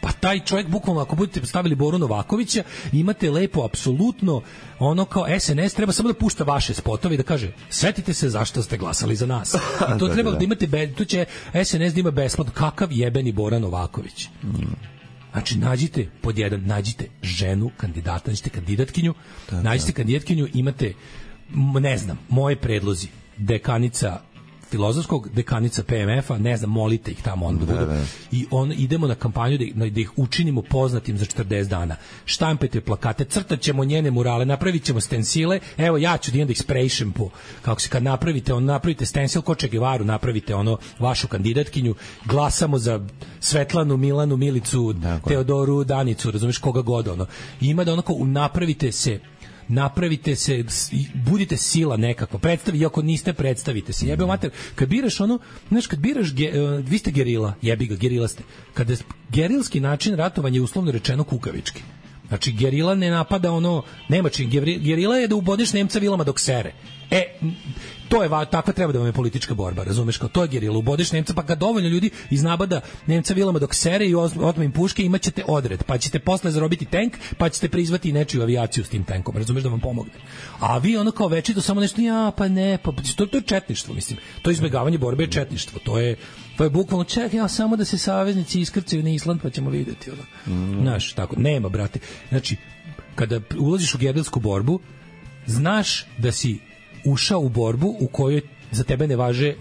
Pa taj čovjek, bukvalno, ako budete stavili Boru Novakovića, imate lepo, apsolutno, ono kao es en es, treba samo da pušta vaše spotove i da kaže, setite se zašto ste glasali za nas. I to treba da imate, be, tu će es en es da ima besplatno, kakav jebeni Bora Novaković. Znači, nađite, pod jedan, nađite ženu, kandidata, nađite kandidatkinju, nađite kandidatkinju, imate, ne znam, moje predlozi, dekanica filozofskog, dekanica pe em efa, ne znam, molite ih tamo onda da budu. I on, idemo na kampanju da, da ih učinimo poznatim za četrdeset dana. Štampajte plakate, crtat ćemo njene murale, napravit ćemo stensile, evo ja ću da idem da ih sprejšem po, kako se kad napravite, on napravite stensil ko Che Guevaru, napravite ono vašu kandidatkinju, glasamo za Svetlanu, Milanu, Milicu, dakle. Teodoru, Danicu, razumeš, koga god ono. I ima da onako, napravite se napravite se, budite sila nekako, predstavi, iako niste, predstavite se. Jebe mater, kad biraš ono, znaš, kad biraš, ge, uh, vi ste gerila, jebi ga, gerila ste. Kada gerilski način ratovanja je uslovno rečeno kukavički. Znači, gerila ne napada ono, nema čin, gerila je da ubodeš Nemca vilama dok sere. E, to je, takva treba da vam je politička borba, razumeš, kao to je gerila, ubodeš Nemca, pa kad dovoljno ljudi iznabada Nemca vilama dok sere i otme im puške, imat ćete odred, pa ćete posle zarobiti tank, pa ćete prizvati nečiju avijaciju s tim tankom, razumeš, da vam pomogne. A vi ono kao večito samo nešto, ja, pa ne, pa to, to je četništvo, mislim, to izbjegavanje borbe je četništvo, to je, to je bukvalno, čekaj, ja, samo da se saveznici iskrcaju na Island, pa ćemo vidjeti, ono. Mm. Znaš, tako, nema, brate. Znači, kada ulaziš u gerilsku borbu, znaš da si ušao u borbu u kojoj za tebe ne važe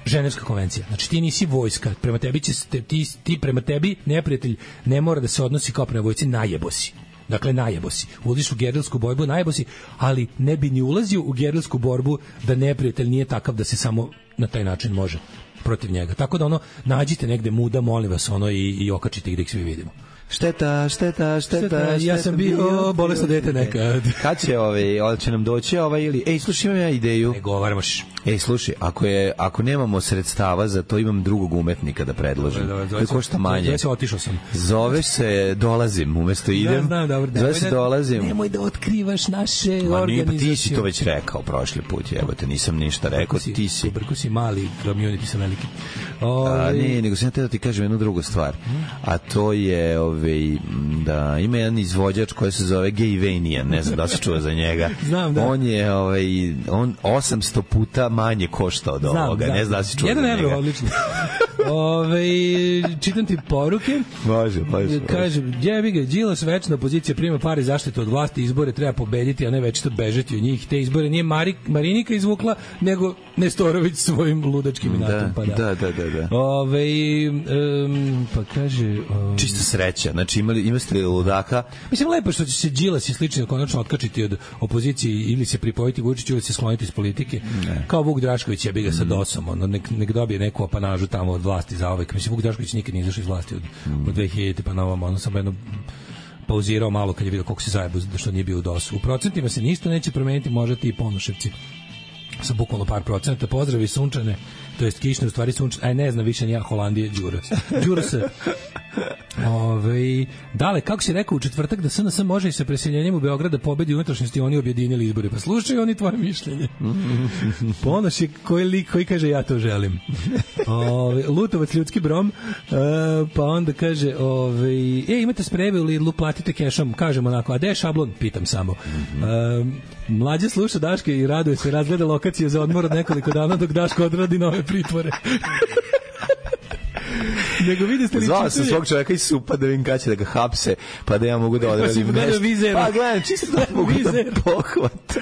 Ženevska konvencija. Znači ti nisi vojska, prema tebi će ti, ti prema tebi neprijatelj ne mora da se odnosi kao prema vojsci, najebo si. Dakle, najebo si. Uđeš u gerilsku borbu, najebo si, ali ne bi ni ulazio u gerilsku borbu da neprijatelj nije takav da se samo na taj način može protiv njega. Tako da ono, nađite negde muda, molim vas, ono, i, i okačite ih da ih svi vidimo. Šteta, šteta, šteta, šteta. Ja sam bio, bio bolesno dete nekad. Kad će ovaj, će nam doći ovaj ili ej, slušaj, imam ja ideju. Ne govarmaš. Ej, slušaj, ako je ako nemamo sredstava za to, imam drugog umetnika da predložim. Koji košta manje. Ja se otišao sam. Zoveš se Dolazim, umesto idem. Da, znam, dobro. Zove se Dolazim. Nemoj da otkrivaš naše organizacije. Pa ti si to već rekao prošli put, jebote, nisam ništa rekao, si, ti si. Brko si mali, community sam veliki. Ove... A, ne, nego sam da ti kažem jednu drugu stvar. A to je ovaj da ima jedan izvođač koji se zove Gayvanian, ne znam da se čuva za njega. Znam, da. On je ovaj on osamsto puta manje košta od znam, ovoga, da. Ne znam da se čuva za njega. Jedan evro, odlično. Ove, čitam ti poruke. Može, može. Kaže, jebi ga, Đilas večna opozicija prima pare zaštitu od vlasti, izbore treba pobediti, a ne večito bežati od njih. Te izbore nije Mari, Marinika izvukla, nego Nestorović svojim ludačkim inatom. Pa da. Da, da, da, da. Ove, um, pa kaže... Um, Čisto sreća, znači imali, imali ludaka. Mislim, lepo što će se Đilas i slično konačno otkačiti od opozicije ili se pripojiti Vučiću ili se skloniti iz politike. Ne. Kao Vuk Drašković je bi ga sa dosom, ono, nek, nek dobije neku apanažu tamo od vlasti za ovaj. Mislim, Vuk Drašković nikad nije izašao iz vlasti od, mm. od dve hiljadite pa na ovom, ono sam jedno pauzirao malo kad je vidio koliko se zajebo što nije bio u dosu. U procentima se ništa neće promeniti, možete i Ponoševci sa bukvalno par procenta. Pozdravi sunčane, to jest kišne, u stvari sunčane, aj ne znam više ni ja, Holandije, Đuras. Đuras. Ove, dale, kako si rekao u četvrtak da S N S može i sa preseljenjem u Beograd da pobedi unutrašnjosti, oni objedinili izbore. Pa slušaj oni tvoje mišljenje. Ponoš je koji lik koji kaže ja to želim. Ove, Lutovac ljudski brom, e, pa onda kaže ove, e, imate spreve u Lidlu, platite kešom, kažemo onako, a gde je šablon? Pitam samo. E, mlađe sluša Daške i raduje se, razgleda lokacije za odmor od nekoliko dana dok Daško odradi nove pritvore. Nego vidi ste li zvao sam svog čovjeka iz Supa da vidim kada će da ga hapse, pa da ja mogu da odradim nešto. Pa gledam, čisto da mogu da pohvatam.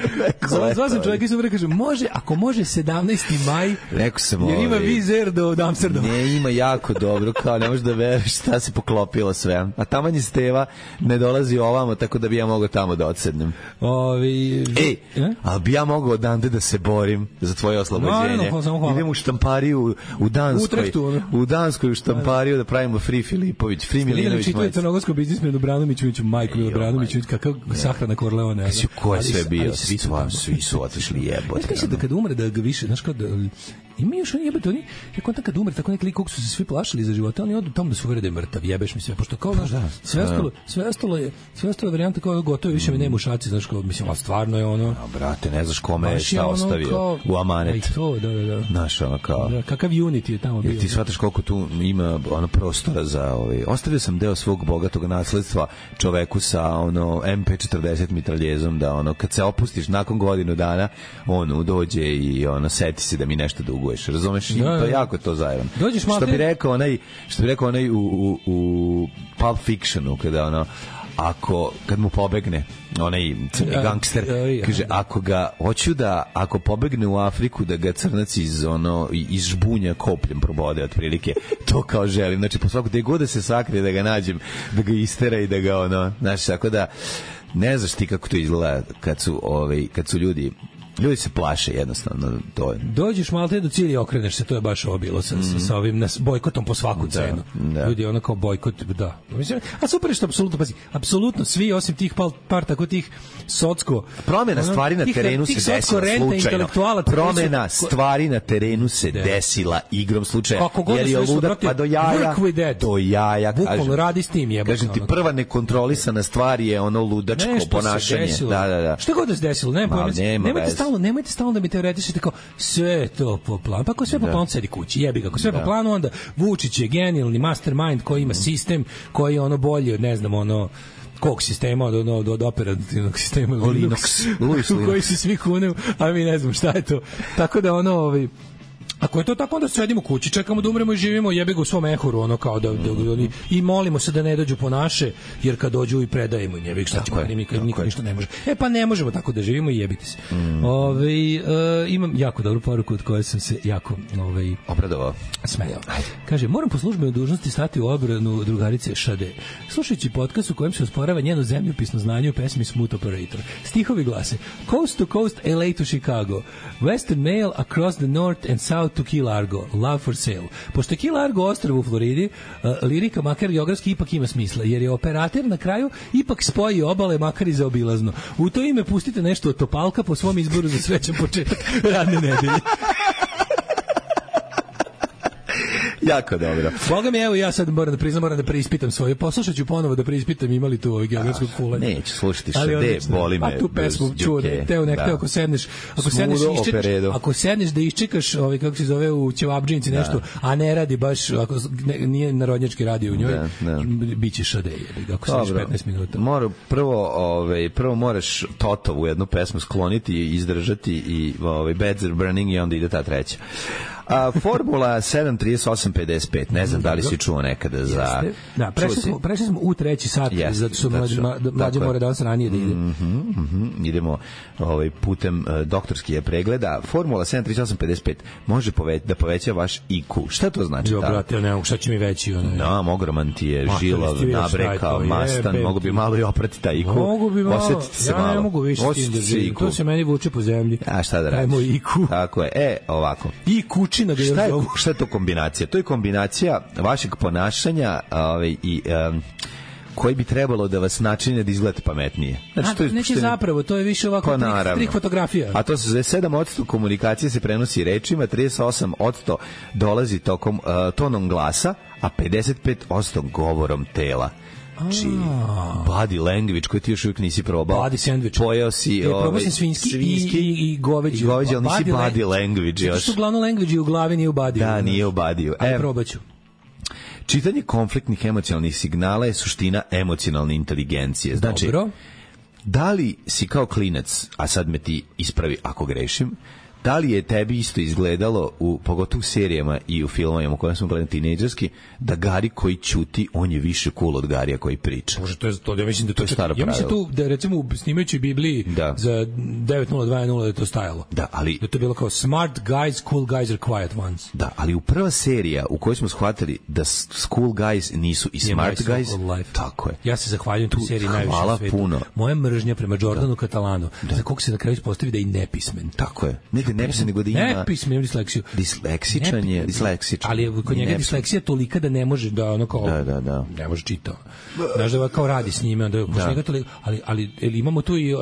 Zvao sam čovjeka iz Supa da kažem, može, ako može sedamnaesti maj, rekao sam, jer ima vizer do Amsterdama. Ne, ima jako dobro, kao ne možeš da veruješ šta se poklopilo sve. A taman je Steva ne dolazi ovamo, tako da bi ja mogao tamo da odsednem. Ovi... Ej, ali bi ja mogao odande da se borim za tvoje oslobođenje. Idem u štampariju u Danskoj. U Danskoj u štampariju da pravimo Free Filipović, Free Milinović. Čitali crnogorsko biznismenu Branoviću, Majko Milo Branović, kakav sahrana Korleone. Kasi ko je sve bio, svi su, svi su otišli jebote. Ja kažem da kad umre da ga više, znaš kao da ima još oni jebote, oni je kontak kad umre, tako neki lik kog su se svi plašili za života, oni odu tamo da se uvere da je mrtav, jebeš mi sve, pošto kao znaš, sve ostalo, sve ostalo je, sve ostalo je varijanta kao gotovo, više mi nema u šaci, znaš kao, mislim, al stvarno je ono. A brate, ne znaš kome je šta ostavio kao, u amanet. Aj to, da, da, da. Znaš, ono kao. Da, kakav Unity je tamo bio. Jer ti shvataš koliko tu ima ono prostora za ovaj. Ostavio sam deo svog bogatog nasledstva čoveku sa ono M P četrdeset mitraljezom da ono kad se opustiš nakon godinu dana on dođe i ono seti se da mi nešto duguješ. Razumeš? Da, da. To jako to zajebano. Što bi rekao onaj, što bi rekao onaj u u u Pulp Fictionu kada ono ako kad mu pobegne onaj crni gangster kaže ako ga hoću da ako pobegne u Afriku da ga crnac iz ono iz žbunja kopljem probode otprilike to kao želim, znači po svaku gde god da se sakrije da ga nađem da ga istera i da ga ono znači tako da ne znaš ti kako to izgleda kad su ovaj kad su ljudi ljudi se plaše jednostavno to je. Dođeš malo te do cilja i okreneš se, to je baš ovo bilo sa, mm. sa ovim nas bojkotom po svaku cenu. Da, da. Ljudi ono kao bojkot, da. Mislim, a super je što apsolutno, pazi, apsolutno svi osim tih par, par tako tih socko promena ono, stvari na terenu tih, se tih desila slučajno. Promena su, stvari na terenu se de. desila igrom slučaja. Jer je ludak pa do jaja. Do jaja. Bukvalno radi s tim jebote. Kažem ti prva nekontrolisana stvar je ono ludačko ponašanje. Da, da, da. Šta god da se desilo, ne, nemojte stalno, nemojte stalno da mi teoretišete kao sve to po planu. Pa ako sve po planu sedi kući, jebi ga. Ako sve da. po planu, onda Vučić je genijalni mastermind koji ima sistem, koji je ono bolji od, ne znam, ono kog sistema od, od, od operativnog sistema Linux, Linux. u koji se svi kuneu, a mi ne znam šta je to. Tako da ono, ovaj, Ako je to tako, onda sedimo kući, čekamo da umremo i živimo, jebi ga u svom ehoru, ono kao da, da, da, da i molimo se da ne dođu po naše, jer kad dođu i predajemo, jebi ga šta ćemo, nikad niko ništa ne može. E pa ne možemo tako da živimo i jebite se. Mm. Ove, uh, imam jako dobru poruku od koje sam se jako ovaj, obradovao. Smejao. Kaže, moram po službenoj dužnosti stati u obranu drugarice Šade. Slušajući podcast u kojem se osporava njeno zemljopisno znanje u pesmi Smooth Operator. Stihovi glase: Coast to coast, L A to Chicago. Western mail across the north and south to Key Largo. Love for sale. Pošto je Key Largo ostrvo u Floridi, uh, lirika makar geografski ipak ima smisla, jer je operator na kraju ipak spoji obale makar i zaobilazno. U to ime pustite nešto od Topalka po svom izboru za srećan početak radne nedelje. Jako dobro. Boga mi, evo ja sad moram da priznam, moram da preispitam svoje. Poslušat ću ponovo da preispitam imali tu ovaj geografskog fulanja. Neću slušati Šade, boli me. Pa tu pesmu čuo da teo nekako da. Ako sedneš, ako sedneš, iščekaš, ako sedneš da iščekaš, ovaj kako se zove u ćevabdžinici da. Nešto, a ne radi baš, ako ne, nije narodnjački radio u njoj, da, da. Biće Šade, jebi, ako sedneš petnaest minuta. Mora prvo, ovaj prvo moraš Totovu jednu pesmu skloniti i izdržati i ovaj Beds are burning i onda ide ta treća. A Formula sedam trideset osam pedeset pet, ne znam da li si čuo nekada za... Jeste. Da, prešli smo, prešli smo u treći sat, Jeste, zato što mlađe, mlađe mora danas ranije da ide. Mm -hmm, mm -hmm. Idemo ovaj, putem uh, doktorskih pregleda. Formula sedam trideset osam pedeset pet može pove, da poveća vaš I Q. Šta to znači? Jo, brate, ne mogu, šta će mi veći? Onaj. No, ogroman ti je, žilav, nabrekao, mastan, mogu bi malo i oprati taj I Q. Mogu bi malo, se ja malo. ne mogu više s tim da živim. To se meni vuče po zemlji. A šta da radiš? Ajmo I Q. Tako je, e, ovako. I Q-čina ga šta je, zovu. šta je to kombinacija? To je kombinacija vašeg ponašanja ovaj, i... Um, koji bi trebalo da vas načine da izgledate pametnije. Znači, A, to je, neće zapravo, to je više ovako pa, trik, trik fotografija. A to se zove sedam posto komunikacije se prenosi rečima, trideset osam posto dolazi tokom uh, tonom glasa, a pedeset pet posto govorom tela. Znači, body language koji ti još uvijek nisi probao. Body sandwich. Pojeo si je, ovaj, svinjski, svinjski i, i, i goveđi. I goveđi, ali nisi body, body language još. Zato što glavno language je u glavi, nije u body. Da, nije u body. Ali probat ću. Čitanje konfliktnih emocionalnih signala je suština emocionalne inteligencije. Znači, Dobro. Da li si kao klinac, a sad me ti ispravi ako grešim, da li je tebi isto izgledalo, u, pogotovo u serijama i u filmovima u kojem smo gledali tinejdžerski, da Gari koji ćuti, on je više cool od Garija koji priča? Može, to je to, ja mislim da to, to je staro pravilo. Ja mislim tu, da recimo snimajući Bibliji da. Za devet nula dva nula da je to stajalo. Da, ali... Da to je bilo kao smart guys, cool guys are quiet ones. Da, ali u prva serija u kojoj smo shvatili da cool guys nisu i smart yeah, guys, tako je. Ja se zahvaljujem tu seriji najviše na svetu. Puno. Moja mržnja prema Jordanu Katalanu, da. Za kog se na kraju ispostavi da je i nepismen. Tako je. Ne ne pisam, nego da ima... Ne pisam, imam disleksiju. Disleksičan je, disleksičan. Ali je kod njega disleksija tolika da ne može da ono kao... Da, da, da. Ne može čitao. Znaš da kao radi s njime, onda da. Njega toliko, ali, ali imamo tu i...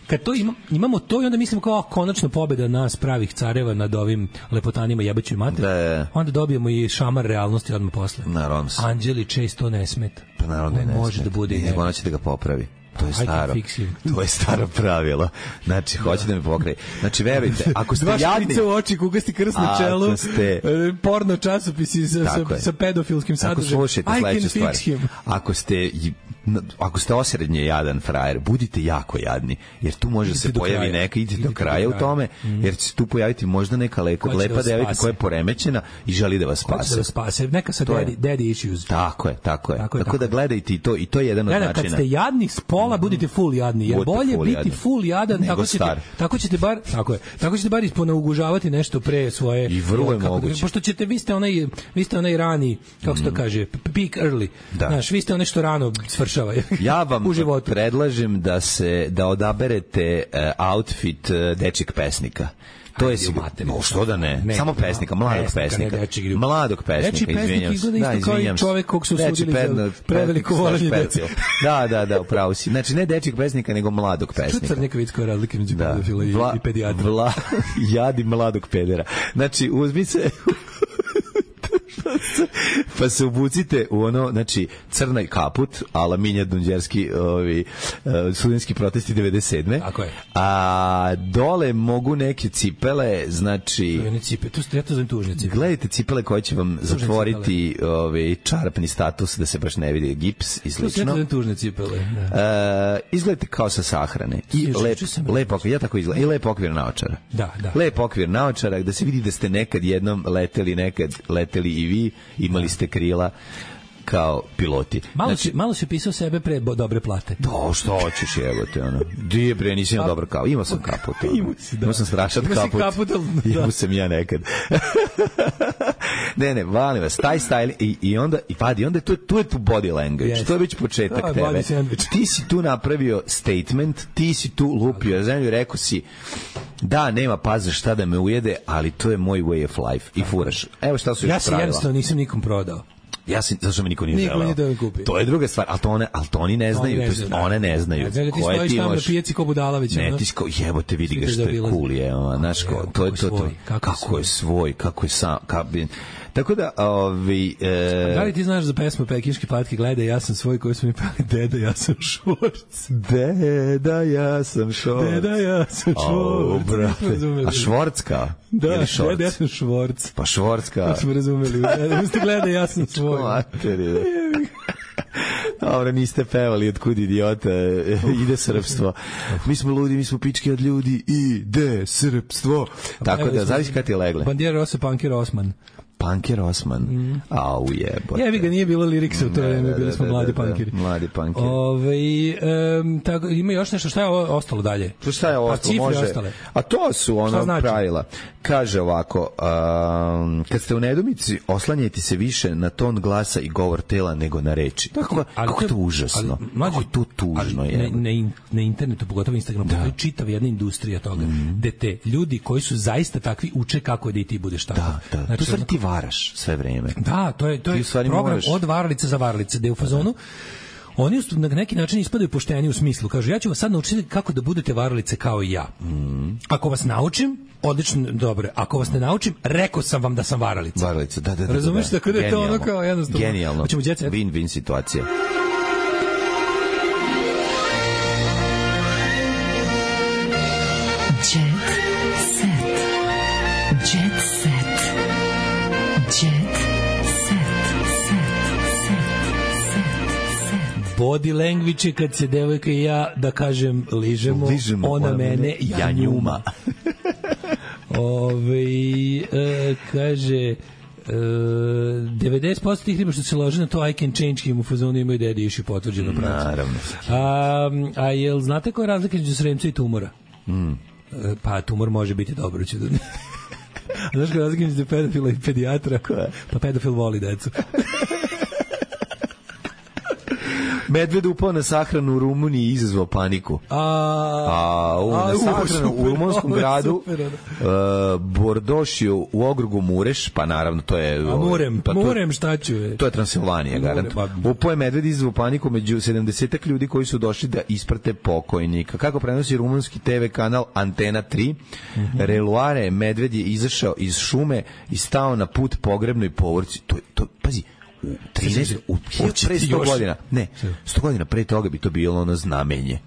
Kad to ima, imamo to i onda mislim kao konačno pobeda nas pravih careva nad ovim lepotanima jebaćoj mater. Da. Onda dobijemo i šamar realnosti odmah posle. Naravno. Anđeli često ne smeta. Pa naravno ne može da bude. Ne, ona će da ga popravi. To je staro. To je staro pravilo. Znači, hoće da me pokraje. Znači, verujte, ako ste jadni... Dva šprica u oči, kugasti krst na čelu, ste, porno časopisi sa, sa, sa pedofilskim sadržajem. Slušajte sledeću stvar. Ako ste, ako ste osrednje jadan frajer, budite jako jadni, jer tu može se pojavi neka, idite do kraja u tome, jer će se tu pojaviti možda neka lepa, lepa devojka koja je poremećena i želi da vas spase. Hoće da vas spase. Neka sa daddy, daddy issues. Tako je, tako je. Tako, tako da gledajte i to, i to je jedan od načina. Kad ste jadni s pola, budite full jadni. Jer bolje full biti jadni. Full jadan, tako ćete, tako ćete bar, tako je, tako ćete bar isponaugužavati nešto pre svoje. I vrlo je moguće. Pošto ćete, vi ste onaj, vi ste onaj rani, kako se to kaže, peak early. Da. Znaš, vi ste ono što rano svršava. Ja vam predlažem da se, da odaberete uh, outfit uh, dečjeg pesnika. To je sigurno. Što da ne? ne Samo pesnika, mladog pesnika. pesnika. Mladog pesnika, izvinjam se. Da, izvinjam se. Čovjek kog su sudili za preveliko volenje dece. Da, da, da, upravo si. Znači, ne dečjeg pesnika, nego mladog pesnika. Što je neka vidska razlika među pedofila i, i pedijatra? Vla, jadi mladog pedera. Znači, uzmi se... Pa se obucite u ono, znači, crnaj kaput, ala Minja Dunđerski, ovi, uh, studentski protesti devedeset sedme. Tako je. A dole mogu neke cipele, znači... Ne cipe, tu ste, ja to zovem tužne cipele. Gledajte cipele koje će vam tužne zatvoriti ovaj, čarapni status, da se baš ne vidi gips i slično. To su tužne cipele. Da. Uh, izgledajte kao sa sahrane. I lep, lep okvir, ja tako izgledam. I lep okvir naočara. Da, da. Lep okvir naočara, da se vidi da ste nekad jednom leteli, nekad leteli i vi, imali ste krila kao piloti. Malo, znači, si, malo si pisao sebe pre bo, dobre plate. To, što hoćeš, jebote, ono. Dije, bre, nisi imao dobar kao. Imao sam kaput. Ono. Imao si, da. Imao sam strašan Imao kaput. kaput, da. Imao sam ja nekad. ne, ne, valim vas, taj style i, i onda, i padi, onda je tu, tu je tu body language. Yes. To je već početak oh, tebe. Ti si tu napravio statement, ti si tu lupio zemlju i rekao si da, nema paza šta da me ujede, ali to je moj way of life. I furaš. Evo šta su još ja pravila. Ja se jednostavno nisam nikom prodao. Ja sam, zašto me niko nije niko želeo. Nije to, to je druga stvar, ali to, one, ali to oni ne znaju, to jest one ne znaju. Ja, znači, ti stojiš tamo na pijaci ko Budalavić. Ne, ti sko, jebote, vidi ga što je cool je, znaš, to je to, to, kako je svoj, kako je sam, kako je... Tako da, ovi... E... Da li ti znaš za pesmu Pekinške patke, gledaj, ja sam svoj koji su mi pali, deda, ja sam švorc. Deda, ja sam švorc. Deda, ja sam švorc. O, brate. A švorcka? Da, deda, ja sam švorc. Pa švorcka. Pa smo razumeli. Uste gledaj, ja sam svoj. Materi, da. Dobro, niste pevali od kud idiota ide srpstvo. Mi smo ludi, mi smo pički od ljudi, ide srpstvo. Tako da, zavisi kada ti legle. Bandijer Rose, Punker Osman. Punker Osman. Mm. Au jebote. Jebi ga, nije bilo liriksa u to vreme, bili smo mladi punkeri. Mladi punkeri. Ove, um, tako, ima još nešto, šta je ostalo dalje? To šta je ostalo? Može. Ostale. A to su ono znači? Pravila. Kaže ovako, um, kad ste u nedomici, oslanjajte se više na ton glasa i govor tela nego na reči. Kako, ali, kako to užasno. Ali, mlađe, kako je to tužno je. Na, na, na internetu, pogotovo Instagramu, postoji čitava jedna industrija toga, mm. gde te ljudi koji su zaista takvi uče kako da i ti budeš tako. Da, da. Znači, to stvari ti varaš sve vreme. Da, to je, to je program moraš... od varalice za varalice, gde u fazonu oni na neki način ispadaju pošteni u smislu. Kažu, ja ću vas sad naučiti kako da budete varalice kao i ja. Mm. Ako vas naučim, odlično, dobro. Ako vas ne naučim, rekao sam vam da sam varalica. Varalica, da, da, da. Razumeš da, da, tako da je to ono kao jednostavno. Genijalno. Win-win situacija. Body language je kad se devojka i ja, da kažem, ližemo, ližemo ona, ona mene, ja njuma. Ove, e, kaže, e, devedeset posto tih riba što se lože na to I can change him u fazonu imaju dedi iši potvrđeno pravcu. Naravno. A, a jel znate koja je razlika između sremca i tumora? Mm. E, pa tumor može biti dobro. Ću da... Znaš koja je razlika između pedofila i pedijatra? Pa pedofil voli decu. Medved upao na sahranu u Rumuniji i izazvao paniku. A, a u, a, na sahranu super, u rumunskom gradu super, uh, Bordošiju u okrugu Mureš, pa naravno to je... A Murem, pa to, Murem šta ću je? To je Transilvanija, garant. Upao je medved i izazvao paniku među sedamdesetak ljudi koji su došli da isprate pokojnika. Kako prenosi rumunski te ve kanal Antena tri, mm-hmm. Reluare medved je izašao iz šume i stao na put pogrebnoj povorci. To, to, pazi, u trinaest u pre sto godina. Ne, sto godina pre toga bi to bilo ono znamenje.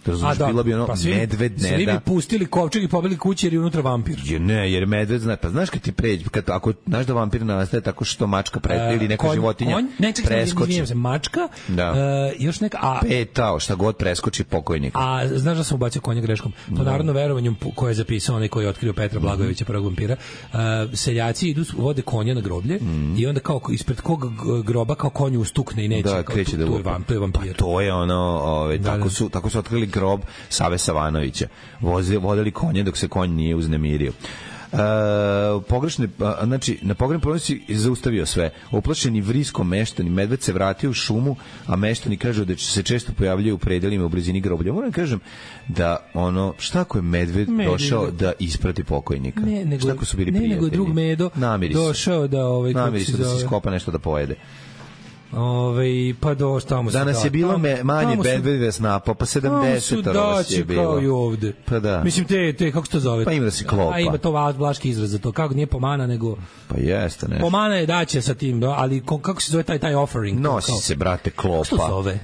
Razumiješ, da, bilo bi ono pa svi, medved ne svi da. Svi bi pustili kovčeg i pobili kući jer je unutra vampir. Je, ne, jer medved zna, pa znaš kad ti pređe, kad, ako znaš da vampir nastaje tako što mačka pre, ili neka konj, životinja konj, ne, ček, preskoči. Se, mačka, da. Uh, još neka... A, petao, šta god preskoči pokojnik. A znaš da sam ubacio konja greškom? Po no. narodno verovanju koje je zapisao onaj koji je otkrio Petra Blagojevića, prvog vampira, uh, seljaci idu, vode konja na groblje mm. i onda kao ispred kog groba kao konju ustukne i neće. Da, kao, kreće tu, da tu je, vam, to je vampir. Pa to je ono, ove, da, tako, da. Su, tako su otkrili grob Save Savanovića. Voze, vodili konje dok se konj nije uznemirio. Uh, pogrešne, uh, znači na pogrebnoj povorci zaustavio sve. Uplašeni vriskom meštani, medved se vratio u šumu, a meštani kažu da se često pojavljaju u predelima u blizini groblja. Moram kažem da ono, šta ako je medved, medved došao da isprati pokojnika? Ne, nego, šta ako su bili ne, prijatelji? Nego drug medo namiri došao da ovaj namiri se da se skopa nešto da pojede. Ove, pa do tamo danas da, je bilo tamo, me, manje bedvedve snapa, pa sedamdeset vas je bilo. Kao i ovde. Pa da. Mislim, te, te kako se to zove? Pa ima da si klopa. A ima to vlaški izraz za to. Kako nije pomana, nego... Pa jeste, nešto. Pomana je daće sa tim, ali kako se zove taj, taj offering? Nosi kao, se, brate, klopa. Što zove?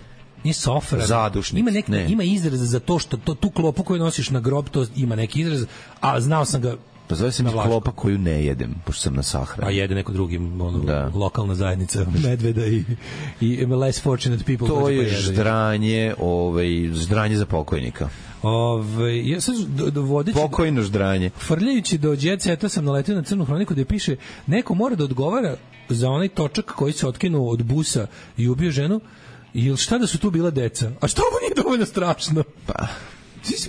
Nije sofra. Zadušnic. Ima, nek, ima izraz za to što to, tu klopu koju nosiš na grob, to ima neki izraz, a znao sam ga. Pa zove se mi klopa koju ne jedem, pošto sam na sahrani. A jede neko drugi, ono, da. Lokalna zajednica medveda i, i less fortunate people. To je pa ždranje, ovaj, ždranje za pokojnika. Ove, ja sam vodeći... Pokojno ždranje. Frljajući do Jet Seta sam naletio na crnu hroniku gde piše neko mora da odgovara za onaj točak koji se otkinuo od busa i ubio ženu. Ili šta da su tu bila deca? A što ovo nije dovoljno strašno? Pa...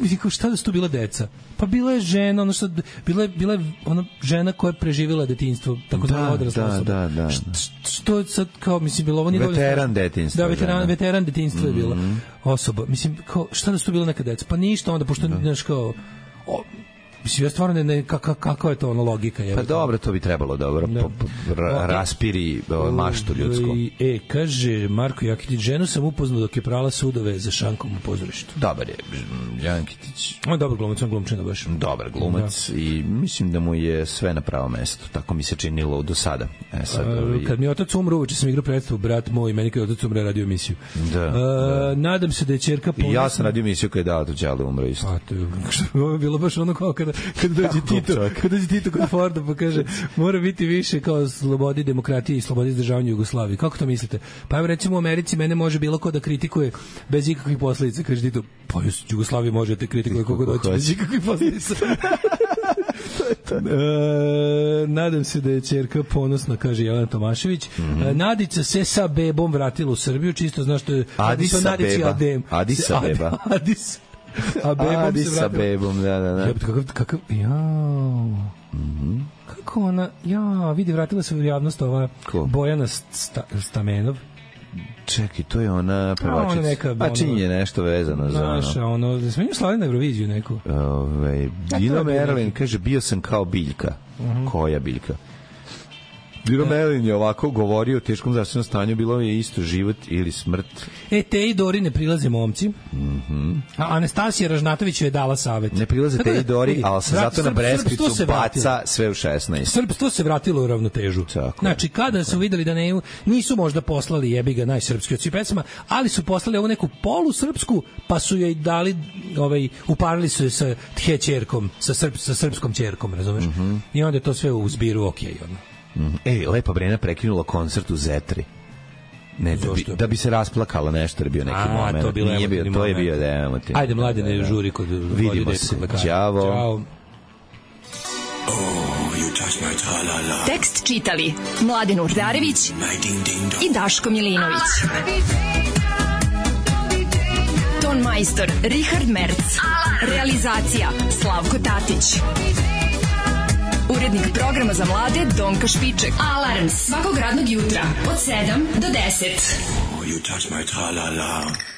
Mislim, šta da su tu bila deca? Pa bila je žena, ono što, bila je, bila je ona žena koja je preživjela detinjstvo, tako da, odrasla da, osoba. Da, da, da. Što sad, kao, mislim, bilo ovo nije veteran detinjstva. Da, veteran, veteran detinjstva je bila mm-hmm. osoba. Mislim, kao, šta da su tu bila neka deca? Pa ništa onda, pošto, da. Znaš, kao, o, mislim, ja stvarno ne, ne kaka, kakva je to ono logika? Je, pa dobro, to bi trebalo dobro, da. po, po, ra, raspiri o, maštu ljudsku. E, kaže Marko Jakitić, ženu sam upoznao dok je prala sudove za šankom u pozorištu. Dobar je, Jakitić. On je dobar glumac, on glumčina baš. Dobar glumac da. I mislim da mu je sve na pravo mesto, tako mi se činilo do sada. E, sad, A, ovi... Kad mi je otac umro, uveče sam igrao predstavu, brat moj, meni kad je otac umre radio emisiju. Da, A, da. Nadam se da je ćerka ponosna. I ja sam radio emisiju kada je dao to Đale umro isto. A, to je, ovo je bilo baš ono kao kada, kada dođe Tito, kada dođe Tito kod Forda pa kaže mora biti više kao slobodi demokratije i slobodi izdržavanja Jugoslavije. Kako to mislite? Pa evo recimo u Americi mene može bilo ko da kritikuje bez ikakvih posledica. Kaže Tito, pa Jugoslavije može da kritikuje koga doći bez ikakvih posledica. E, nadam se da je ćerka ponosna, kaže Jelena Tomašević. Mm-hmm. E, Nadica se sa bebom vratila u Srbiju, čisto znaš što je Adisa beba. Adisa beba. Adis. A bebom Adi se sa bebom, da, da, da. Ja, kakav, kakav, jao. Mm-hmm. Kako ona, ja, vidi, vratila se u javnost ova Ko? Bojana sta, Stamenov. Čekaj, to je ona pevačica. Pa čini je nešto vezano za ono. Naša, ono, da smo njim slavili na Euroviziju neku. Ove, Dino Merlin kaže, bio sam kao biljka. Uh-huh. Koja biljka? Dino Merlin je ovako govorio o teškom zdravstvenom stanju, bilo je isto život ili smrt. E, te i Dori ne prilaze momci. Mm-hmm. A Anastasija Ražnatović je dala savet. Ne prilaze te i Dori, ali se zato na Breskvicu baca sve u šesnaest. Srpstvo se vratilo u ravnotežu. Tako, znači, kada su videli da ne, nisu možda poslali jebiga najsrpski od svih pesama, ali su poslali ovu neku polusrpsku, pa su joj dali, ovaj, uparili su je sa tje ćerkom, sa, srp, sa srpskom ćerkom, razumeš? Mm-hmm. I onda je to sve u zbiru okej, okay, ono. Ej, Lepa Brena prekinula koncert u Zetri. Ne, da bi, da bi se rasplakala nešto, je bio neki A, moment. To, Nije bio, to je bio da je emotivno. Ajde, Mladene, žuri kod... Vidimo se. Ćao. Ćao. Oh, you touch my tra-la-la. Tekst čitali Mladen Urdarević i Daško Milinović. Ton majstor Richard Merc. Realizacija Slavko Tatić. Urednik programa za mlade Donka Špiček. Alarms svakog radnog jutra od sedam do deset. Oh, you touch my tra-la-la.